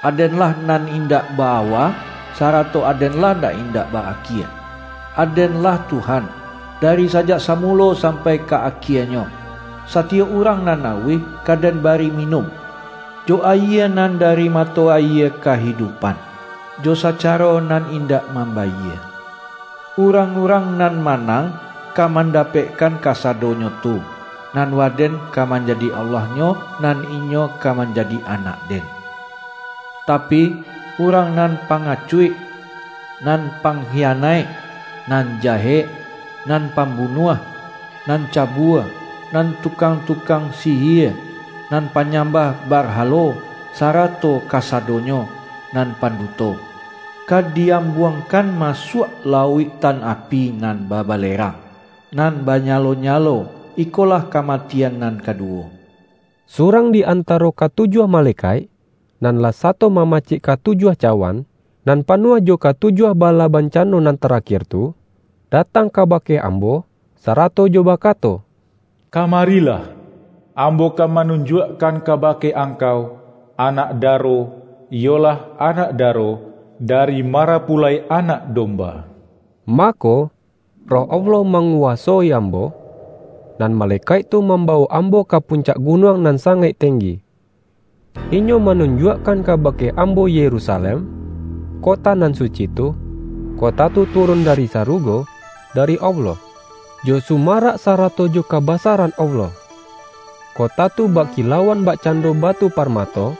Aden-lah nan indak ba-awa, sarato Aden-lah nan indak ba-akie. Aden-lah Tuhan, dari sajak samulo sampai ka akienyo. Satiyok urang nan auih ka Den bari minum, jo ayie nan dari mato ayie kahidupan, jo sacaro nan indak mambayie. Urang-urang nan manang ka mandapekkan kasadonyo tu, nan Waden ka manjadi Allahnyo, nan inyo ka manjadi anak-Den. Tapi, urang nan pangacuik, nan pangkhianaik, nan jahek, nan pambunuah, nan cabua, nan tukang-tukang sihia, nan panyambah barhalo, sarato kasadonyo nan panduto, ka diambuangkan masuak lauik tan api nan babalerang, nan banyalo-nyalo. Ikolah kamatian nan kaduwo. Surang di antaro katujuah malekaik, nan lah sato mamacik katujuah cawan, nan panuah jo katujuah bala bancano nan tarakhir tu, datang kabake ambo, sarato jo bakato, "Kamarilah, ambo ka manunjuakkan kabake angkau anak daro, iyolah anak daro dari marapulai Anak Domba." Mako, Roh Allah manguwasoi ambo, nan malekaik tu mambawok ambo ka puncak gunuang nan sangaik tenggi. Inyo manunjuakkan kabake ambo Yerusalem, kota nan suci tu, kota tu turun dari sarugo, dari Allah, jo sumarak sarato jo kabasaran Allah. Kota tu bakilauan bakcando batu parmato,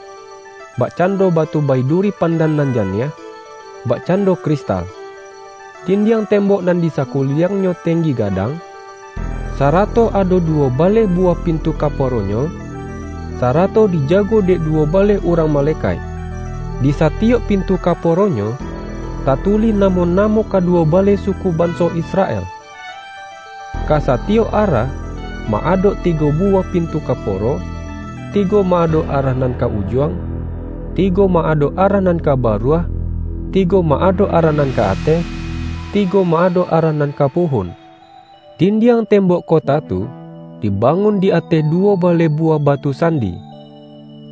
bakcando batu baiduri pandan nan janiah, bakcando kristal. Dindiang tembok nan di sakuliangnyo tenggi gadang, sarato ado duwo baleh buwah pintu kaporonyo, sarato dijago dek duwo baleh urang malekaik. Di satiyok pintu kaporonyo, tatulih namo-namo kaduwo baleh suku banso Israel. Ka satiyok arah, ma-adok tigo buwah pintu kaporo, tigo ma-adok arah nan ka ujuang, tigo ma-adok arah nan ka baruah, tigo ma-adok arah nan ka ateh, tigo ma-adok arah nan ka puhun. Dindiang tembok kota tu dibangun di ateh duwo baleh buwah batu sandi.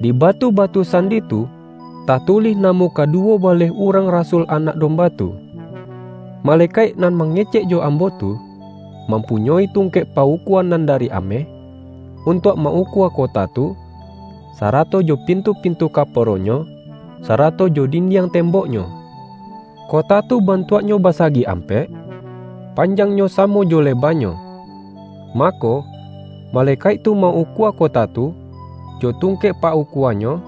Di batu-batu sandi tu, tatulih namo kaduwo baleh urang rasul Anak Domba tu. Malekaik nan mangecek jo ambo tu, mampunyoi tungkek paukuan nan dari ameh, untuak ma-ukua kota tu, sarato jo pintu-pintu kaporonyo, sarato jo dindiang temboknyo. Kota tu bantuaknyo basagi ampek, panjangnyo samo jo lebanyo. Mako, malekaik tu ma-ukua kota tu, jo tungkek paukuannyo,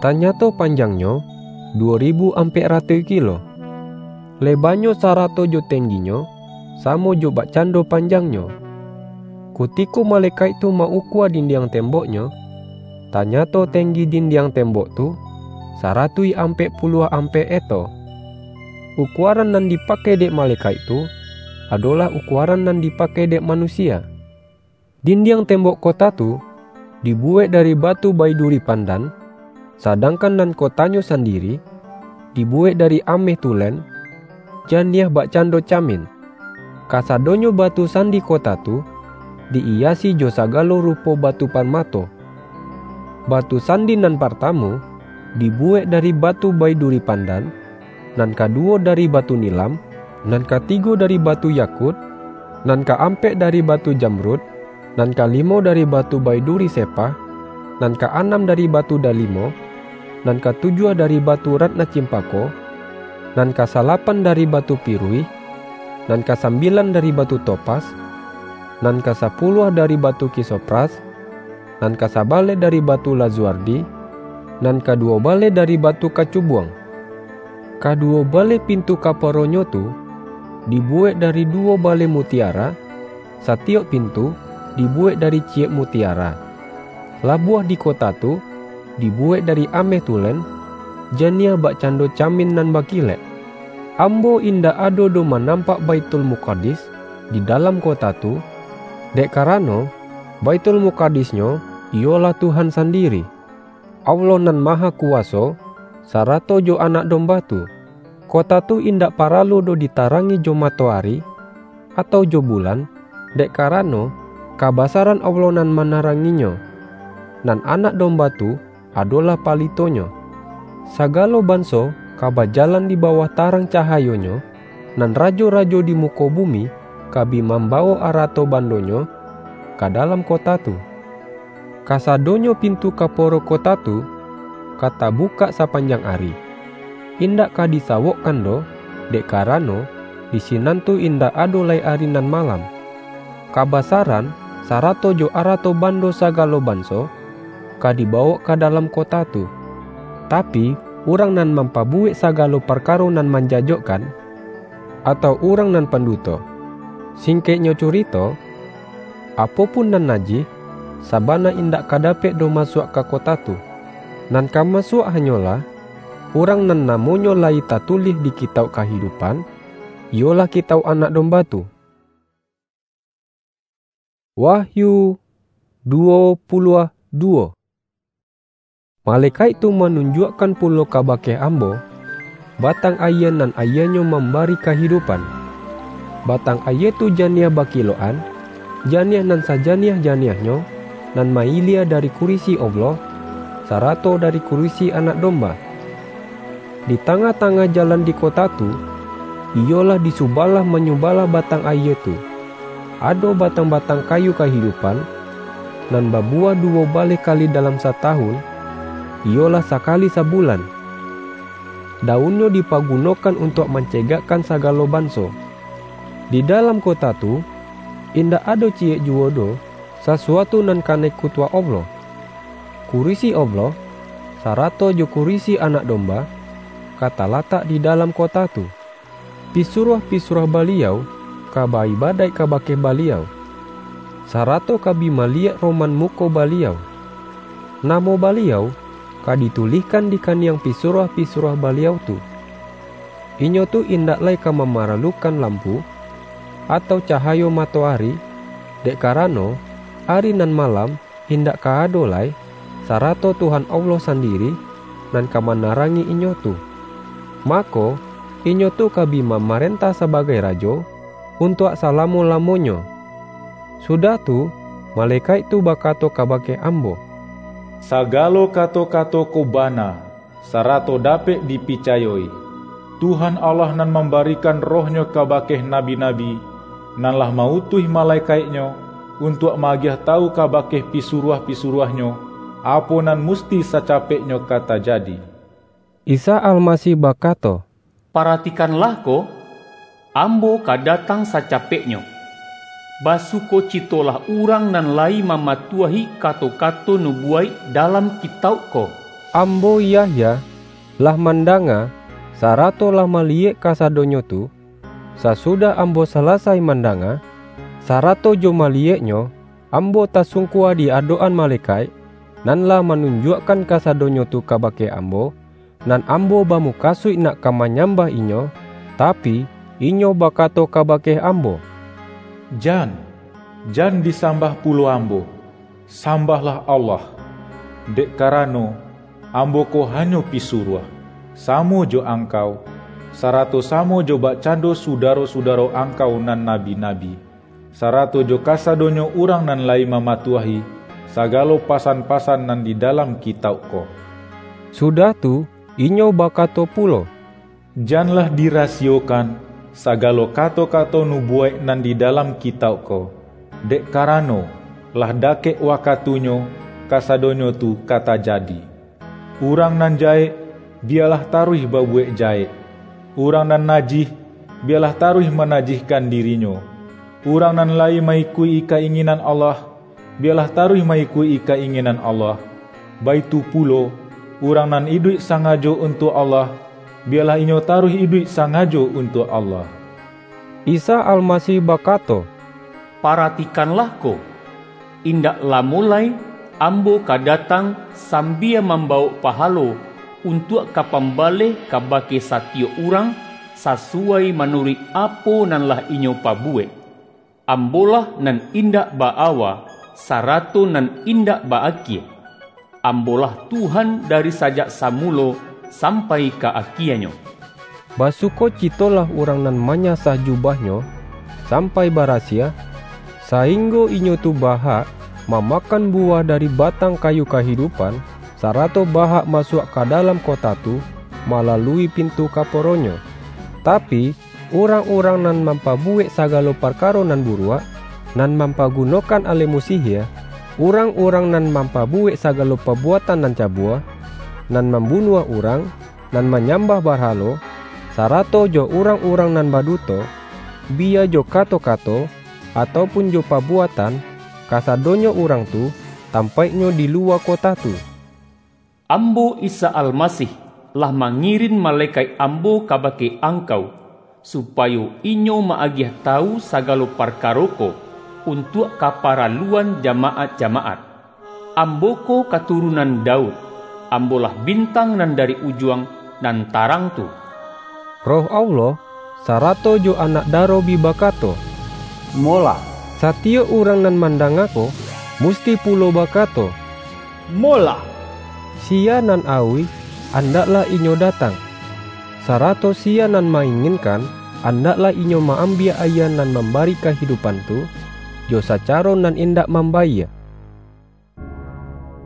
tanyato panjangnyo duwo ribu ampek ratuih kilo. Lebanyo sarato jo tengginyo, samo jo bakcando panjangnyo. Kutiko malekaik tu ma-ukua dindiang temboknyo, tanyato tenggi dindiang tembok tu, saratuih ampek puluah ampek eto. Ukuaran nan dipakai dek malekaik tu, adolah ukuaran nan dipakai dek manusia. Dindiang tembok kota tu dibuwek dari batu baiduri pandan, sadangkan nan kotanyo sandiri dibuwek dari ameh tulen, janiah bakcando camin. Kasadonyo batu sandi kota tu di-iyasi jo sagalo rupo batu parmato. Batu sandi nan partamo dibuwek dari batu baiduri pandan, nan kaduwo dari batu nilam, nan katigo dari batu yakut, nan kaampek dari batu jamrud, nan kalimo dari batu baiduri sepah, nan kaanam dari batu dalimo, nan katujuah dari batu ratna cimpako, nan kasalapan dari batu piruih, nan kasambilan dari batu topas, nan kasapuluah dari batu kisopras, nan kasabaleh dari batu lazuardi, nan kaduwo baleh dari batu kacubuang. Kaduwo baleh pintu kaporonyo tu dibuwek dari duwo baleh mutiara, satiyok pintu dibuwek dari ciyek mutiara. Labuah di kota tu dibuwek dari ameh tulen, janiah bakcando camin nan bakilek. Ambo indak ado doh manampak Baitul Mukadis di dalam kota tu, dek karano, Baitul Mukadisnyo iyolah Tuhan sandiri, Allah Nan Mahakuwaso, sarato jo Anak Domba tu. Kota tu indak paralu doh ditarangi jo matoari, atau jo bulan, dek karano, kabasaran Allah nan manaranginyo, nan Anak Domba tu adolah palitonyo. Sagalo banso ka bajalan di bawah tarang cahayonyo, nan rajo-rajo di muko bumi ka bi mambawok arato bandonyo ka dalam kota tu. Kasadonyo pintu kaporo kota tu ka tabukak sapanjang ari. Indak ka disawokkan doh, dek karano, di sinan tu indak ado lai ari nan malam. Kabasaran, sarato jo arato bando sagalo banso, ka dibawok ka dalam kota tu. Tapi, urang nan mampabuwek sagalo parkaro nan manjajokkan, atau urang nan panduto. Singkeknyo curito, apo pun nan najih, sabana indak ka dapek doh masuak ka kota tu. Nan ka masuak hanyolah, urang nan namonyo layi tatulih di Kitauk Kahidupan, iyolah Kitauk Anak Domba tu. Wahyu duwo puluah duwo. Malekaik tu manunjuakkan pulo kabake ambo, batang ayie nan ayienyo mambari kahidupan. Batang ayie tu janiah bakiloan, janiah nan sajaniah-janiahnyo, nan mailia dari kurisi Allah, sarato dari kurisi Anak Domba. Di tangah-tangah jalan di kota tu, iyolah di subalah manyubalah batang ayie tu, ado batang-batang kayu kahidupan, nan babuwah duwo baleh kali dalam satahun, iyolah sakali sabulan. Daunnyo dipagunokan untuak mancegakkan sagalo banso. Di dalam kota tu, indak ado ciyek juwo doh sasuatu nan kanai kutuak Allah. Kurisi Allah, sarato jo kurisi Anak Domba, ka talatak di dalam kota tu. Pisuruah-pisuruah Baliau ka ba-ibadaik kabake Baliau, sarato ka bi maliyek roman muko Baliau. Namo Baliau ka ditulihkan di kaniang pisuruah-pisuruah Baliau tu. Inyo tu indak lai ka mamaralukan lampu, atau cahayo matoari, dek karano, ari nan malam indak ka ado lai, sarato Tuhan Allah sandiri nan ka manarangi inyo tu. Mako, inyo tu ka bi mamarentah sabagai rajo untuak salamo-lamonyo. Sudah tu, malekaik tu bakato kabake ambo, "Sagalo kato-kato ko bana, sarato dapek dipicayo-i. Tuhan Allah nan mambarikan Roh-Nyo kabake nabi-nabi, nan lah ma-utuih malekaik-Nyo, untuak ma-agiah tawu kabake pisuruah-pisuruah-Nyo, apo nan musti sacapeknyo ka tajadi." Isa Almasih bakato, "Paratikanlah ko, Ambo ka datang sacapeknyo. Basukocitolah urang nan layi mamatuahi kato-kato nubuwaik dalam Kitauk ko." Ambo, Yahya, lah mandanga, sarato lah maliyek kasadonyo tu. Sasudah ambo salasai mandanga, sarato jo maliyeknyo, ambo tasungkua di adok-an malekaik, nan lah manunjuakkan kasadonyo tu kabake ambo, nan ambo bamukasuik nak ka manyambah inyo, tapi, inyo bakato kabake ambo, "Jan, jan disambah pulo ambo, sambahlah Allah, dek karano, ambo ko hanyo pisuruah, samo jo angkau, sarato samo jo bakcando sudaro-sudaro angkau nan nabi-nabi, sarato jo kasadonyo urang nan layi mamatuahi sagalo pasan-pasan nan di dalam Kitauk ko." Sudah tu, inyo bakato pulo, "Janlah dirasiyokan sagalo kato-kato nubuwaik nan di dalam Kitauk ko, dek karano, lah dakek wakatunyo kasadonyo tu ka tajadi. Urang nan jahek, biyalah taruih babuwek jahek. Urang nan najih, biyalah taruih manajihkan dirinyo. Urang nan layi ma-ikuik-i ka-inginan Allah, biyalah taruih ma-ikuik-i ka-inginan Allah. Baitu pulo, urang nan iduik sangajo untuak Allah, biyalah inyo taruih iduik sangajo untuak Allah." Isa Almasih bakato, "Paratikanlah ko! Indak lamo lai Ambo ka datang sambia mambawok pahalo untuak ka pambaleh kabake satiyok urang, sasuwai manuruik apo nan lah inyo pabuwek. Ambo-lah nan indak ba-awa, sarato nan indak ba-akie. Ambo-lah Tuhan dari sajak samulo sampai ka akienyo." Basukocitolah urang nan manyasah jubahnyo sampai barasiah, sainggo inyo tu bahak mamakan buwah dari batang kayu kahidupan, sarato bahak masuak ka dalam kota tu malalui pintu kaporonyo. Tapi, urang-urang nan mampabuwek sagalo parkaro nan buruak, nan mampagunokan alemu sihia, urang-urang nan mampabuwek sagalo pabuatan nan cabua, nan mambunuah urang, nan manyambah barhalo, sarato jo urang-urang nan baduto, biya jo kato-kato, atau pun jo pabuatan, kasadonyo urang tu tampaiknyo di luwa kota tu. Ambo, Isa Almasih, Lah mangirin malekaik Ambo kabake angkau, supayo inyo maagiah tawu sagalo parkaro ko untuak kaparaluan jamaat-jamaat. Ambo ko katurunan Daud, Ambo lah bintang nan dari ujuang nan tarang tu." Roh Allah, sarato jo anak daro bi bakato, "Molah!" Satiyok urang nan mandanga ko, musti pulo bakato, "Molah!" Sia nan auih, andaklah inyo datang, sarato sia nan ma-inginkan, andaklah inyo ma-ambiak ayie nan mambari kahidupan tu, jo sacaro nan indak mambayie.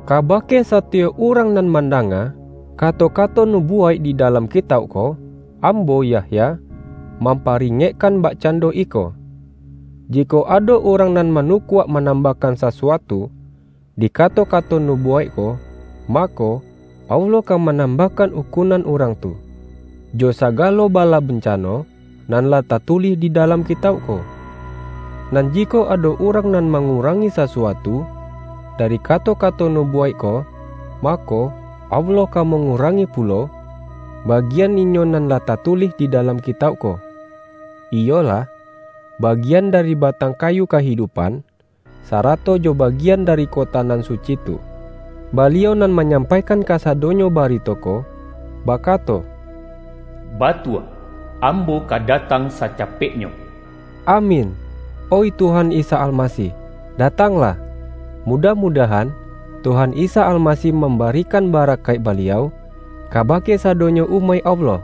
Kabake satiyok urang nan mandanga kato-kato nubuwaik di dalam kitauk ko, ambo, Yahya, mamparingekkan bakcando iko: Jikok ado urang nan manukuak manambahkan sasuatu di kato-kato nubuwaik ko, mako, Allah ka manambahkan ukunan urang tu, jo sagalo bala bencano, nan lah tatulih di dalam kitauk ko. Nan jikok ado urang nan mangurangi sasuatu dari kato-kato nubuwaik ko, mako, Allah ka mangurangi pulo bagian inyo nan lah tatulih di dalam kitauk ko, iyolah, bagian dari batang kayu kahidupan, sarato jo bagian dari kota nan suci tu. Baliau nan manyampaikan kasadonyo barito ko, bakato, "Batua, Ambo ka datang sacapeknyo." Amin. Oih Tuhan Isa Almasih, datanglah! Mudah-mudahan, Tuhan Isa Almasih mambarikan barakaik Baliau kabake sadonyo umaik Allah.